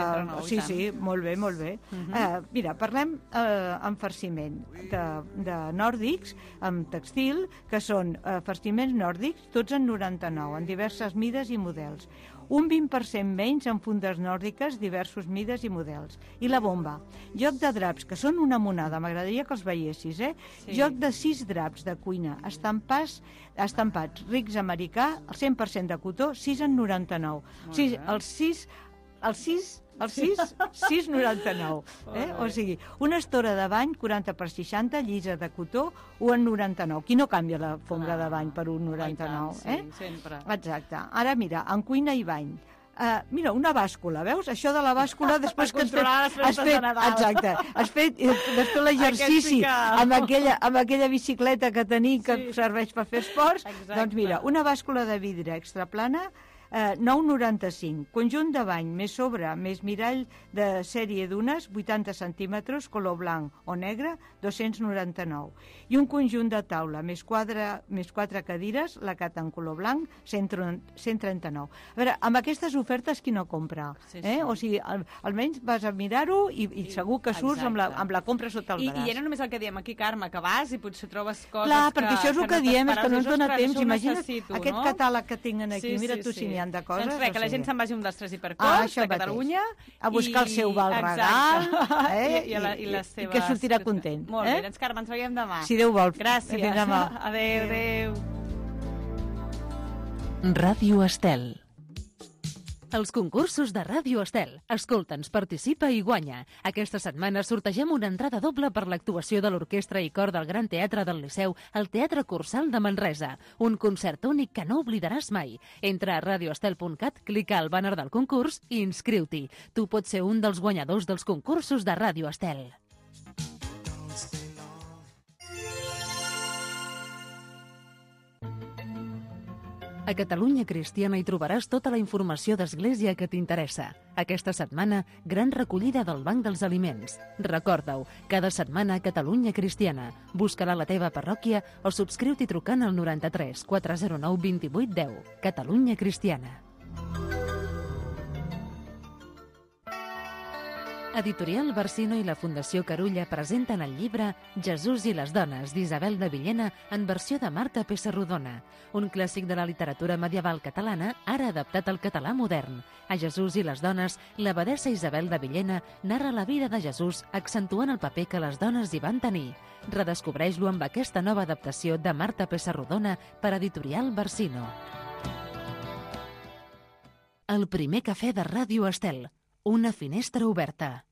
Sí, sí, molt bé, molt bé. Uh -huh. uh, mira, parlem uh, amb farciment de, de nòrdics, amb textil, que són uh, farciments nòrdics, tots en noranta-nou, en diverses mides i models. Un vint per cent menys en fundes nòrdiques, diversos mides i models. I la bomba. Joc de draps, que són una monada, m'agradaria que els veiessis, eh? Sí. Joc de sis draps de cuina, estampats, estampats rics americà, el cent per cent de cotó, sis en noranta-nou. O sigui, els sis... Els sis el sis coma noranta-nou. Eh? O sigui, una estora de bany, quaranta per seixanta, llisa de cotó, un coma noranta-nou. Qui no canvia la fonga de bany per un coma noranta-nou? Eh? Sí, sempre. Exacte. Ara, mira, en cuina i bany. Uh, mira, una bàscula, veus? Això de la bàscula, després que has fet... Has fet de exacte, has fet després l'exercici amb, aquella, amb aquella bicicleta que tenim que sí. serveix per fer esports, exacte. Doncs mira, una bàscula de vidre extraplana, eh, nou coma noranta-cinc. Conjunt de bany, més sobre, més mirall de sèrie d'unes, vuitanta centímetres, color blanc o negre, dos-cents noranta-nou. I un conjunt de taula, més, quadre, més quatre cadires, lacat en color blanc, cent trenta-nou. A veure, amb aquestes ofertes qui no compra? Sí, sí. Eh? O sigui, al, almenys vas a mirar-ho i, i segur que surts amb la, amb la compra sota el I, braç. I ja no només el que diem aquí, Carme, que vas i potser trobes coses Clar, que... perquè això és el que, que diem, és que no ens dona temps. Imagina't aquest no? catàleg que tenen aquí, sí, mira sí, tu sí. si n'hi ha de coses. Doncs res, que la gent se'n vagi un dels tres hipercors ah, de Catalunya. A buscar i... el seu val regal. Eh? I, i, la, i, les seves... I que sortirà content. Molt bé, eh? doncs Carme, ens veiem demà. Si Déu vol. Gràcies. Fins demà. Adéu, adéu. Ràdio Estel. Els concursos de Ràdio Estel. Escolta'ns, participa i guanya. Aquesta setmana sortegem una entrada doble per l'actuació de l'Orquestra i Cor del Gran Teatre del Liceu al Teatre Cursal de Manresa. Un concert únic que no oblidaràs mai. Entra a radioestel punt cat, clica al bàner del concurs i inscriu-t'hi. Tu pots ser un dels guanyadors dels concursos de Ràdio Estel. A Catalunya Cristiana hi trobaràs tota la informació d'Església que t'interessa. Aquesta setmana, gran recollida del Banc dels Aliments. Recorda-ho, cada setmana a Catalunya Cristiana. Busca-la a la teva parròquia o subscriu-t'hi trucant al noranta-tres quatre zero nou vint vuit deu. Catalunya Cristiana. Editorial Barsino i la Fundació Carulla presenten el llibre Jesús i les dones, d'Isabel de Villena, en versió de Marta Pessarrodona, un clàssic de la literatura medieval catalana, ara adaptat al català modern. A Jesús i les dones, l'abadessa Isabel de Villena narra la vida de Jesús, accentuant el paper que les dones hi van tenir. Redescobreix-lo amb aquesta nova adaptació de Marta Pessarrodona per Editorial Barsino. El primer cafè de Ràdio Estel. Una finestra oberta.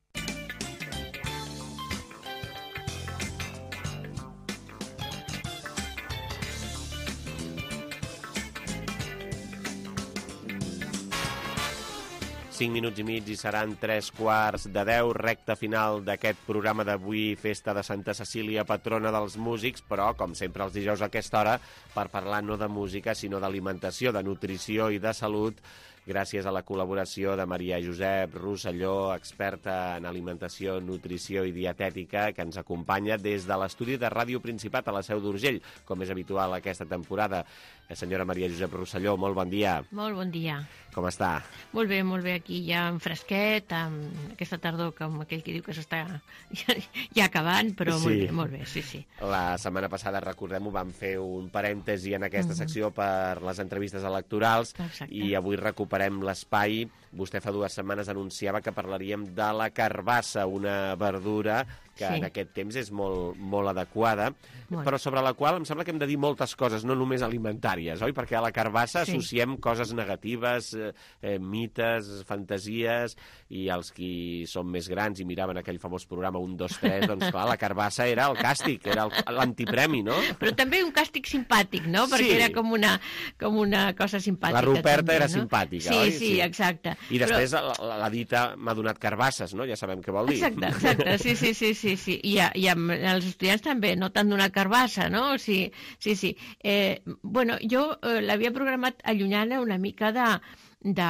Cinc minuts i mig i seran tres quarts de deu, recta final d'aquest programa d'avui, festa de Santa Cecília, patrona dels músics, però, com sempre els dijous a aquesta hora, per parlar no de música, sinó d'alimentació, de nutrició i de salut, gràcies a la col·laboració de Maria Josep Rosselló, experta en alimentació, nutrició i dietètica, que ens acompanya des de l'estudi de Ràdio Principat a la Seu d'Urgell, com és habitual aquesta temporada. Senyora Maria Josep Rosselló, molt bon dia. Molt bon dia. Com està? Molt bé, molt bé, aquí ja en fresquet, amb aquesta tardor, com aquell que diu que s'està ja, ja acabant, però sí. molt bé, molt bé, sí, sí. La setmana passada, recordem-ho, vam fer un parèntesi en aquesta uh-huh. secció per les entrevistes electorals. Exacte. I avui recuperem l'espai. Vostè fa dues setmanes anunciava que parlaríem de la carbassa, una verdura que sí. en aquest temps és molt, molt adequada, molt. Però sobre la qual em sembla que hem de dir moltes coses, no només alimentàries, oi? Perquè a la carbassa sí. associem coses negatives, eh, mites, fantasies, i els qui són més grans i miraven aquell famós programa un, dos, tres, doncs clar, la carbassa era el càstig, era l'antipremi, no? Però també un càstig simpàtic, no? Perquè sí. era com una, com una cosa simpàtica. La Ruperta també, era no? simpàtica, sí, oi? Sí, sí, exacte. I després Però... la, la dita m'ha donat carbasses, no? Ja sabem què vol dir. Exacte, exacte, sí, sí, sí, sí, sí. I, a, i amb els estudiants també, no t'han donat carbassa, no? Sí, sí, sí. Eh, bueno, jo eh, l'havia programat allunyant una mica de... De,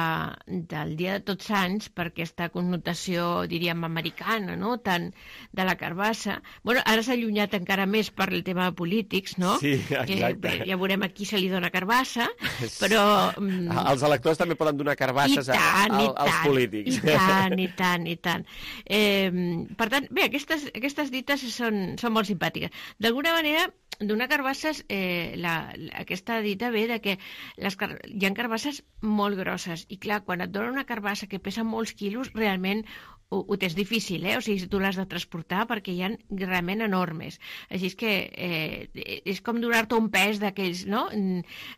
del Dia de Tots Sants, per aquesta connotació, diríem, americana, no?, tant de la carbassa. Bueno, ara s'ha allunyat encara més per el tema de polítics, no? Sí, exacte. Que, ja veurem a qui se li dona carbassa, però... Els electors també poden donar carbasses a, a, als polítics. I tant, i tant, i tant. Eh, per tant, bé, aquestes, aquestes dites són, són molt simpàtiques. D'alguna manera, donar carbasses, eh, la, la, aquesta dita ve de que les, hi ha carbasses molt grosses, i clar, quan et donen una carbassa que pesa molts quilos, realment ho, ho tens difícil, eh? O sigui, tu l'has de transportar perquè hi ha realment enormes. Així és que eh, és com donar-te un pes d'aquells, no?,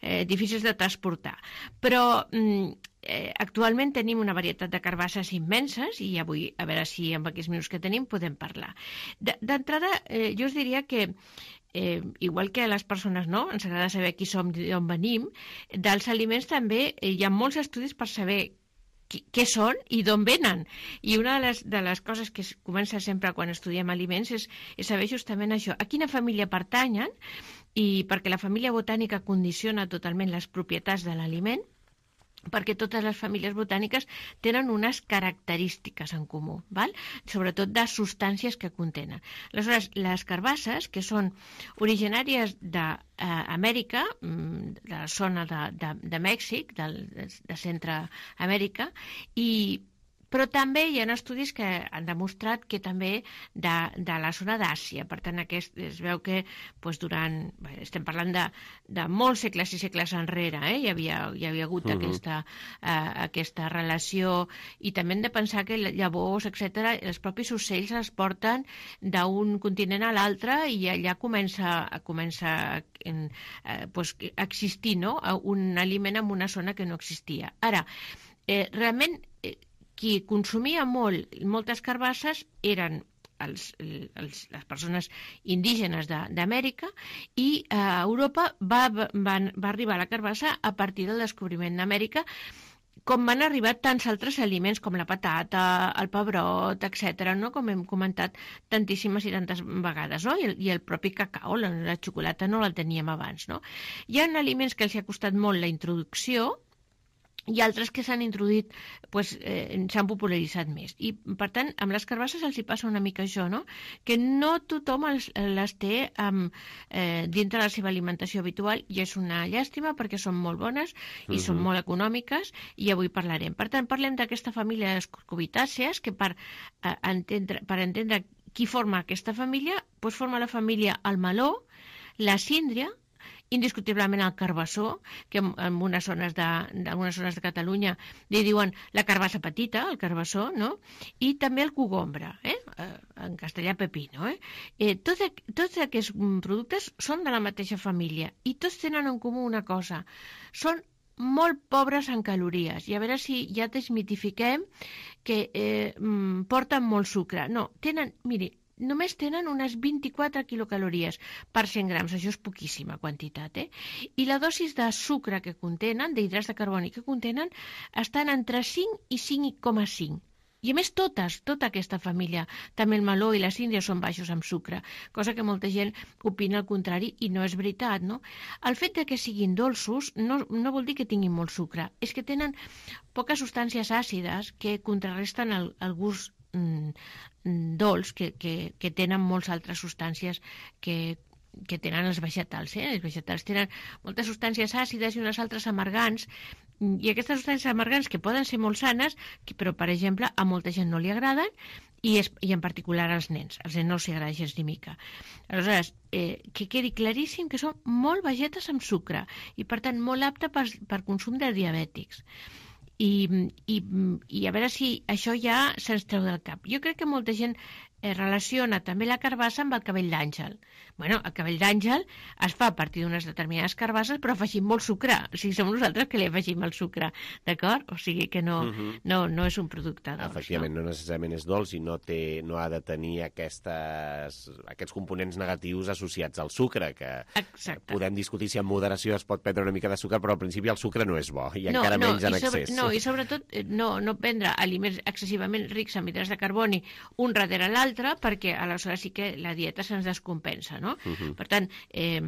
eh, difícils de transportar. Però eh, actualment tenim una varietat de carbasses immenses i avui, a veure si amb aquests minuts que tenim podem parlar. D'entrada, eh, jo us diria que Eh, igual que a les persones, no?, ens agrada saber qui som, d'on venim, dels aliments també eh, hi ha molts estudis per saber qui, què són i d'on venen. I una de les, de les coses que es comença sempre quan estudiem aliments és, és saber justament això, a quina família pertanyen, i perquè la família botànica condiciona totalment les propietats de l'aliment, perquè totes les famílies botàniques tenen unes característiques en comú, val? Sobretot de substàncies que contenen. Aleshores, les carbasses, que són originàries d'Amèrica, de la zona de, de, de Mèxic, de, de Centreamèrica, i però també hi ha estudis que han demostrat que també de, de la zona d'Àsia. Per tant, aquest, es veu que doncs, durant... Bé, estem parlant de, de molts segles i segles enrere, eh? hi, havia, hi havia hagut uh-huh. aquesta, uh, aquesta relació, i també hem de pensar que llavors, etcètera, els propis ocells es porten d'un continent a l'altre i allà comença, comença en, uh, doncs, a existir, no?, un aliment en una zona que no existia. Ara, eh, realment... Eh, qui consumia molt, moltes carbasses eren els, els, les persones indígenes d'Amèrica, i a Europa va, va, va arribar la carbassa a partir del descobriment d'Amèrica, com van arribar tants altres aliments com la patata, el pebrot, etcètera, no?, com hem comentat tantíssimes i tantes vegades, no? I el, i el propi cacau, la, la xocolata no la teníem abans, no? Hi ha aliments que els ha costat molt la introducció, i altres que s'han introduït, pues, eh, s'han popularitzat més. I, per tant, amb les carbasses els hi passa una mica això, no?, que no tothom els, les té um, eh, dintre de la seva alimentació habitual, i és una llàstima perquè són molt bones i uh-huh. són molt econòmiques, i avui parlarem. Per tant, parlem d'aquesta família de les cucurbitàcies, que per, eh, entendre, per entendre qui forma aquesta família, pues forma la família el meló, la síndria, indiscutiblement el carbassó, que en, en unes zones de, en algunes zones de Catalunya li diuen la carbassa petita, el carbassó, no?, i també el cogombre, eh? En castellà pepino. Eh? Eh, tots, tots aquests productes són de la mateixa família i tots tenen en comú una cosa, són molt pobres en calories, i a veure si ja desmitifiquem que eh, porten molt sucre. No, tenen, miri, només tenen unes vint-i-quatre quilocalories per cent grams, això és poquíssima quantitat, eh? I la dosis de sucre que contenen, d'hidrats de carboni que contenen, estan entre cinc i cinc coma cinc. I a més totes, tota aquesta família, també el meló i la síndria són baixos amb sucre, cosa que molta gent opina el contrari i no és veritat, no? El fet de que siguin dolços no, no vol dir que tinguin molt sucre, és que tenen poques substàncies àcides que contrarresten el, el gust mm, dolç que, que, que tenen moltes altres substàncies que que tenen els vegetals. Eh? Els vegetals tenen moltes substàncies àcides i unes altres amargants, i aquestes substàncies amargants que poden ser molt sanes, que, però, per exemple, a molta gent no li agraden, i, és, i en particular als nens. Als nens no els agrada gens ni mica. Aleshores, eh, que quedi claríssim que són molt vegetes amb sucre, i, per tant, molt apte per, per consum de diabètics. I, i, i a veure si això ja se'ns treu del cap. Jo crec que molta gent eh, relaciona també la carbassa amb el cabell d'àngel. Bueno, el cabell d'àngel es fa a partir d'unes determinades carbasses, però afegim molt sucre. O sigui, som nosaltres que li afegim el sucre, d'acord? O sigui que no, uh-huh. no, no és un producte dolç. Efectivament, no, no necessàriament és dolç i no, té, no ha de tenir aquestes, aquests components negatius associats al sucre, que Exacte. Podem discutir si en moderació es pot prendre una mica de sucre, però al principi el sucre no és bo, i no, encara no, menys en sobre, excés. No, i sobretot no, no prendre aliments excessivament rics en hidrats de carboni un darrere l'altre, perquè aleshores sí que la dieta se'ns descompensa, no? Uh-huh. Per tant, eh,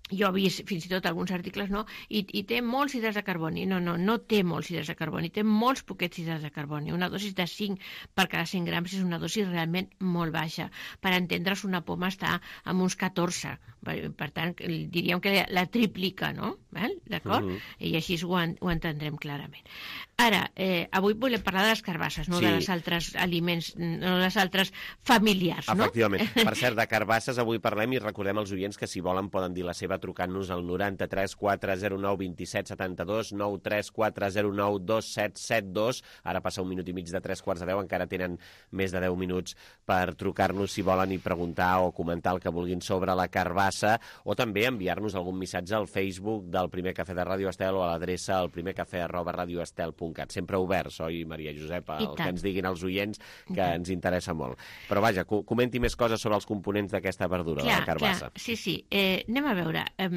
jo he vist fins i tot alguns articles, no? I, i té molts hidrats de carboni. No, no, no té molts hidrats de carboni, té molts poquets hidrats de carboni. Una dosis de cinc per cada cent grams és una dosis realment molt baixa. Per entendre's, una poma està amb uns catorze. Per tant, diríem que la triplica, no? D'acord? Uh-huh. I així ho, en, ho entendrem clarament. Ara, eh, avui volem parlar de les carbasses, no Sí. de les altres aliments, no de les altres familiars, no? Efectivament. Per cert, de carbasses avui parlem i recordem als oients que si volen poden dir la seva trucant-nos al noranta-tres quatre zero nou dos set set dos, nou tres quatre zero nou dos set set dos. Ara passa un minut i mig de tres quarts de deu, encara tenen més de deu minuts per trucar-nos si volen i preguntar o comentar el que vulguin sobre la carbassa, o també enviar-nos algun missatge al Facebook del Primer Cafè de Ràdio Estel o a l'adreça al primercafè arroba radioestel punt cat. Sempre oberts, oi, Maria Josepa? El que ens diguin els oients, que ens interessa molt. Però vaja, comenti més coses sobre els components d'aquesta verdura, clar, de la carbassa. Clar, sí, sí. Eh, anem a veure... Eh,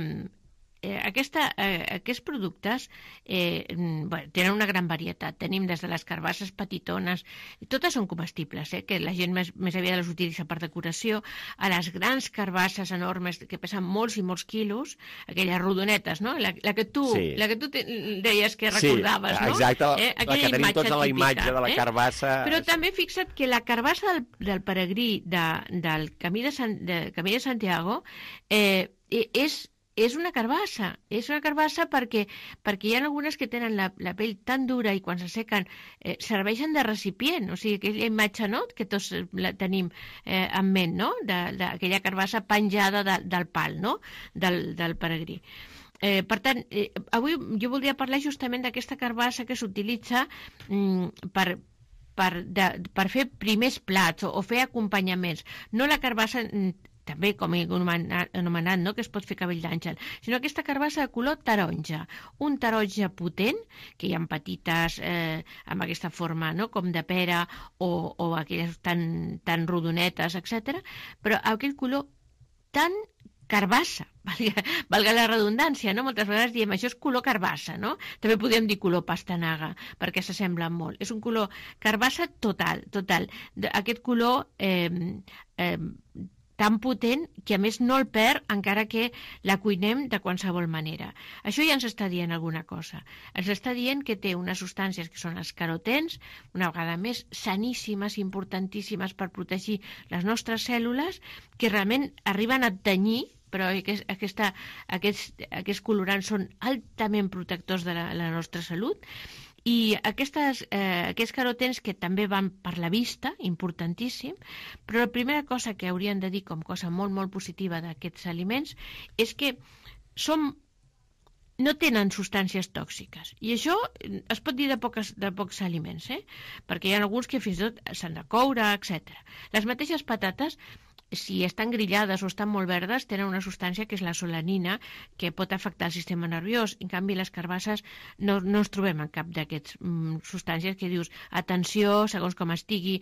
Eh, aquesta, eh, aquests productes eh, bueno, tenen una gran varietat. Tenim des de les carbasses petitones, totes són comestibles, eh, que la gent més, més aviat les utilitza per decoració, a les grans carbasses enormes que pesen molts i molts quilos, aquelles rodonetes, no? La, la que tu, sí. la que tu te, deies que recordaves, sí, no? exacte, eh, la que tenim tots a la imatge de la carbassa. Eh? Però també fixa't que la carbassa del, del peregrí de, del Camí de, San, de Camí de Santiago eh, és és una carbassa, és una carbassa perquè, perquè hi ha algunes que tenen la, la pell tan dura i quan s'assequen eh, serveixen de recipient, o sigui, aquella imatge, no?, que tots la tenim eh, en ment, no?, d'aquella carbassa penjada de, del pal, no?, del, del peregrí. Eh, per tant, eh, avui jo voldria parlar justament d'aquesta carbassa que s'utilitza mm, per... Per, de, per fer primers plats o, o fer acompanyaments. No la carbassa, també com he anomenat, no? que es pot fer cabell d'àngel, sinó aquesta carbassa de color taronja. Un taronja potent, que hi ha petites eh, amb aquesta forma, no? com de pera o, o aquelles tan, tan rodonetes, etcètera, però aquell color tan carbassa, valga, valga la redundància, no? Moltes vegades diem això és color carbassa, no? També podem dir color pastanaga, perquè s'assemblen molt. És un color carbassa total, total. Aquest color eh, eh, tan potent que a més no el perd encara que la cuinem de qualsevol manera. Això ja ens està dient alguna cosa. Ens està dient que té unes substàncies que són els carotens, una vegada més saníssimes, importantíssimes per protegir les nostres cèl·lules, que realment arriben a tenyir, però aquest, aquesta, aquests, aquests colorants són altament protectors de la, la nostra salut. I aquestes, eh, aquests carotens que també van per la vista, importantíssim, però la primera cosa que haurien de dir com cosa molt, molt positiva d'aquests aliments és que som, no tenen substàncies tòxiques. I això es pot dir de, poques, de pocs aliments, eh? perquè hi ha alguns que fins i tot s'han de coure, etcètera. Les mateixes patates, si estan grillades o estan molt verdes, tenen una substància que és la solanina, que pot afectar el sistema nerviós. En canvi, les carbasses no, no ens trobem en cap d'aquests mm, substàncies que dius, atenció, segons com estigui.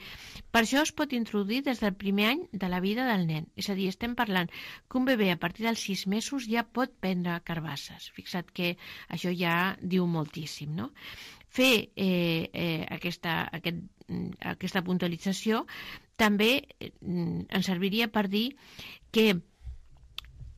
Per això es pot introduir des del primer any de la vida del nen. És a dir, estem parlant que un bebè a partir dels sis mesos ja pot prendre carbasses. Fixa't que això ja diu moltíssim, no? Fer eh, eh, aquesta, aquest, aquesta puntualització també eh, ens serviria per dir que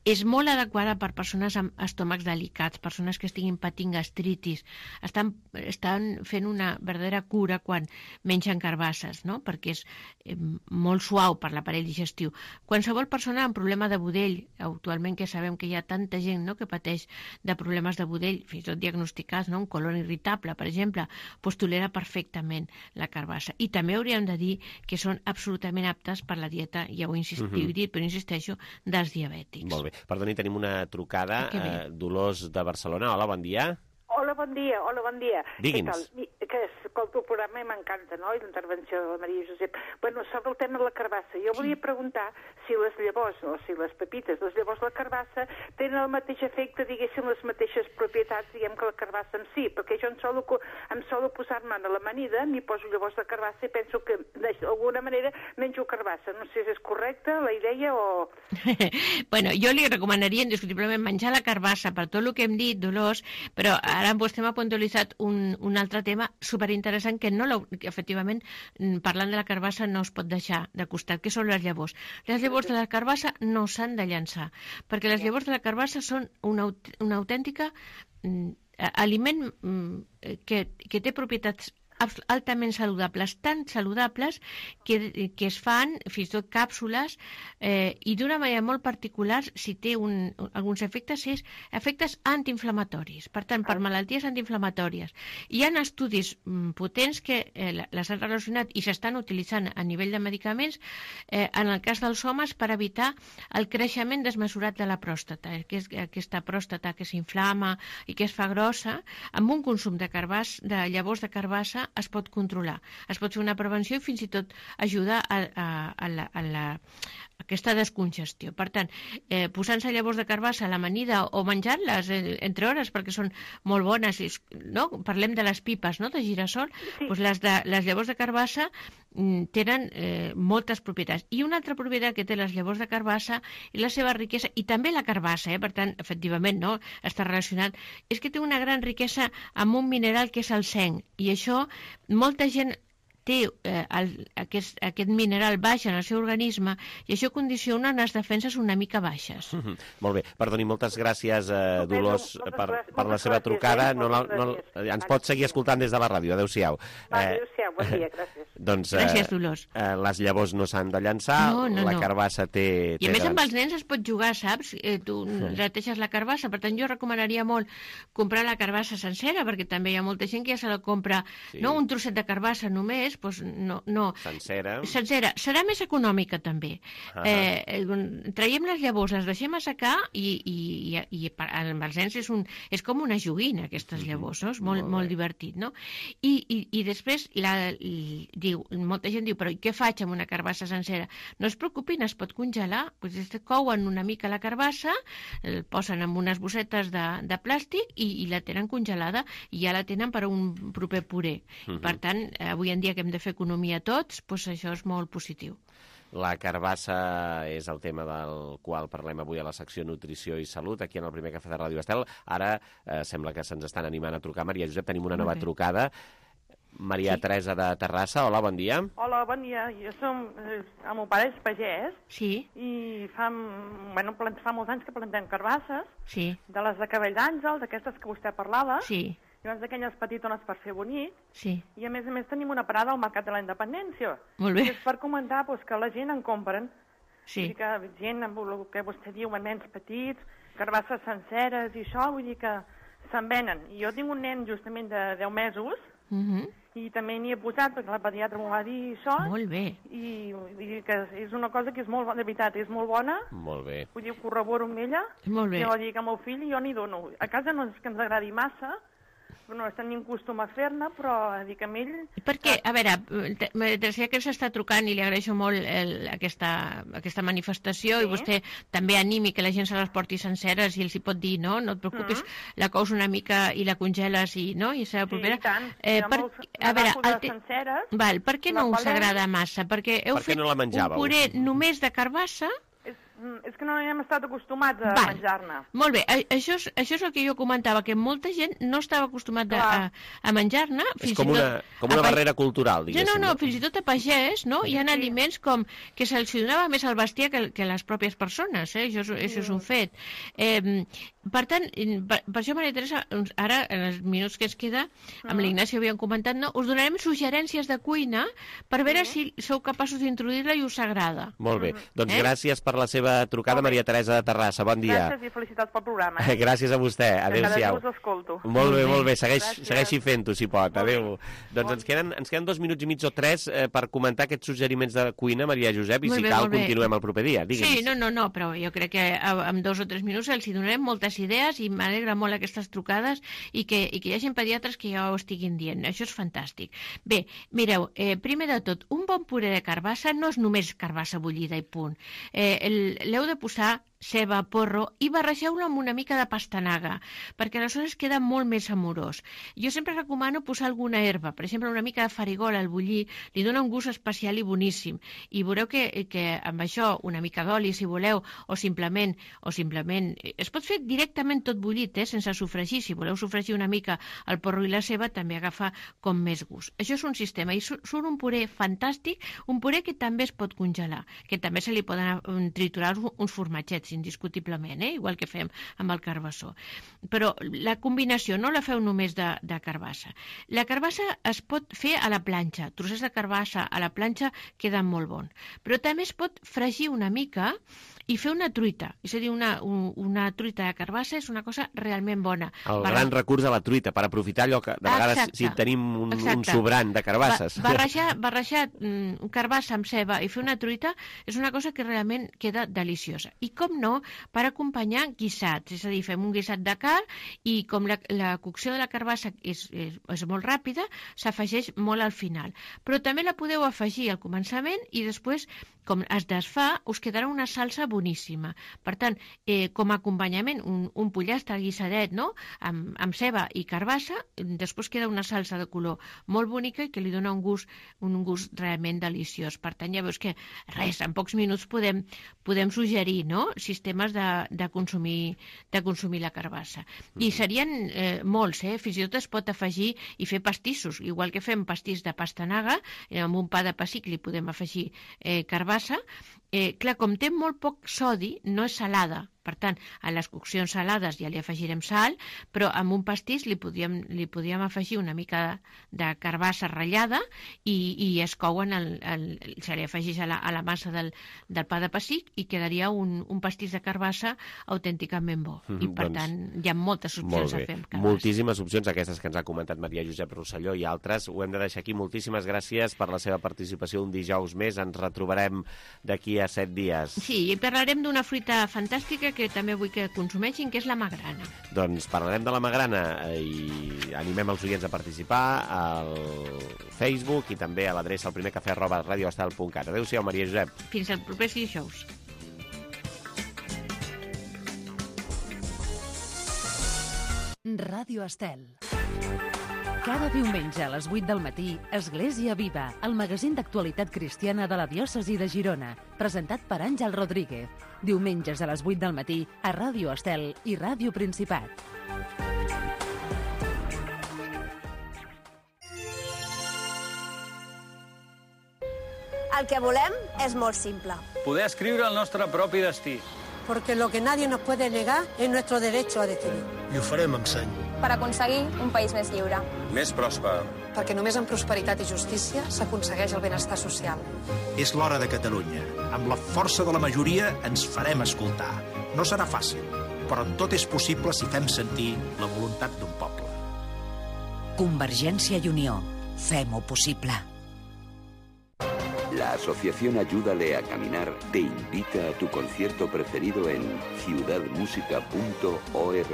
és molt adequada per persones amb estómacs delicats, persones que estiguin patint gastritis, estan, estan fent una verdadera cura quan mengen carbasses, no? perquè és eh, molt suau per l'aparell digestiu. Qualsevol persona amb problema de budell, actualment que sabem que hi ha tanta gent, no?, que pateix de problemes de budell, fins i tot diagnosticats, no?, un colon irritable, per exemple, doncs tolera perfectament la carbassa. I també hauríem de dir que són absolutament aptes per la dieta, ja ho he insistit, uh-huh. dit, però insisteixo, dels diabètics. Molt bé. Perdoni, tenim una trucada. Eh, Dolors de Barcelona. Hola, bon dia. Hola, bon dia, hola, bon dia. Digui'ns. Que escolto el programa i m'encanta, no?, i l'intervenció de la Maria Josep. Bueno, sobre el tema de la carbassa, jo volia preguntar si les llavors, o si les pepites, les llavors de la carbassa tenen el mateix efecte, diguéssim, les mateixes propietats, diguem, que la carbassa en si, perquè jo em solo, em solo posar-me a l'amanida, m'hi poso llavors de carbassa i penso que d'alguna manera menjo carbassa. No sé si és correcta la idea o... Bueno, jo li recomanaria indiscutiblement menjar la carbassa per tot el que hem dit, Dolors, però ara vostè m'ha puntualitzat un, un altre tema superinteressant que, no que efectivament, parlant de la carbassa, no es pot deixar de costat, que són les llavors. Les llavors de la carbassa no s'han de llançar, perquè les llavors de la carbassa són una, una autèntica mm, aliment mm, que, que té propietats altament saludables, tan saludables que, que es fan fins i tot càpsules eh, i d'una manera molt particular, si té un, alguns efectes, és efectes antiinflamatoris, per tant, per malalties antiinflamatòries. Hi ha estudis mm, potents que eh, les han relacionat i s'estan utilitzant a nivell de medicaments eh, en el cas dels homes per evitar el creixement desmesurat de la pròstata, que és aquesta pròstata que s'inflama i que es fa grossa, amb un consum de, carbàs, de llavors de carbassa es pot controlar. Es pot fer una prevenció i fins i tot ajudar a, a, a, la, a la, aquesta descongestió. Per tant, eh, posant-se llavors de carbassa a l'amanida o menjant-les eh, entre hores perquè són molt bones, no? Parlem de les pipes, no?, de girassol, sí. Doncs les, de, les llavors de carbassa mm, tenen eh, moltes propietats. I una altra propietat que té les llavors de carbassa i la seva riquesa, i també la carbassa, eh, per tant, efectivament, no?, està relacionat, és que té una gran riquesa amb un mineral que és el zinc, i això molta gent té eh, el, aquest, aquest mineral baix en el seu organisme i això condiciona unes defenses una mica baixes. Mm -hmm. Molt bé. Perdoni, moltes gràcies, eh, Dolors, per, per la seva trucada. No, no, no, ens pot seguir escoltant des de la ràdio. Adéu-siau. Va, adéu-siau. Bon dia, gràcies. Doncs, eh, gràcies, Dolors. Eh, les llavors no s'han de llançar, no, no, la no. carbassa té... I a té més grans... amb els nens es pot jugar, saps? Eh, tu sí. Reteixes la carbassa, per tant jo recomanaria molt comprar la carbassa sencera, perquè també hi ha molta gent que ja se la compra, sí. no un trosset de carbassa només, doncs no, no. Sencera. Sencera. Serà més econòmica també. Uh -huh. eh, traiem les llavors, les deixem assecar i, i, i, i amb els nens és, un, és com una joguina aquestes llavors, no? És molt, molt, molt divertit, no? I, i, i després la, i, diu, molta gent diu, però què faig amb una carbassa sencera? No es preocupin, es pot congelar, doncs couen una mica la carbassa, el posen en unes bossetes de, de plàstic i, i la tenen congelada i ja la tenen per a un proper puré. Uh -huh. Per tant, avui en dia que hem de fer economia tots, doncs això és molt positiu. La carbassa és el tema del qual parlem avui a la secció Nutrició i Salut, aquí en el primer cafè de Ràdio Estel. Ara eh, sembla que se'ns estan animant a trucar. Maria Josep, tenim una nova trucada. Maria sí. Teresa de Terrassa, hola, bon dia. Hola, bon dia. Jo som... Eh, el meu pare és pagès. Sí. I fa, bueno, fa molts anys que plantem carbasses. Sí. De les de cabell d'àngel, d'aquestes que vostè parlava. Sí. Llavors d'aquelles petitones per fer bonic. Sí. I a més a més tenim una parada al Mercat de la Independència. Molt bé. I és per comentar pues, que la gent en compren. Sí. Vull dir que gent, amb el que vostè diu, nens petits, carbasses senceres i això, vull dir que se'n venen. I jo tinc un nen justament de deu mesos, uh -huh. i també n'hi he posat, perquè la pediatra m'ho va dir això. Molt bé. I vull dir que és una cosa que és molt, de veritat, és molt bona. Molt bé. Vull dir, ho corroboro amb ella. Molt bé. I vull dir que al meu fill jo n'hi dono. A casa no és que ens agradi massa, no estem ni en costum a fer-ne, però dic amb ell... Perquè, a veure, Teresa que s'està trucant i li agraeixo molt el, aquesta, aquesta manifestació sí. I vostè també animi que la gent se les porti senceres i els hi pot dir, no? No et preocupis, uh -huh. la cous una mica i la congeles i, no? I serà propera. Sí, i tant. Eh, per, a veure, el te... senceres, val, per què no us agrada massa? Perquè heu per fet no la un puré només de carbassa... És que no hem estat acostumats a Val. menjar-ne. Molt bé, això és, això és el que jo comentava, que molta gent no estava acostumat a, a menjar-ne. És com una, com una barrera cultural, diguéssim. No, no, no, fins i tot a pagès, no? Hi ha sí. aliments com que se'ls donava més al bestiar que, que les pròpies persones, eh? Això, això sí. és un fet. Eh, per tant, per, per això, Maria Teresa, ara, en els minuts que ens queda, amb l'Ignasi havíem comentat, no? Us donarem suggerències de cuina per veure sí. si sou capaços d'introduir-la i us agrada. Molt bé, doncs eh? gràcies per la seva trucada, Maria Teresa de Terrassa. Bon dia. Gràcies i felicitats pel programa. Eh? Gràcies a vostè. Adéu-siau. Cada dia us escolto. Molt bé, molt bé. Segueix, segueixi fent-ho, si pot. Adéu. Doncs ens queden, ens queden dos minuts i mig o tres eh, per comentar aquests suggeriments de cuina, Maria Josep, i molt si bé, cal continuem el proper dia. Digue'ns. Sí, no, no, no, però jo crec que en dos o tres minuts els hi donarem moltes idees i m'alegra molt aquestes trucades i que, i que hi hagi pediatres que ja ho estiguin dient. Això és fantàstic. Bé, mireu, eh, primer de tot, un bon puré de carbassa no és només carbassa bullida i punt. Eh, l'heu de posar ceba, porro, i barregeu-lo amb una mica de pastanaga, perquè aleshores queda molt més amorós. Jo sempre recomano posar alguna herba, per exemple, una mica de farigola al bullir, li dona un gust especial i boníssim, i veureu que, que amb això, una mica d'oli, si voleu, o simplement, o simplement, es pot fer directament tot bullit, eh, sense sofregir, si voleu sofregir una mica el porro i la ceba, també agafa com més gust. Això és un sistema, i surt un puré fantàstic, un puré que també es pot congelar, que també se li poden triturar uns formatgets, aquests, indiscutiblement, eh? Igual que fem amb el carbassó. Però la combinació no la feu només de, de carbassa. La carbassa es pot fer a la planxa. Trossets de carbassa a la planxa queden molt bons. Però també es pot fregir una mica i fer una truita. És a dir, una, un, una truita de carbassa és una cosa realment bona. El Barra... gran recurs de la truita, per aprofitar allò que de vegades Exacte. si tenim un, un Exacte. sobrant de carbasses. Ba barrejar barrejar mm, carbassa amb ceba i fer una truita és una cosa que realment queda deliciosa. I com no, per acompanyar guisats. És a dir, fem un guisat de carn i com la, la cocció de la carbassa és, és, és molt ràpida, s'afegeix molt al final. Però també la podeu afegir al començament i després, com es desfà, us quedarà una salsa boníssima. Per tant, eh, com a acompanyament, un, un pollastre guisadet, no?, amb, amb ceba i carbassa, després queda una salsa de color molt bonica i que li dona un gust, un gust realment deliciós. Per tant, ja veus que, res, en pocs minuts podem, podem suggerir, no?, sistemes de, de, consumir, de consumir la carbassa. I serien eh, molts, eh? Fins i tot es pot afegir i fer pastissos, igual que fem pastís de pastanaga, eh, amb un pa de pessic li podem afegir eh, carbassa. Eh, clar, com té molt poc sodi, no és salada. Per tant, a les coccions salades ja li afegirem sal, però amb un pastís li podíem, li podíem afegir una mica de, de carbassa ratllada i, i es couen, el, el, se li afegeix a la, a la massa del, del pa de pessic i quedaria un, un pastís de carbassa autènticament bo. Mm, I per doncs, tant, hi ha moltes opcions a fer amb carbassa. Moltíssimes opcions, aquestes que ens ha comentat Maria Josep Rosselló i altres. Ho hem de deixar aquí. Moltíssimes gràcies per la seva participació un dijous més. Ens retrobarem d'aquí a set dies. Sí, i parlarem d'una fruita fantàstica que també vull que consumeixin, que és la magrana. Doncs parlarem de la magrana i animem els oients a participar al Facebook i també a l'adreça al primer cafè arroba radioestel punt cat. Adéu-siau, Maria Josep. Fins al proper dijous. Ràdio Estel. Cada diumenge a les vuit del matí, Església Viva, el magazín d'actualitat cristiana de la diòcesi de Girona, presentat per Àngel Rodríguez. Diumenges a les vuit del matí a Ràdio Estel i Ràdio Principat. El que volem és molt simple. Poder escriure el nostre propi destí. Porque lo que nadie nos puede negar es nuestro derecho a decidir. I ho farem amb seny. Per aconseguir un país més lliure. Més pròsper. Perquè només amb prosperitat i justícia s'aconsegueix el benestar social. És l'hora de Catalunya. Amb la força de la majoria ens farem escoltar. No serà fàcil, però tot és possible si fem sentir la voluntat d'un poble. Convergència i Unió. Fem-ho possible. La Asociación Ayúdale a Caminar te invita a tu concierto preferido en ciudad música punto org,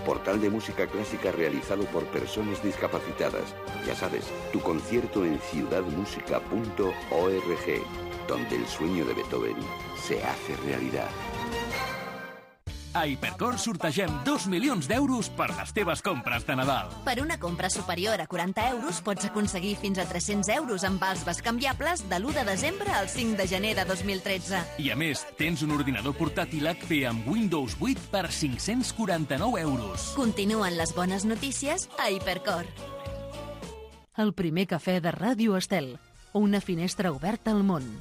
portal de música clásica realizado por personas discapacitadas. Ya sabes, tu concierto en ciudad música punto org, donde el sueño de Beethoven se hace realidad. A Hipercor sortegem dos milions d'euros per les teves compres de Nadal. Per una compra superior a quaranta euros pots aconseguir fins a tres-cents euros en vals bescanviables de l'u de desembre al cinc de gener de dos mil tretze. I a més, tens un ordinador portàtil H P amb Windows vuit per cinc-cents quaranta-nou euros. Continuen les bones notícies a Hipercor. El primer cafè de Ràdio Estel. Una finestra oberta al món.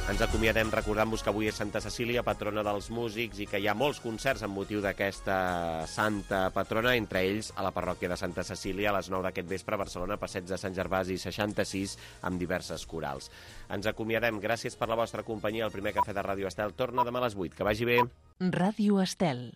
Ens acomiadem recordant-vos que avui és Santa Cecília, patrona dels músics, i que hi ha molts concerts amb motiu d'aquesta santa patrona, entre ells a la parròquia de Santa Cecília a les nou d'aquest vespre a Barcelona, Passeig de Sant Gervasi seixanta-sis, amb diverses corals. Ens acomiadem. Gràcies per la vostra companyia. El primer cafè de Ràdio Estel torna demà a les vuit. Que vagi bé. Ràdio Estel.